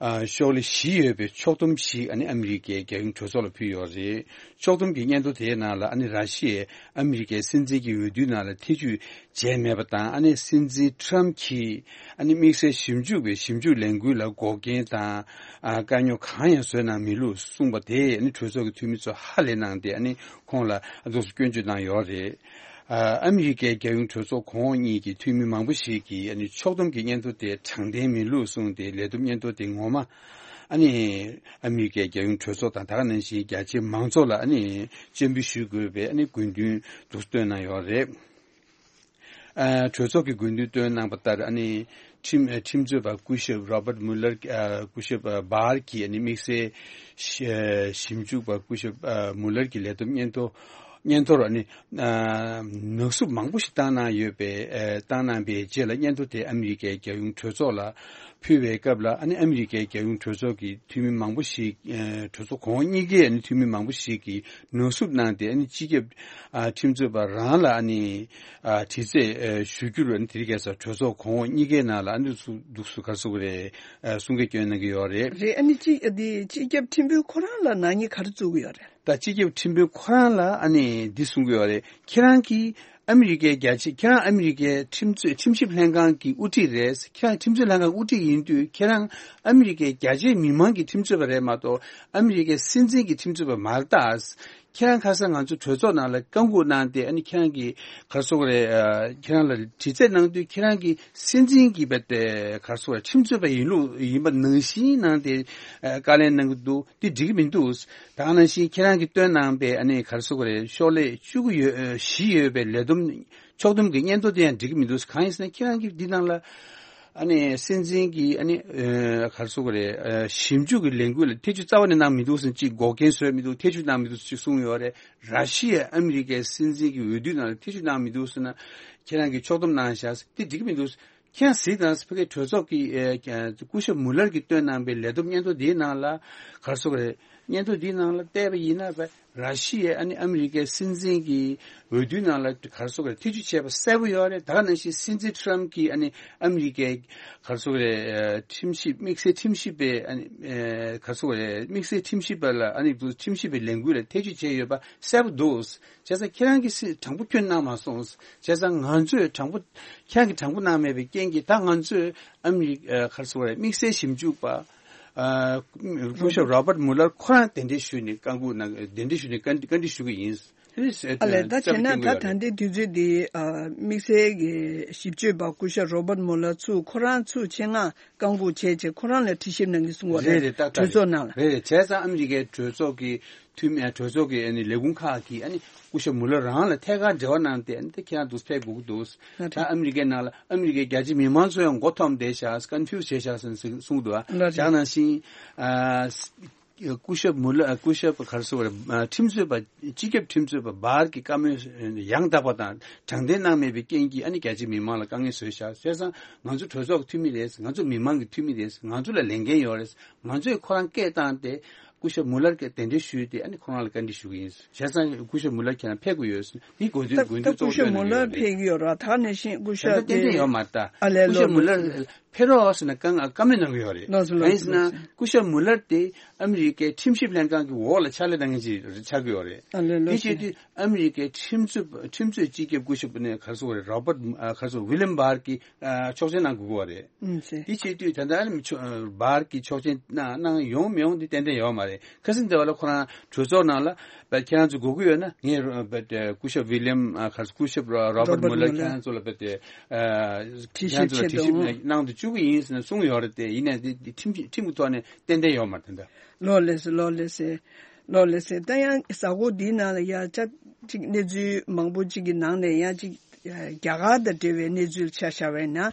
ཨ་ཤོག་ལྷེ་བཞི་ཡོད་པའི་ཕྱོགས་བསྡོམས་ཤིག་ཨ་ནི་ཨ་མི་རི་ཀའི་རྒྱལ་ཡོངས་གྲོས་ཚོགས་ལ་ཕུལ་ཡོད་རེད། ཕྱོགས་བསྡོམས་ཀྱི་སྙན་ཐོ་དེའི་ནང་ལ་ཨ་ནི་ར་ཤི་ཡས་ཨ་མི་རི་ཀའི་སྲིད་འཛིན་གྱི་འོས་བསྡུའི་ནང་ལ་ཐེ་བྱུས་བྱས་མེད་པ་དང་། ཨ་ནི་སྲིད་འཛིན་ཊམ་གྱིས་ཨ་ནི་དམིགས་བསལ་ཞིབ་འཇུག་པའི་ཞིབ་འཇུག་ལས་འགུལ་ལ་འགོག་རྐྱེན་དང་ཨ་དཀའ་རྙོག་གང་ཡང་བཟོས་གནང་མེད་ལུགས་གསུངས་པ་དེས་ཨ་ནི་གྲོས་ཚོགས་ཀྱི་འཐུས་མི་ཚོ་ཧ་ལས་གནང་སྟེ། ཨ་ནི་ཁོང་ལ་ཨ་འདུག་སེ་སྐྱོན་བརྗོད་གནང་ཡོད་རེད། ཨ་ཨ་མི་རི་ཀའི་རྒྱལ་ཡོངས་གྲོས་ཚོགས་གོང་འོག་གཉིས་ཀྱི་འཐུས་མི་མང་པོ་ཞིག་གིས་ཨ་ནི་ཕྱོགས་བསྡོམས་ཀྱི་སྙན་ཐོ་དེ་དྲང་བདེན་མིན་ལུགས་གསུངས་ཏེ། ལས་བསྡོམས་སྙན་ཐོ་དེ་ངོ་མ་ཨ་ནི་ཨ་མི་རི་ཀའི་རྒྱལ་ཡོངས་གྲོས་ཚོགས་དང་། ད་ག་ནང་བཞིན་རྒྱ་ཆེའི་མང་ཚོགས་ལ་ཨ་ནི་སྤྱན་འབུལ་ཞུ་དགོས་པའི་ཨ་ནི་དགོས་འདུན་འདུག་སེ་བཏོན་གནང་ཡོད་རེད། ཨ་གྲོས་ཚོགས་ཀྱི་དགོས་འདུན་བཏོན་གནང་པ་ལྟར། ཨ་ནི་ཁྲིམས་ཨ་ཁྲིམས་རྩོད་པ་སྐུ་ཞབས་རོ་བརྟ་མུ་ལར་ཨ་སྐུ་ཞབས་ཨ་བར་གྱིས་ཨ་ནི་དམིགས་བསལ་ཞི་ཨ་ཞིབ་འཇུག་པ་སྐུ་ཞབས་ཨ་མུ་ལར་གྱི་ལས་བསྡོམས་སྙན་ཐོ་སྙན་ཐོར་ཨ་ནི་ཨ་ནག་བསུབ་མང་པོ་ཞིག་བཏང་གནང་ཡོད་པའི་ཨ་བཏང་གནང་པའི་རྗེས་ལ། སྙན་ཐོ་དེ་ཨ་མི་རི་ཀའི་རྒྱལ་ཡོངས་གྲོས་ཚོགས་ལ་ཕུལ་བའི་སྐབས་ལ། ཨ་ནི་ཨ་མི་རི་ཀའི་རྒྱལ་ཡོངས་གྲོས་ཚོགས་ཀྱི་འཐུས་མི་མང་པོ་ཞིག་ཨ་གྲོས་ཚོགས་གོང་འོག་གཉིས་ཀའི་ཨ་ནི་འཐུས་མི་མང་པོ་ཞིག་གིས་ནག་བསུབ་གནང་སྟེ། ཨ་ནི་སྤྱི་ཁྱབ་ཨ་ཁྲིམས་རྩོད་པ་རང་ལ་ཨ་ནི་ཨ་དྲི་རྩད་ཨ་ཞུ་རྒྱུར་ཨ་ནི་དེ་རིང་ཁ་སང་གྲོས་ཚོགས་གོང་འོག་གཉིས་ཀའི་ནང་ལ་ཨ་ནི་འདུག་སེ་འདུག་སེ་ག་རེ་ཟེར་དགོས་རེད། ཨ་གསུང་སྐད་སྐྱོན་གནང་གི་ཡོད་རེད། རེད། ཨ་ནི་སྤྱི་ཨ་དེ་སྤྱི་ཁྱབ་ཁྲིམས་དཔོན་ཁོ་རང་ལ་ནག་ཉེས་ག་རེ་བཙུགས་ཀྱི་ཡོད་རེད། ད་སྤྱི་ཁྱབ་ཁྲིམས་དཔོན་ཁོ་རང་ལ་ཨ་ནི་འདི་གསུང་གི་ཡོད་རེད། ཁྱེད་རང་གིས་ཨ་མི་རི་ཀའི་རྒྱ་ཆེ་ཁྱེད་རང་ཨ་མི་རི་ཀའི་ཁྲིམས་རྩོད་ཁྲིམས་ཞིབ་ལྷན་ཁང་གི་དབུ་ཁྲིད་རེད། ཁྱེད་རང་ཁྲིམས་རྩོད་ལྷན་ཁང་དབུ་ཁྲིད་ཡིན་དུས། ཁྱེད་རང་ཨ་མི་རི་ཀའི་རྒྱ་ཆེའི་མི་མང་གི་ཁྲིམས་རྩོད་པ་རེད་མ་གཏོགས་ཨ་མི་རི་ཀའི་སྲིད་འཛིན་གྱི་ཁྲིམས་རྩོད་པ་མ་རེད་ད། ཁྱེད་རང་ཁ་སང་ང་ཚོ་གྲོས་ཚོགས་ནང་ལ་བཀའ་འགུག་གནང་སྟེ། ཨ་ནི་ཁྱེད་རང་གིས་ག་རེ་ཟེར་དགོས་རེད། ཨ། ཁྱེད་རང་ལ་དྲི་རྩད་གནང་དུས། ཁྱེད་རང་གིས་སྲིད་འཛིན་གྱི་བ་དེ་ག་རེ་ཟེར་དགོས་རེད། ཁྲིམས་རྩོད་པ་ཡིན་ལུགས་ཡིན་པ་ནང་བཞིན་གནང་སྟེ། ཨ། བཀའ་ལན་གནང་གི་འདུག་དེ་འགྲིག་གི་མི་འདུག་ད་ག་ནང་བཞིན་ཁྱེད་རང་གིས་བཏོན་གནང་པའི། ཨ་ནི་ག་རེ་ཟེར་དགོས་རེད། ཤོག་ལྷེ་བཅུ་དགུ་ཡོད། ཨ། བཞི་ཡོད་པའི་ལས་བསྡོམས་ཕྱོགས་བསྡོམས་ཀྱི་སྙན་ཐོ་དེ་ཡང་འགྲིག་གི་མི་འདུག་གང་ཡིན་ཟེར་ན། ཁྱེད་རང་གིས་འདི་ནང་ལ། ཨ་ནི་སྲིད་འཛིན་གྱི། ཨ་ནི། ཨ། ག་རེ་ཟེར་དགོས་རེད། ཨ། ཞིབ་འཇུག་གི་ལས་འགུལ་ལ་ཐེ་བྱུས་རྩ་བ་ནས་གནང་མི་འདུག་ཟེར། ཅིག་འགོག་རྐྱེན་བཟོས་མི་འདུག་ཐེ་བྱུས་གནང་མི་འདུག་ཅེས་གསུངས་ཡོད་རེད། ར་ཤི་ཡ་ཨ་མི་རི་ཀའི་སྲིད་འཛིན་གྱི་འོས་བསྡུ་ནང་ལ་ཐེ་བྱུས་གནང་མི་འདུག་ཟེར་ན། ཁྱེད་རང་གིས་ཕྱོགས་བསྡོམས་གནང་བཞག་དེ་འགྲིག་གི་མི་འདུག་ཁྱེད་རང་གཟིགས་དང་། ཕ་གིའི་གྲོས་ཚོགས་ཀྱི། ཨ། སྐུ་ཞབས་མུ་ལར་གྱིས་བཏོན་གནང་པའི་ལས་བསྡོམས་སྙན་ཐོ་འདིའི་ནང་ལ། ག་རེ་ཟེར་དགོས་རེད། སྙན་ཐོ་འདིའི་ནང་ལ་བལྟས་པ་ཡིན་ན། ར་ཤི་ཡའི། ཨ་ནི་ཨ་མི་རི་ཀའི་སྲིད་འཛིན་གྱི་འོས་བསྡུའི་ནང་ལ། ག་རེ་ཟེར་དགོས་རེད། ཐེ་བྱུས་བྱས་པ་གསལ་པོ་ཡོད་རེད། ད་ག་ནང་བཞིན་སྲིད་འཛིན་ཊམ་གྱིས། ཨ་ནི་ཨ་མི་རི་ཀའི། ག་རེ་ཟེར་དགོས་རེད། ཨ། ཁྲིམས་ཞིབ། དམིགས་བསལ་ཁྲིམས་ཞིབ་པའི། ཨ་ནི། ཨ། ག་རེ་ཟེར་དགོས་རེད། དམིགས་བསལ་ཁྲིམས་ཞིབ་པ་ལ། ཨ་ནི་ཁྲིམས་ཞིབ་པའི་ལས་འགུལ་ལ་ཐེ་བྱུས་བྱས་ཡོད་པ་གསལ་པོ་འདུག་བྱས་ཙང་ཁྱེད་རང་གིས་སྲིད། དྲང་པོ་ཁྱོན་གནང་མ་སོང་། བྱས་ཙང་ང་ཚོས་དྲང་པོ། ཁྱེད་རང་གིས་དྲང་པོ་གནང་མེད་པའི་རྐྱེན་གྱིས། ད་ང་ཚོས་ཨ་མི་རི། ཨ། ག་རེ་ཟེར་དགོས་རེད། དམིགས་བསལ་ཞིབ་འཇུག་པ། ཨ། སྐུ་ཞབས་རོ་བར་མུ་ལར་ཁོ་རང་གདན་འདྲེན་ཞུས་ནས། བཀའ་འགུག་གནང་། གདན་འདྲེན་ཞུས་ནས་བཀའ། བཀའ་འདྲི་ཞུ་གི་ཡིན། ཨ་ལས། ད་བྱས་ན་ད་ད་ལྟའི་དུས་ཚོད་འདི། ཨ། དམིགས་བསལ་གྱི་ཞིབ་དཔྱོད་པ་སྐུ་ཞབས་རོ་བར་མུ་ལར་ཚུར་ཁོ་རང་ཚུར་ཆེད་མངགས་བཀའ་འགུག་བྱས་བྱས། ཁོ་རང་ལ་དྲི་ཞིབ་གནང་གི་གསུང་བ་རེད། རེད་རེད། ཏག་ཏག་གྲོས་ཚོགས་ནང་ལ། རེད་རེད། བྱས་ཙང་ཨ་མི་རི་ཀའི་གྲོས་ཚོགས་ཀྱི་འཐུས་མི། གྲོས་ཚོགས་ཀྱི། ཨ་ནི་ལས་ཁུངས་ཁག་གིས། ཨ་ནི་སྐུ་ཞབས་མུ་ལར་རང་ལ་ཐད་ཀར་འབྲེལ་བ་གནང་སྟེ། ཨ་ནི་ད་ཁྱེད་རང་འདུག་ཕེབས་དགོས་ཀྱི་འདུག་ད་ཨ་མི་རི་ཀའི་ནང་ལ་ཨ་མི་རི་ཀའི་རྒྱ་ཆེ་མི་མང་ཚོ་ཡང་མགོ་འཐོམས་བསྡད་ཤག་ཀོན་ཕིའུ་སི་བྱས་ཤག་ཟེར་གསུངས་འདུག་ཨ། ལགས་རེད། ད་ག་ནང་བཞིན། ཨ། སྐུ་ཞབས་མུ་ལར། སྐུ་ཞབས། ག་རེ་ཟེར་དགོས་རེད། ཁྲིམས་རྩོད་པ། སྤྱི་ཁྱབ་ཁྲིམས་རྩོད་པ་བར་གྱི་བཀའ་མོལ་ཡང་དག་པ་དང་དྲང་བདེན་གནང་མེད་པའི་རྐྱེན་གྱིས། ཨ་ནི་རྒྱ་ཆེ་མི་མང་ལ་དཀའ་ངལ་བཟོས་ཤག་བྱས་ཙང་ང་ཚོ་གྲོས་ཚོགས་ཀྱི་འཐུས་མི་རེད། ང་ཚོ་མི་མང་གི་འཐུས་མི་རེད། ང་ཚོ་ལ་ལས་འགན་ཡོད་རེད། ང་ཚོས་ཁོ་རང་སྐད་བཏང་སྟེ། སྐུ་ཞབས་མུ་ལར་གྱི་གདན་འདྲེན་ཞུས་ཏེ། ཨ་ནི་ཁོ་རང་ལ་བཀའ་འདྲི་ཞུ་གི་ཡིན། བྱས་ཙང་སྐུ་ཞབས་མུ་ལར་ཁྱེད་རང་ཕེབས་དགོས་ཡོད། འདི་གོ་ཚོད། ད་གོ་ཚོད་སྐུ་ཞབས་མུ་ལར་ཕེབས་ཀྱི་ཡོད་རེད། ད་ག་ནང་བཞིན་སྐུ་ཞབས། ད་ལྟ་ཏན་ཏན་ཡོད་མ་རེད། ད་ཨ་ལས། སྐུ་ཞབས་མུ་ལར་ཕེབས་རོགས་ཟེར་ནས་བཀའ། བཀའ་མོལ་གནང་གི་ཡོད་རེད། ལགས་སོ། ལགས་སོ། གང་ཡིན་ཟེར་ན། ལགས་སོ། སྐུ་ཞབས་མུ་ལར་དེ་ཨ་མི་རི་ཀའི་ཁྲིམས་ཞིབ་ལྷན་ཁང་གི་འོག་ལ་ཕྱག་ལས་གནང་མཁན་ཅིག་ཆགས་ཀྱི་ཡོད་རེད། ཨ་ལས། དེ་ལགས་སོ། བྱེད་དུས་ཨ་མི་རི་ཀའི་ཁྲིམས་རྩོད། ཁྲིམས་རྩོད་སྤྱི་ཁྱབ་སྐུ་ཞབས་ནས། ག་རེ་ཟེར་དགོས་རེད། རོ་བར། ཨ། ག་རེ་ཟེར། ཝི་ལིམ་བར་གྱིས། ཨ། ཆོག་མཆན་གནང་དགོས་ཀྱི་ཡོད་རེད། ཨུམ། ཟེར། དེ་བྱེད་དུས་ད་ལྟ་ཨ་ནི་ཆོ། བར་གྱིས་ཆོག་མཆན་གནང་། གནང་ཡོང་མི་ཡོང་དེ་ཏན་ཏན་ཡོད་མ་རེད། ཁ་སང་དེ་བ་ལ་ཁོ་རང་གྲོས་ཚོགས་ནང་ལ། ཁྱེད་རང་ཚོ་དགོས་ཀྱི་ཡོད་ན། ངས་སྐུ་ཞབས་ཝི་ལིམ། ཨ། ག་རེ་ཟེར། སྐུ་ཞབས་རོ། རོ་བར་མུ་ལར། རོ་བར་མུ་ལར་ཁྱེད་རང་ཚོ་ལ་དྲི་ཞིབ་བྱེད་དུ། ཁྱེད་རང་ཚོ་ལ་དྲི་ཞིབ་གནང་། གནང་དུ་བཅུག་གི་ཡིན་ཟེར་ནས་གསུངས་ཡོད་རེད་དེ། ཡིན་ནའི་དེ་ཁྲིམས། ཁྲིམས་ཀྱི་ཐོག་ནས་ཏན་ཏན་ཡོད་མ་རེད། ད་ལྟ། ལགས་སོ། ལགས་སོ། ལགས་སོ། ད་ཡང་གཟའ་འཁོར་འདིའི་ནང་ལ་ཡང་ཅིག་གནས་ཚུལ་མང་པོ་ཅིག་གི་ནང་ནས་ཡང་ཅིག་རྒྱ་གར་དང་འབྲེལ་བའི་གནས་ཚུལ་ཆ་བཞག་པ་ཡིན་ན།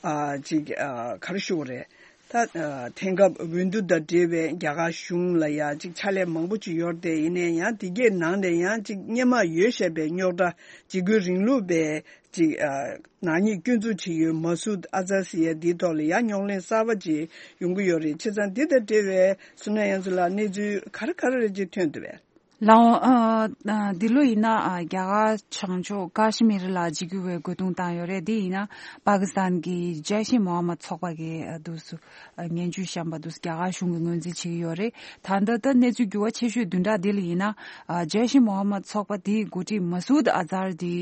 ཨ། ཅིག་ཨ། ག་རེ་ཞུ་དགོས་རེད། ད། ཨ། དེང་སྐབས་འོས་བསྡུ་དང་འབྲེལ་བའི་རྒྱ་གར་གཞུང་ལ་ཡང་ཅིག་ཕྱག་ལས་མང་པོ་ཅིག་ཡོད་རེད་དེ། ཡིན་ནའི་ཡང་དེ་གའི་ནང་ནས་ཡང་ཅིག་སྔོན་མ་ཡོད་བཞག་པའི་རྙོག་དྲ། འཇིགས་སྐུལ་རིང་ལུགས་པའི་ཅིག་ཨ། ནག་ཉེས་སྐྱོན་འཛུགས་བྱེད་ཡུལ་མ་སུད་ཨ་ཛར་ཟེར་ཡ་འདིའི་ཐོག་ལ་ཡང་རྙོག་གླེང་གསར་པ་ཅིག་ཡོང་གི་ཡོད་རེད། བྱས་ཙང་འདི་དང་འབྲེལ་བའི་སོ་ན་ཡང་ཚོ་ལ་གནས་ཚུལ་ག་རེ་ག་རེ་རེ་ཅིག་ཐོན་འདུག་པས། ལགས་འོང་། ཨ། ཨ། འདི་ལོ་ཡིན་ན། ཨ། རྒྱ་གར་བྱང་ཕྱོགས་ཀ་ཤི་མིར་ལ་འཇིགས་སྐུལ་བའི་རྒོལ་རྡུང་བཏང་ཡོད་རེད། འདི་ཡིན་ན་པ་ཀི་སི་ཐན་གྱི་ཇེ་ཤེ་མོ་ཧམ་མད་ཚོགས་པ་གིས། ཨ། འདུག་སེ། ཨ། ངན་ཇུས་བཤམས་པ་འདུག་སེ་རྒྱ་གར་གཞུང་གིས་ངོས་འཛིན་བྱེད་ཀྱི་ཡོད་རེད། ད་ལྟ་ད་གནས་ཚུལ་འགྱུར་བ་ཆེ་ཤོས་བདུན་ཕྲག་འདི་ལ་ཡིན་ན། ཨ། ཇེ་ཤེ་མོ་ཧམ་མད་ཚོགས་པ་དེའི་འགོ་ཁྲིད་མ་སུད་ཨ་ཛར་དེ་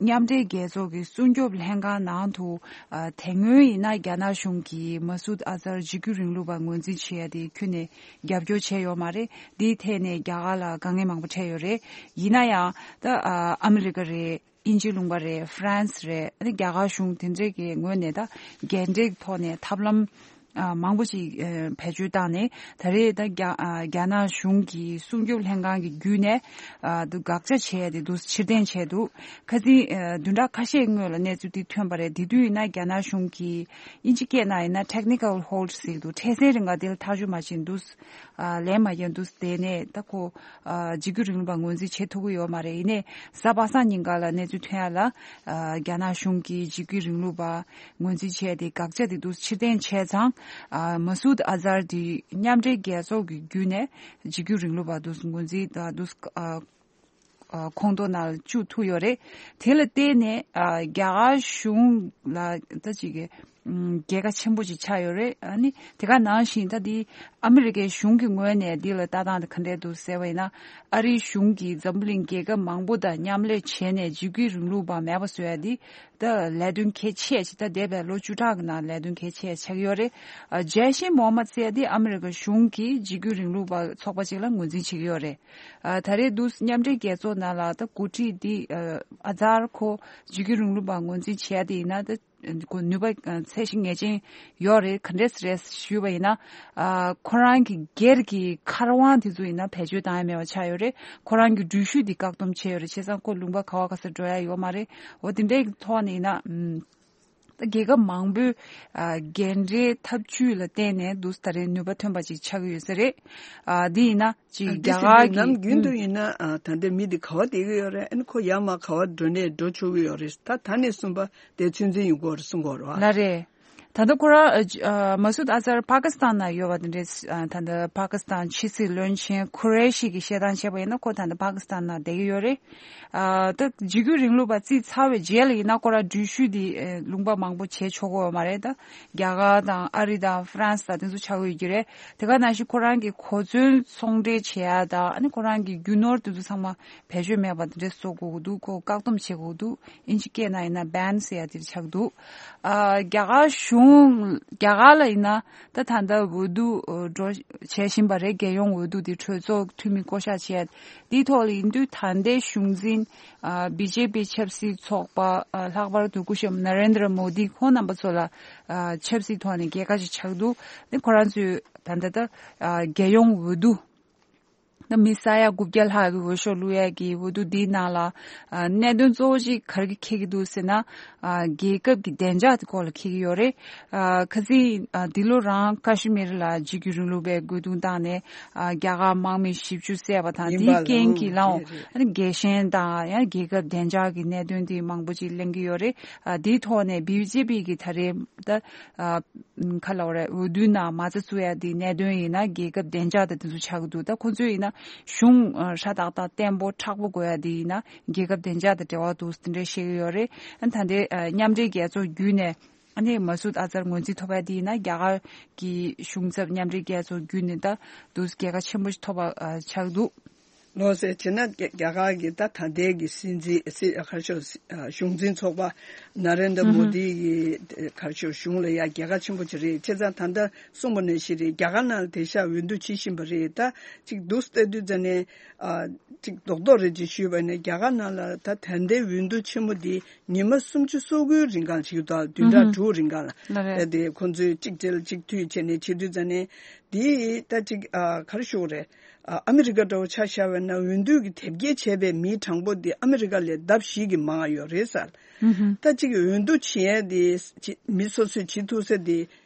མཉམ་འབྲེལ་རྒྱལ་ཚོགས་ཀྱི་སྲུང་སྐྱོབ་ལྷན་ཁང་ནང་དུ། ཨ། དེ་སྔོན་ཡིན་ན་རྒྱ་ནག་གཞུང་གིས་མ་སུད་ཨ་ཛར་འཇིགས་སྐུལ་རིང་ལུགས་པ་ངོས་འཛིན་བྱེད་ཡ་དེ་ཁྱོན་ནས་རྒྱབ་སྐྱོར་བྱས་ཡོད་མ་རེད། དེའི་ཐད་ནས་རྒྱ་གར་ལ་དཀའ་ངལ་མང་པོ་འཕྲད་ཡོད་རེད། ཡིན་ན་ཡང་ད། ཨ། ཨ་མི་རི་ཀ་རེད། དབྱིན་ཇི་ལུང་པ་རེད། ཧྥ་རན་སི་རེད། ཨ་ནི་རྒྱ་གར་གཞུང་དེ་འདྲས་ཀྱི་ངོས་ནས་ད་རྒྱས་འབྲས་ཐོག་ནས་ཐབས་ལམ། ཨ། མང་པོ་ཅིག་ཨ། བེད་སྤྱོད་བཏང་ནས། ད་རེས་ད་རྒྱ། ཨ། རྒྱ་ནག་གཞུང་གི་སྲུང་སྐྱོབ་ལྷན་ཁང་གི་བརྒྱུད་ནས། ཨ། དུ་དགག་བྱ་བྱས་ཏེ་དུ་ཕྱིར་འཐེན་བྱས་འདུག་ཁ་སང་། ཨ། བདུན་ཕྲག་ཁ་ཤས་སྔོན་ལ་གནས་ཚུལ་འདི་ཐོན་པ་རེད། དེ་དུས་ཡིན་ན་རྒྱ་ནག་གཞུང་གིས། དབྱིན་ཇི་སྐད་ནང་ཡིན་ན་technical hold ཟེར་གྱི་འདུག་འཕྲལ་སེལ་རིང་ག་དེ་ལ་ཐག་གཅོད་མ་བྱས་འདུག་ཨ། ལན་མ་རྒྱག་འདུག་བསྡད་ནས། ད་ཁོ། ཨ། འཇིགས་སྐུལ་རིང་ལུགས་པ་ངོས་འཛིན་བྱེད་ཐུབ་ཀྱི་ཡོད་མ་རེད། ཡིན་ནའི་གཟའ་པ་སངས་ཉིན་ག་ལ་གནས་ཚུལ་ཐོན་ཡ་ལ། ཨ། རྒྱ་ནག་གཞུང་གིས་འཇིགས་སྐུལ་རིང་ལུགས་པ་ངོས་འཛིན་བྱས་ཏེ་དགག་བྱ་དེ་འདུག་ཕྱིར་འཐེན་བྱས་ཙང་། ཨ། མ་སུད་ཨ་ཛར་དེ་མཉམ་འབྲེལ་རྒྱལ་ཚོགས་ཀྱི་བརྒྱུད་ནས་འཇིགས་སྐུལ་རིང་ལུགས་པ་འདུག་ངོས་འཛིན། ཨ། འདུག་ཨ། ཨ། ཁོངས་གཏོགས་ནང་བཅུག་ཐུབ་ཡོད་རེད། དེ་ལ་བརྟེན་ནས། ཨ། རྒྱ་གར་གཞུང་ལ་ད་ཅིག་གི། ཨུམ། རྒྱལ་ཁ་ཆེན་པོ་ཅིག་ཆགས་ཡོད་རེད། ཨ་ནི་དེ་ག་ནང་བཞིན་ད་འདི་ཨ་མི་རི་ཀའི་གཞུང་གི་ངོས་ནས་འདི་ལ་ལྟ་སྟངས་དེ་ག་འདྲས་འདུག་ཟེར་བ་ཡིན་ན། ཨ་རིའི་གཞུང་གིས་འཛམ་བུ་གླིང་རྒྱལ་ཁབ་མང་པོ་དང་མཉམ་ལས་བྱས་ནས་འཇིགས་སྐུལ་རིང་ལུགས་པ་མེད་པ་བཟོ་ཡ་འདི་ད་ལས་དོན་གལ་ཆེ་ཞིག་ད་འདས་པའི་ལོ་བཅུ་ཕྲག་གི་ནང་ལས་དོན་གལ་ཆེ་ཆགས་ཡོད་རེད། ཨ། ཇེ་ཤེ་མོ་ཧམ་མད་ཟེར་ཡ་འདི་ཨ་མི་རི་ཀ་གཞུང་གིས་འཇིགས་སྐུལ་རིང་ལུགས་པ་ཚོགས་པ་ཅིག་ལ་ངོས་འཛིན་བྱེད་ཀྱི་ཡོད་རེད། ཨ། ད་རེས་འདུག་མཉམ་འབྲེལ་རྒྱལ་ཚོགས་ནང་ལ་ད་འགོ་ཁྲིད་འདི་ཨ་ཨ་ཛར་ཁོ་འཇིགས་སྐུལ་རིང་ལུགས་པ་ངོས་འཛིན་བྱས་ཏེ་ཡིན་ན་ད་ཁོ་ནུས་པ་ཨ་ཚད་གཞི་ངེས་ཅན་ཡོད་རེད། ག་འདྲས་རེད་ཞུས་པ་ཡིན་ན། ཨ། ཁོ་རང་གི་སྒེར་གྱི་མཁར་དབང་དེ་ཚོ་ཡིན་ན་བེད་སྤྱོད་བཏང་ཡ་མེད་པ་ཆགས་ཡོད་རེད། ཁོ་རང་གི་འགྲུལ་བཞུད་འདི་བཀག་སྡོམ་བྱས་ཡོད་རེད། བྱས་ཙང་ཁོ་ལུང་པ་ག་བ་ག་ས་འགྲོ་ཡ་ཡོད་མ་རེད། འོ་དེ་འདྲའི་ཐོག་ནས་ཡིན་ན། ཨམ། ད་རྒྱལ་ཁབ་མང་པོས་ཨ་འགན་འཁྲིའི་ཐབས་ཇུས་ལ་བརྟེན་ནས་འདུག་ད་རེས་ནུས་པ་ཐོན་པ་ཅིག་ཆགས་ཀྱི་ཡོད་ས་རེད། ཨ། འདི་ཡིན་ན་ཅིག་ཨ། འདི་རྒྱ་གར་གྱི་ནམ་རྒྱུན་དུ་ཡིན་ན་ཨ་ད་ལྟ་མི་འདི་ག་བ་བསྡད་ཀྱི་ཡོད་རེད། ཨ་ནི་ཁོ་ཡར་མར་ག་བ་འགྲོ་ནས་འགྲོ་ཆོག་གི་ཡོད་རེད། ད་ད་ནས་གསུམ་པ་དེ་ཚོད་འཛིན་ཡོང་གི་ཡོད་རེད་གསུང་གི་ཡོད་རེད་བ། ལགས་རེད། ད་ལྟ་ཁོ་རང་ཨ་མ་སུད་ཨ་ཛར་པ་ཀི་སི་ཐན་ནང་ཡོད་པ་དེ་འདྲས། ཨ། ད་ལྟ་པ་ཀི་སི་ཐན་ཕྱི་སྲིད་བློན་ཆེན་ཁུ་རེ་ཤི་གི་བཤད་སྟངས་བྱས་པ་ཡིན་ན་ཁོ་ད་ལྟ་པ་ཀི་སི་ཐན་ནང་བསྡད་ཀྱི་ཡོད་རེད། ཨ། ད་འཇིགས་སྐུལ་རིང་ལུགས་པ་རྩིས་ཚར་བའི་རྗེས་ལ་ཡིན་ན་ཁོ་རང་འགྲུལ་བཞུད་དེ་ཨ་ལུང་པ་མང་པོ་བྱེད་ཆོག་གི་ཡོད་མ་རེད། ད་རྒྱ་གར་དང་ཨ་རི་དང་ཧྥ་རན་སི་དང་དེ་ཚོ་ཆགས་ཀྱི་ཡོད་ཀྱི་རེད། དེ་ག་ནང་བཞིན་ཁོ་རང་གི་གོ་མཚོན་ཚོང་འབྲེལ་བྱེད་ཡ་དང་ཨ་ནི་ཁོ་རང་གི་རྒྱུ་ནོར་དེ་ཚོ་ཚང་མ་བེད་སྤྱོད་མེད་པ་དེ་འདྲས་བཟོ་དགོས་ཀྱི་འདུག་ཁོ་བཀག་སྡོམ་བྱེད་དགོས་ཀྱི་འདུག་ཨིན་ཇི་སྐད་ནང་ཡིན་ན་བྷན་ཟེར་ཡ་དེ་ཆགས་འདུག་ཨ། རྒྱ་གར་གཞུང་རྒྱ་གར་ལ་ཡིན་ན་ད་ད་ལྟ་འོས་བསྡུ་འགྲོ་བྱེད་བཞིན་པ་རེད། རྒྱལ་ཡོངས་འོས་བསྡུ་དེ་གྲོས་ཚོགས་འཐུས་མི་བསྐོ་གཞག་བྱས་འདིའི་ཐོག་ལ་ཡིན་དུས་ད་ལྟའི་གཞུང་འཛིན་ཨ་བི་ཇེ་པི་ཆབ་སྲིད་ཚོགས་པ་ཨ་ལྷག་པར་དུ་སྐུ་ཞབས་ན་རེན་དྲ་མོ་དི་ཁོང་རྣམ་པ་ཚོ་ལ་ཨ་ཆབ་སྲིད་ཐོག་ནས་རྒྱལ་ཁ་ཞིག་ཆགས་འདུག་ཁོ་རང་ཚོས་ད་ལྟ་ད་ཨ་རྒྱལ་ཡོངས་འོས་བསྡུ། ད་མི་ས་ཡ་དགུ་བརྒྱ་ལྷག་གི་འོས་ཤོག་བླུག་ཡས་ཀྱི་འོས་བསྡུ་འདིའི་ནང་ལ་ཨ་གནད་དོན་གཙོ་བོ་གཅིག་ག་རེ་འཁེལ་གྱི་འདུག་ཟེར་ན། ཨ་རྒྱལ་ཁབ་ཀྱི་བདེ་འཇགས་ཀྱི་སྐོར་ལ་འཁེལ་གྱི་ཡོད་རེད། ཨ་ཁ་སང་ཨ་འདི་ལོ་རང་ཀ་ཤི་མིར་ལ་འཇིགས་སྐུལ་རིང་ལུགས་པས་རྒོལ་རྡུང་བཏང་ནས་ཨ་རྒྱ་གར་དམག་མི་བཞི་བཅུ་བསད་པ་དང་ཡིན་པ་དེའི་རྐྱེན་ལའང་གྱིས་ལའང་དེ་རེད། ཨ་ནི་རྒྱལ་ཞེན་དང་ཡང་རྒྱལ་ཁབ་བདེ་འཇགས་ཀྱི་གནད་དོན་དེ་མང་པོ་ཅིག་གླེང་གི་ཡོད་རེད། ཨ་འདིའི་ཐོག་ནས་བི་ཇེ་པི་གི་ད་རེས་ད་ཨ་ག་ལབ་རེད། འོས་བསྡུའི་ནང་མ་རྩ་བཙུགས་ཡ་དེའི་གནད་དོན་ཡིན་ན་རྒྱལ་ཁབ་བདེ་འཇགས་དང་དེ་ཚོ་ཆགས་ཀྱི་འདུག་ད་ཁོང་ཚོས་ཡིན་ན་གཞུང་ཨ་ཧྲ་ཏག་ཏག་བརྟན་པོ་མཁྲེགས་པོ་དགོས་ཡ་དེ་ཡིན་ན་རྒྱལ་ཁབ་བདེ་འཇགས་དང་འབྲེལ་བ་འདུག་དེ་འདྲ་བཤད་ཀྱི་ཡོད་རེད། ཨ་ད་ལྟའི་ཨ་མཉམ་འབྲེལ་རྒྱལ་ཚོགས་བརྒྱུད་ནས་ཨ་ནི་མ་སུད་ཨ་ཛར་ངོས་འཛིན་ཐོབ་ཡ་དེ་ཡིན་ན་རྒྱ་གར་གྱི་གཞུང་ཚབ་མཉམ་འབྲེལ་རྒྱལ་ཚོགས་བརྒྱུད་ནས་ད་འདུག་རྒྱལ་ཁ་ཆེན་པོ་ཞིག་ཐོབ་པ་ཨ་ཆགས་འདུག་ལགས་སོ། བྱས་ན་རྒྱ་རྒྱ་གར་གྱི་ད་ད་ལྟའི་གི་སྲིད་འཛིན་སྲིད་ག་རེ་ཞུ་ཨ་གཞུང་འཛིན་ཚོགས་པ་ན་རེན་དྲ་མོ་དི་གི་ག་རེ་ཞུ་གཞུང་ལ་ཡ་རྒྱལ་ཁ་ཆེན་པོ་ཅིག་རེད། བྱས་ཙང་ད་ལྟ་གསུངས་པ་ནང་བཞིན་རེད། རྒྱ་གར་ནང་ལ་དེང་སང་འོས་བསྡུ་བྱེད་བཞིན་པ་རེད། ད་ཅིག་འདུག་ལྟ་དུས་ཙ་ནས་ཨ་ཅིག་རྡོག་རྡོག་རེ་ཅིག་ཞུས་པ་ནས་རྒྱ་གར་ནང་ལ་ད་ད་ལྟའི་འོས་བསྡུ་ཆེན་མོ་འདི་ཉི་མ་སུམ་ཅུ་སོ་དགུའི་རིང་གང་བྱེད་ཀྱི་འདུག་བདུན་ཕྲག་ཨུ་ཧུ། དྲུག་རིང་གང་ལ་ལགས་རེད། ཨ་དེ་ཁོང་ཚོས་གཅིག་སྒྲིལ་གཅིག་མཐུད་བྱས་ནས་བྱེད་དུས་ཙ་ནས་འདི་ད་ཅིག་ཨ་ག་རེ་ཞུ་དགོས་རེད། ཨ་ཨ་མི་རི་ཀ་འདྲ་བོ་ཆ་བཞག་པ་ན་འོས་བསྡུ་གི་དེབ་སྐྱེལ་བྱས་པའི་མིའི་གྲངས་འབོར་འདི་ཨ་མི་རི་ཀ་ལས་ལྡབ་བཞི་གིས་མང་ཡོད་རེད་ཟེར། ཨུ་ཧུ། ད་ཅིག་འོས་བསྡུ་བྱེད་ཡས་འདི་ཅི་མི་སོ་སོས་བྱེད་ཐུབ་ས་འདི་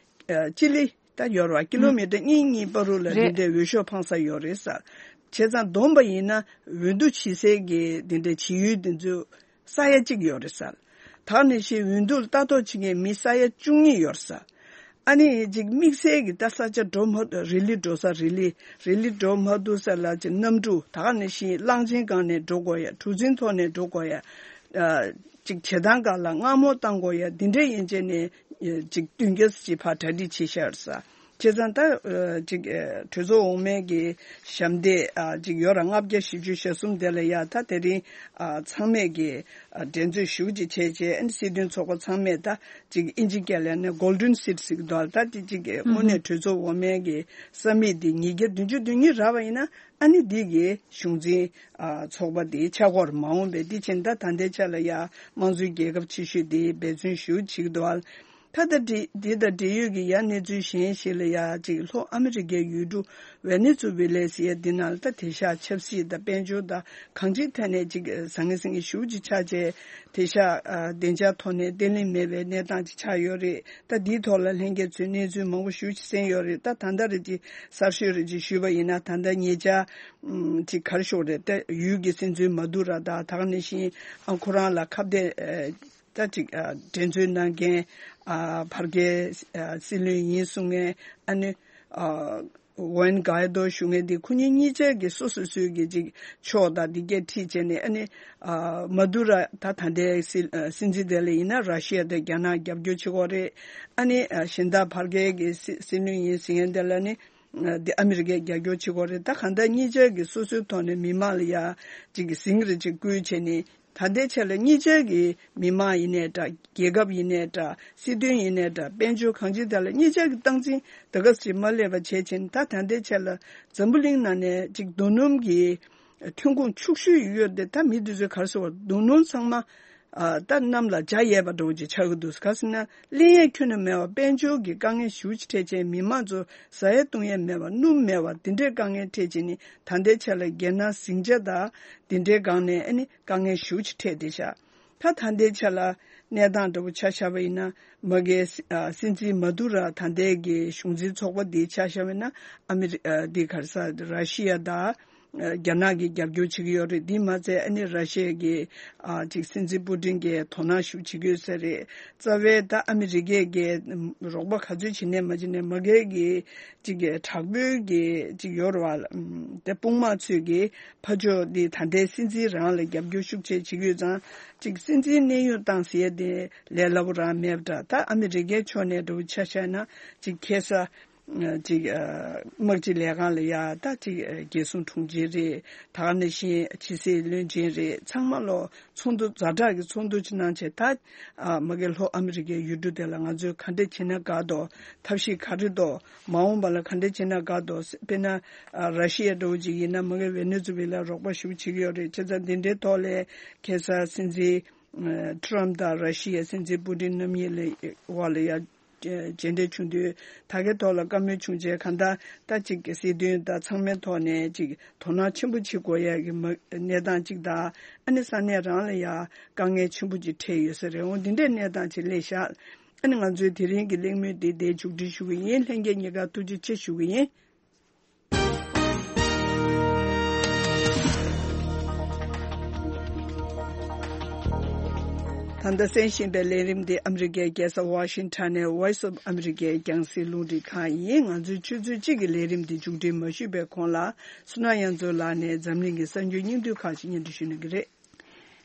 ཨ་སྤྱི་ལེ་ད་ཡོད་རེད་བ། ཀི་ལོ་མི་ཊར་གཉིས་གཉིས་བར་དུ་ལ་རེད། འདི་འདྲའི་འོས་ཤོག་འཕང་ས་ཡོད་རེད་ཟེར། བྱས་ཙང་བསྡོམས་པ་ཡིན་ན་འོས་བསྡུ་བྱེད་སའི་གི་འདི་འདྲའི་བྱེད་ཡུལ་འདི་ཚོ་ས་ཡ་གཅིག་ཡོད་རེད་ཟེར། ད་ནི་ཞིག་འོས་བསྡུ་ལ་ལྟ་རྟོག་བྱེད་མཁན་མི་ས་ཡ་བཅུ་གཉིས་ཡོད་ཟེར། ཨ་ནི་ཅིག་དམིགས་བསལ་གྱི་ད་ས་ཆ་འགྲོ་མ་རི་ལི་འགྲོ་ས་རི་ལི་རི་ལི་འགྲོ་མ་ཐུབ་ས་ལ་ཅིག་གནམ་གྲུ་ད་ག་ནི་ཞིག་གླང་ཆེན་སྒང་ནས་འགྲོ་དགོས་ཡ། གྲུ་གཟིངས་ཐོག་ནས་འགྲོ་དགོས་ཡ། ཨ་ཅིག་བྱེ་ཐང་སྒང་ལ་མངར་མོ་བཏང་དགོས་ཡ། འདི་འདྲའི་ཡན་ཆད་ནས་ཅིག་བསྟུན་རྒྱ་ཅིག་ཕར་གྲ་སྒྲིག་བྱེད་ཤར་ས། བྱས་ཙང་ད་ཨ་ཅིག་ཨ་གྲོས་ཚོགས་འོག་མའི་གི་ཞབས་འདེགས་ཨ་ཅིག་ཡོད་ར་ལྔ་བརྒྱ་བཞི་བཅུ་ཞེ་གསུམ་དེ་ལ་ཡ་ད་དེ་རིང་ཨ་ཚང་མས་གི་ཨ་འགྲན་རྩོད་ཞེ་པོ་ཅིག་བྱས་རྗེས་ཨ་ནི་སྲིད་དོན་ཚོགས་པ་ཚང་མས་ད་ཅིག་ཨིན་ཇི་སྐད་ལ་ནི་Golden Seat་ཟེར་གི་འདུག་ད་དེ་ཅིག་གི་དངོས་གནས་གྲོས་ཚོགས་འོག་མའི་གི་ས་མིག་དེ་ཉིས་བརྒྱ་བདུན་ཅུ་དོན་གཉིས་རག་པ་ཡིན་ན་ཨ་ནི་འདི་གི་གཞུང་འཛིན་ཨ་ཚོགས་པ་དེ་ཆགས་ཀྱི་ཡོད་རེད། མ་འོངས་པའི་འདི་ཕྱིན་ད་ད་ལྟའི་ཆ་ལ་ཡ་དམངས་གཙོའི་རྒྱལ་ཁབ་ཆེ་ཤོས་དེ་འབད་བརྩོན་ཞེ་པོ་བྱེད་ཀྱི་འདུག་ཨ། ད་ལྟ་འདི་འདི་དང་འབྲེལ་ཡོད་ཀྱི་ཡ་གནས་ཚུལ་གཞན་ཞིག་ལ་ཡ་ཅིག་ལྷོ་ཨ་མི་རི་ཀའི་ཡུལ་གྲུ་ཝེ་ནེ་ཛུ་ཝེ་ལེ་ཟེར་ཡ་འདི་ནང་ལ་ད་དེང་སང་ཆབ་སྲིད་དང་དཔལ་འབྱོར་དང་གང་ཅིའི་ཐད་ནས་ཅིག་ཟང་ངེ་ཟིང་ངེ་ཞེ་པོ་ཅིག་ཆགས་བྱས་དེང་སང་ཨ་བདེ་འཇགས་ཐོག་ནས་བརྟན་ལྷིང་མེད་པའི་གནས་སྟངས་ཅིག་ཆགས་ཡོད་རེད། ད་འདིའི་ཐོག་ལ་ལྷན་རྒྱས་ཚོས་གནས་ཚུལ་མང་པོ་ཞེ་པོ་ཅིག་གསན་ཡོད་རེད། ད་ད་ལྟ་རེ་ཅིག་གསར་ཤོས་རེ་ཅིག་ཞུས་པ་ཡིན་ན་ད་ལྟ་ཉེ་ཆར་ཨམ་ཅིག་ག་རེ་ཞུ་དགོས་རེད། ད་ཡུལ་གྱི་སྲིད་འཛིན་མ་དུ་ར་དང་ད་ག་ནང་བཞིན་ཨ་ཁོ་རང་ལ་ཁ་གཏད་ཨ་ད་ཅིག་ཨ་འགྲན་རྩོད་གནང་མཁན་ཨ་བར་བརྒལ་ཨ་སྲིད་བློན་ཡིན་གསུང་མཁན་ཨ་ནི་ཨ་ ཝན་གྷའི་རྡོ་ཞུ་མཁན་དེ་ཁོ་གཉིས་གཉིས་ཆ་གི་སོ་སོ་སོའི་གི་ཅིག་ཕྱོགས་དང་དེ་གས་ཁྲིད་བྱས་ནས། ཨ་ནི་ཨ་མ་དུ་ར་ད་ད་ལྟའི་སྲིད་ཨ་སྲིད་འཛིན་དེ་ལ་ཡིན་ན་ར་ཤི་ཡ་དང་རྒྱ་ནག་རྒྱབ་སྐྱོར་བྱེད་ཀྱི་ཡོད་རེད། ཨ་ནི་ཨ་གཞན་དག་བར་བརྒལ་གྱི་སྲིད་སྲིད་བློན་ཡིན་ཟེར་མཁན་དེ་ལ་ནི་ཨ་དེ་ཨ་མི་རི་ཀས་རྒྱབ་སྐྱོར་བྱེད་ཀྱི་ཡོད་རེད། ད་གང་ལྟར་གཉིས་ཆ་གི་སོ་སོའི་ཐོག་ནས་མི་མང་ལ་ཡ་ཅིག་གི་ཟིང་ར་ཅིག་བསྐུལ་བྱས་ནས། ད་ལྟའི་ཆ་ལ་གཉིས་ཆ་གི་མི་མང་ཡིན་ནའི་འདྲ། རྒྱལ་ཁབ་ཡིན་ནའི་འདྲ། སྲིད་དོན་ཡིན་ནའི་འདྲ། དཔལ་འབྱོར་གང་ཅི་དག་ལ་གཉིས་ཆ་གི་སྟངས་འཛིན་ད་ག་ཟེ་མ་སླེབས་པ་བྱས་ཕྱིན། ད་ད་ལྟའི་ཆ་ལ་འཛམ་བུ་གླིང་ནང་ནས་ཅིག་རྡོ་སྣུམ་གྱི་ཐོན་ཁུངས་ཕྱུག་ཤོས་ཡོད་དེ། ད་མི་དེ་ཚོས་ག་རེ་ཟེར་བ། རྡོ་སྣུམ་ཚང་མ་ཨ་ད་གནམ་ལ་འཇའ་ཡལ་བ་འདྲ་བོ་ཅིག་ཆགས་ཀྱི་འདུག་ག་ཟེར་ན། ལེན་ཡས་ཁྱོན་ནས་མེད་པ། དཔལ་འབྱོར་གྱི་དཀའ་ངལ་ཞེ་པོ་ཅིག་འཕྲད་བྱས། མི་མང་ཚོ་ཟ་ཡས་བཏུང་ཡས་མེད་པ། སྣུམ་མེད་པ། དེ་འདྲའི་དཀའ་ངལ་འཕྲད་བྱས་ནས། ད་ལྟའི་ཆ་ལ་རྒྱལ་ནང་ཟིང་ཆ་དང་དེ་འདྲའི་སྒང་ནས་ཨ་ནི་དཀའ་ངལ་ཞེ་པོ་ཅིག་འཕྲད་བསྡད་ཤག་ད་ད་ལྟའི་ཆ་ལ་གནས་སྟངས་འདྲ་པོ་ཆ་བཞག་པ་ཡིན་ན། མ་གིའི་སྲིད་ཨ་སྲིད་འཛིན་མ་དུ་ར་ད་ལྟའི་གི་གཞུང་འཛིན་ཚོགས་པ་འདི་ཆ་བཞག་པ་ཡིན་ན། ཨ་མི་རི་ཨ་འདི་ག་རེ་ཟེར། ར་ཤི་ཡ་དང་རྒྱ་ནག་གིས་རྒྱབ་སྐྱོར་བྱེད་ཀྱི་ཡོད་རེད། འདི་མ་ཚད་ཨ་ནི་ར་ཤི་ཡ་གི་ཨ་ཅིག་སྲིད་འཛིན་པུ་ཏིན་གྱིས་དོ་སྣང་ཞེ་པོ་བྱེད་ཀྱི་ཡོད་ས་རེད། རྩ་བའི་ད་ཨ་མི་རི་ཀས་གི་རོགས་པ་ག་ཚོད་བྱེད་ནས་མ་བྱེད་ནས། མ་གིའི་གི་ཅིག་གི་དྲག་པོའི་གི་ཅིག་ཡོད་རེད་བ། ཨམ་དེ་དཔུང་དམག་ཚོས་གི་ཕར་ཕྱོགས་འདི་ད་ལྟའི་སྲིད་འཛིན་རང་ལ་རྒྱབ་སྐྱོར་ཤུགས་ཆེ་བྱེད་ཀྱི་ཡོད་ཙང་། ཅིག་སྲིད་འཛིན་གནས་དབྱུང་བཏང་ཟེར་ཡས་དེ་ལས་སླ་པོ་རང་མེད་པ་འདྲ། ད་ཨ་མི་རི་ཀའི་ཕྱོགས་ནས་འདྲ་པོ་ཆ་བཞག་ན་ཅིག་ཁ་སང་ཨ་ཅིག་ཨ་དམག་སྤྱི་ལས་ཁང་ལ་ཡ་ད་ཅིག་ཨ་རྒྱལ་སྲུང་དྲུང་ཆེ་རེད། ད་ག་ནང་བཞིན་ཕྱི་སྲིད་བློན་ཆེན་རེད། ཚང་མ་ལོ་ཚོགས་འདུ་ཛ་དྲག་གི་ཚོགས་འདུ་ཅིག་གནང་བྱས། ད་ཨ་མ་གི་ལྷོ་ཨ་མི་རི་ཀའི་ཡུལ་གྲུ་དེ་ལ་ང་ཚོས་ག་འདྲ་བྱེད་ན་དགའ་འདུག་ཐབས་ཤེས་ག་རེ་འདུག་མ་འོངས་པ་ལ་ག་འདྲ་བྱེད་ན་དགའ་འདུག་དཔེར་ན་ཨ་ར་ཤི་ཡ་འདྲ་པོ་ཅིག་ཡིན་ན། མ་གི་ཝེ་ནེ་ཛུ་ཝེ་ལ་རོགས་པ་ཞེ་པོ་བྱེད་ཀྱི་ཡོད་རེད། བྱས་ཙང་འདི་འདྲའི་ཐོག་ལ་ཁ་སང་སྲིད་འཛིན་ཨ་ཊྲམ་དང་ར་ཤི་ཡའི་སྲིད་འཛིན་པུ་ཏིན་རྣམ་གཉིས་ལ་བར་ལ་ཡ་མཇལ་འཕྲད་བྱུང་དུས། ད་གའི་ཐོག་ལ་བཀའ་མོལ་བྱུང་རྗེས། གང་ལྟར་ད་ཅིག་གི་སྲིད་དོན་དང་ཚང་མའི་ཐོག་ནས་ཅིག་དོ་སྣང་ཆེན་པོ་བྱེད་དགོས་ཡ་གི་མ་གནས་སྟངས་ཅིག་དང་། ཨ་ནི་ས་གནས་རང་ལ་ཡ་དཀའ་ངལ་ཆེན་པོ་ཅིག་འཕྲད་ཡོད་ས་རེད། འོ་འདི་འདྲའི་གནས་སྟངས་ཅིག་སླེབས་ཤག་ཨ་ནི་ང་ཚོའི་དེ་རིང་གི་གླེང་མོལ་འདི་འདིར་མཇུག་སྒྲིལ་ཞུ་གི་ཡིན། ལྷན་རྒྱས་གཉིས་ཀར་ཐུགས་རྗེ་ཆེ་ཞུ་གི་ཡིན། ད་ལྟ་གསན་བཞིན་པའི་ལས་རིམ་འདི་ཨ་མི་རི་ཀའི་རྒྱལ་ས་ཝ་ཤིང་ཊོན་ནས་Voice of America རྒྱང་སྲིང་རླུང་འཕྲིན་ཁང་ཡིན། ང་ཚོའི་ཆུ་ཚོད་གཅིག་གི་ལས་རིམ་འདི་མཇུག་སྒྲིལ་མ་ཞུས་པའི་གོང་ལ། བསོད་ནམས་དབྱངས་མཚོ་ལགས་ནས་འཛམ་གླིང་གི་གསར་འགྱུར་སྙིང་བསྡུས་ཁག་ཅིག་སྙན་སྒྲོན་ཞུ་གནང་གི་རེད།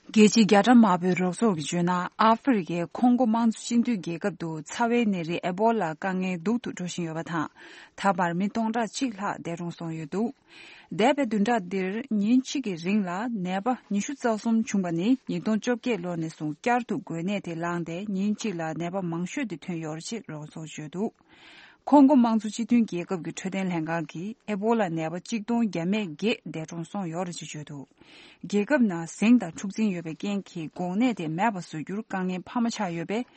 རྒྱལ་སྤྱིའི་རྒྱ་གྲམ་དམར་པོའི་རོགས་ཚོགས་ཀྱིས་བརྗོད་ན། ཨ་ཧྥེ་རི་ཁའི་ཁོང་གོ་དམངས་གཙོ་སྤྱི་མཐུན་རྒྱལ་ཁབ་ཏུ་ཚ་བའི་ནད་རིགས་ཨེ་བོ་ལ་དཀའ་ངལ་སྡུག་ཏུ་འགྲོ་བཞིན་ཡོད་པ་དང་། ད་བར་མི་སྟོང་ཕྲག་གཅིག་ལྷག་འདས་གྲོངས་སོང་ཡོད་འདུག་འདས་པའི་བདུན་ཕྲག་འདིར་ཉིན་གཅིག་གི་རིང་ལ་ནད་པ་ཉི་ཤུ་རྩ་གསུམ་བྱུང་བ་ནི། ཉིས་སྟོང་བཅོ་བརྒྱད་ལོ་ནས་བཟུང་བསྐྱར་དུ་འགོས་ནད་དེ་ལངས་ཏེ། ཉིན་གཅིག་ལ་ནད་པ་མང་ཤོས་དེ་ཐོན་ཡོད་རེད་ཅེས་རོགས་ཚོགས་བརྗོད་འདུག་ཁོང་གོ་དམངས་གཙོ་སྤྱི་མཐུན་རྒྱལ་ཁབ་ཀྱི་འཕྲོད་བསྟེན་ལྷན་ཁང་གིས་ཨེ་བོ་ལ་ནད་པ་གཅིག་སྟོང་བརྒྱ་མེད་བརྒྱད་འདས་གྲོངས་སོང་ཡོད་རེད་ཅེས་བརྗོད་འདུག་རྒྱལ་ཁབ་ནང་ཟིང་དང་འཁྲུག་འཛིང་ཡོད་པའི་རྐྱེན་གྱིས་འགོག་ནད་དེ་མེད་པ་བཟོ་རྒྱུར་དཀའ་ངལ་འཕར་མ་ཆགས་ཡོད་པས།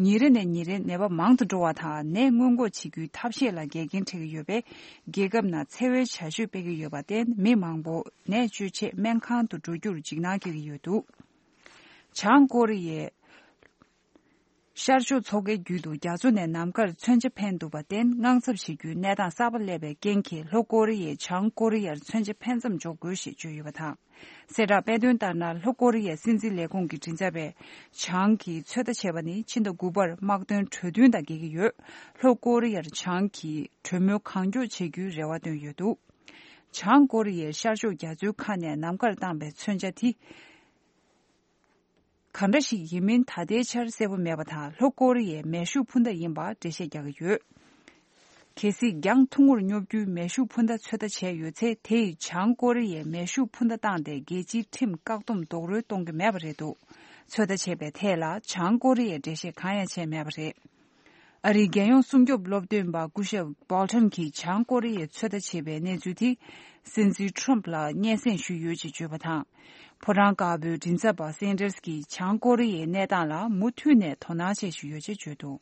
ཉིན་རེ་ནས་ཉིན་རེ་ནད་པ་མང་དུ་འགྲོ་བ་དང་། ནད་སྔོན་འགོག་བྱེད་རྒྱུའི་ཐབས་ཤེས་ལ་འགལ་རྐྱེན་འཕྲད་ཀྱི་ཡོད་པས། རྒྱལ་ཁབ་ནང་འཚེ་བའི་བྱ་སྤྱོད་སྤེལ་གྱི་ཡོད་པར་བརྟེན། མི་མང་པོ་ནད་བཅོས་ཆེད་སྨན་ཁང་དུ་འགྲོ་རྒྱུར་འཇིགས་སྣང་སྐྱེ་གི་ཡོད་འདུག་བྱང་ཀོ་རི་ཡས་ཤར་ཕྱོགས་མཚོ་ཁའི་རྒྱུད་དུ་རྒྱ་མཚོ་ནས་ནམ་མཁར་མཚོན་ཆ་འཕེན་འདུག་པར་བརྟེན། དངངས་འཚབ་བྱེད་རྒྱུའི་གནས་སྟངས་གསར་པ་སླེབས་པའི་རྐྱེན་གྱིས། ལྷོ་ཀོ་རི་ཡས་བྱང་ཀོ་རི་ཡར་མཚོན་ཆ་འཕེན་མཚམས་འཇོག་དགོས་ཞེས་བརྗོད་ཡོད་པ་དང་། གསལ་བསྒྲགས་སྤེལ་དོན་ལྟར་ན། ལྷོ་ཀོ་རི་ཡའི་སྲིད་འཛིན་ལས་ཁུངས་ཀྱི་མགྲིན་ཚབ་པས། བྱང་གིས་ཚོད་ལྟ་བྱས་པ་ནི་ཕྱི་ཟླ་དགུ་པར་དམག་དོན་གྲོས་མཐུན་དང་འགལ་གྱི་ཡོད། ལྷོ་ཀོ་རི་ཡར་བྱང་གིས་གྲོས་མོལ་གང་མགྱོགས་བྱེད་རྒྱུའི་རེ་བ་བཏོན་ཡོད་འདུག་བྱང་ཀོ་རི་ཡའི་ཤར་ཕྱོགས་རྒྱ་མཚོའི་ཁ་ནས་ནམ་མཁར་བཏང་པའི་མཚོན་ཆ་དེ་གང་འདྲ་ཞིག་ཡིན་མིན་ད་ལྟའི་ཆར་གསལ་པོ་མེད་པ་དང་། ལྷོ་ཀོ་རི་ཡའི་མེ་ཤུགས་འཕུར་མདའ་ཡིན་པ་འགྲེལ་བཤད་རྒྱག་གི་ཡོད། གལ་སྲིད་གྱང་ཐུང་ངུར་སྙོབ་རྒྱུའི་མེ་ཤུགས་འཕུར་མདའ་ཚོད་ལྟ་བྱས་ཡོད་ཚེ། དེ་ཡིས་བྱང་ཀོ་རི་ཡའི་མེ་ཤུགས་འཕུར་མདའ་བཏང་སྟེ། རྒྱལ་སྤྱིའི་ཁྲིམས་བཀག་སྡོམ་རྡོག་རོལ་གཏོང་གི་མེད་པ་རེད་འདུག་ཚོད་ལྟ་བྱས་པའི་ཐད་ལ་བྱང་ཀོ་རི་ཡས་འགྲེལ་བཤད་གང་ཡང་བྱས་མེད་པ་རེད། ཨ་རིའི་རྒྱལ་ཡོངས་སྲུང་སྐྱོབ་སློབ་སྟོན་པ་སྐུ་ཞབས་བྷོལ་ཊོན་གྱིས་བྱང་ཀོ་རི་ཡས་ཚོད་ལྟ་བྱས་པའི་གནས་ཚུལ་དེ། སྲིད་འཛིན་ཊྲམ་ཕ་ལ་སྙན་སེང་ཞུས་ཡོད་ཅེས་བརྗོད་པ་དང་། ཕོ་བྲང་དཀར་པོའི་མགྲིན་ཚབ་པ་སན་ཌར་སི་གྱིས་བྱང་ཀོ་རི་ཡའི་གནས་སྟངས་ལ་མུ་མཐུད་ནས་དོ་སྣང་བྱེད་བཞིན་ཡོད་ཅེས་བརྗོད་འདུག་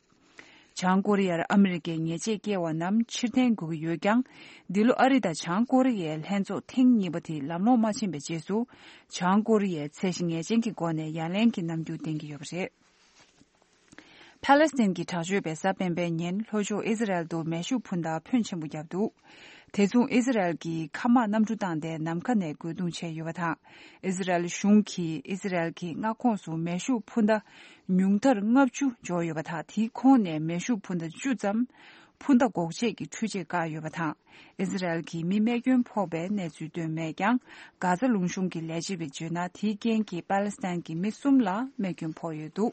བྱང་ཀོ་རི་ཡར་ཨ་མི་རི་ཀའི་ཉེས་ཆད་བཀལ་བ་རྣམས་ཕྱིར་འཐེན་དགོས་ཀྱི་ཡོད་ཀྱང་། འདི་ལོ་ཨ་རི་དང་བྱང་ཀོ་རི་ཡའི་ལྷན་ཚོགས་ཐེངས་གཉིས་པ་དེ་ལམ་ལྷོང་མ་ཕྱིན་པའི་རྗེས་སུ། བྱང་ཀོ་རི་ཡས་ཚད་གཞི་ངེས་ཅན་གྱི་སྒོ་ནས་ཡ་ལན་གྱི་རྣམ་འགྱུར་བསྟན་གྱི་ཡོད་པ་རེད། ཕཱ་ལེ་སི་ཐན་གྱི་དྲག་སྤྱོད་པས་གཟའ་སྤེན་པའི་ཉིན་ལྷོ་ཕྱོགས་ཨི་ཟི་རལ་དུ་མེ་ཤུགས་འཕུར་མདའ་ཕོན་ཆེན་པོ་བརྒྱབ་འདུག་དེ་མཚུངས་ཨི་ཟི་རལ་གྱིས་མཁའ་དམག་གནམ་གྲུ་བཏང་སྟེ་ནམ་མཁའ་ནས་རྒོལ་རྡུང་བྱས་ཡོད་པ་དང་། ཨི་ཟི་རལ་གཞུང་གིས་ཨི་ཟི་རལ་གྱི་མངའ་ཁོངས་སུ་མེ་ཤུགས་འཕུར་མདའ་ཉུང་མཐར་ལྔ་བཅུ་འབྱོར་ཡོད་པ་དང་། དེའི་ཁོངས་ནས་མེ་ཤུགས་འཕུར་མདའ་བཅུ་ཙམ་ འཕུར་མདའ་འགོག་ཆེད་ཀྱི་འཕྲུལ་ཆས་བཀག་ཡོད་པ་དང་། ཨི་ཟི་རལ་གྱིས་མི་རྨས་སྐྱོན་ཕོག་པའི་གནས་ཚུལ་བཏོན་མེད་ཀྱང་། གྷ་ཛ་ལུང་གཤོང་གི་ལས་བྱེད་པས་བརྗོད་ན། དེའི་རྐྱེན་གྱིས་པ་ལི་སི་ཐན་གྱི་མི་གསུམ་ལ་རྨས་སྐྱོན་ཕོག་ཡོད་འདུག།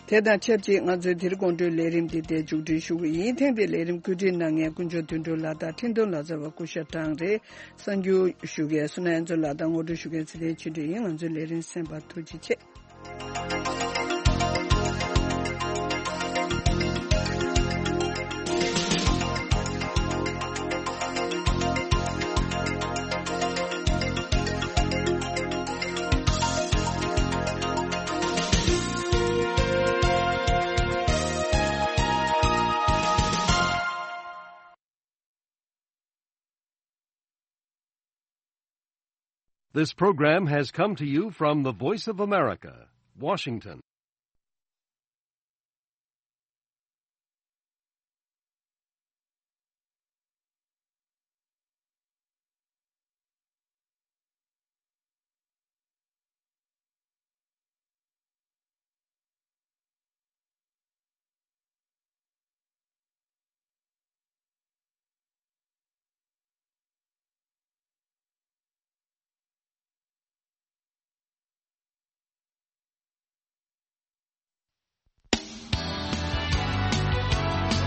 དེ་དང་ཆབས་ཅིག་ང་ཚོའི་དེ་རིང་དགོང་དྲོའི་ལས་རིམ་འདི་འདིར་མཇུག་སྒྲིལ་ཞུ་གི་ཡིན། ཐེངས་འདིའི་ལས་རིམ་བཀོད་སྒྲིག་གནང་མཁན་དཀོན་མཆོག་དོན་གྲུབ་ལགས་དང་འཕྲིན་གཏོང་ལག་རྩལ་བ་སྐུ་ཞབས་ཀྲང་རེད། གསར་འགྱུར་ཞུ་མཁན་བསོད་ནམས་དབྱངས་མཚོ་ལགས་དང་ངོ་སྤྲོད་ཞུ་མཁན་ཚེ་བརྟན་ཆོས་སྒྲོན་ཡིན། ང་ཚོའི་ལས་རིམ་གསན་པར་ཐུགས་རྗེ་ཆེ། This program has come to you from the Voice of America, Washington.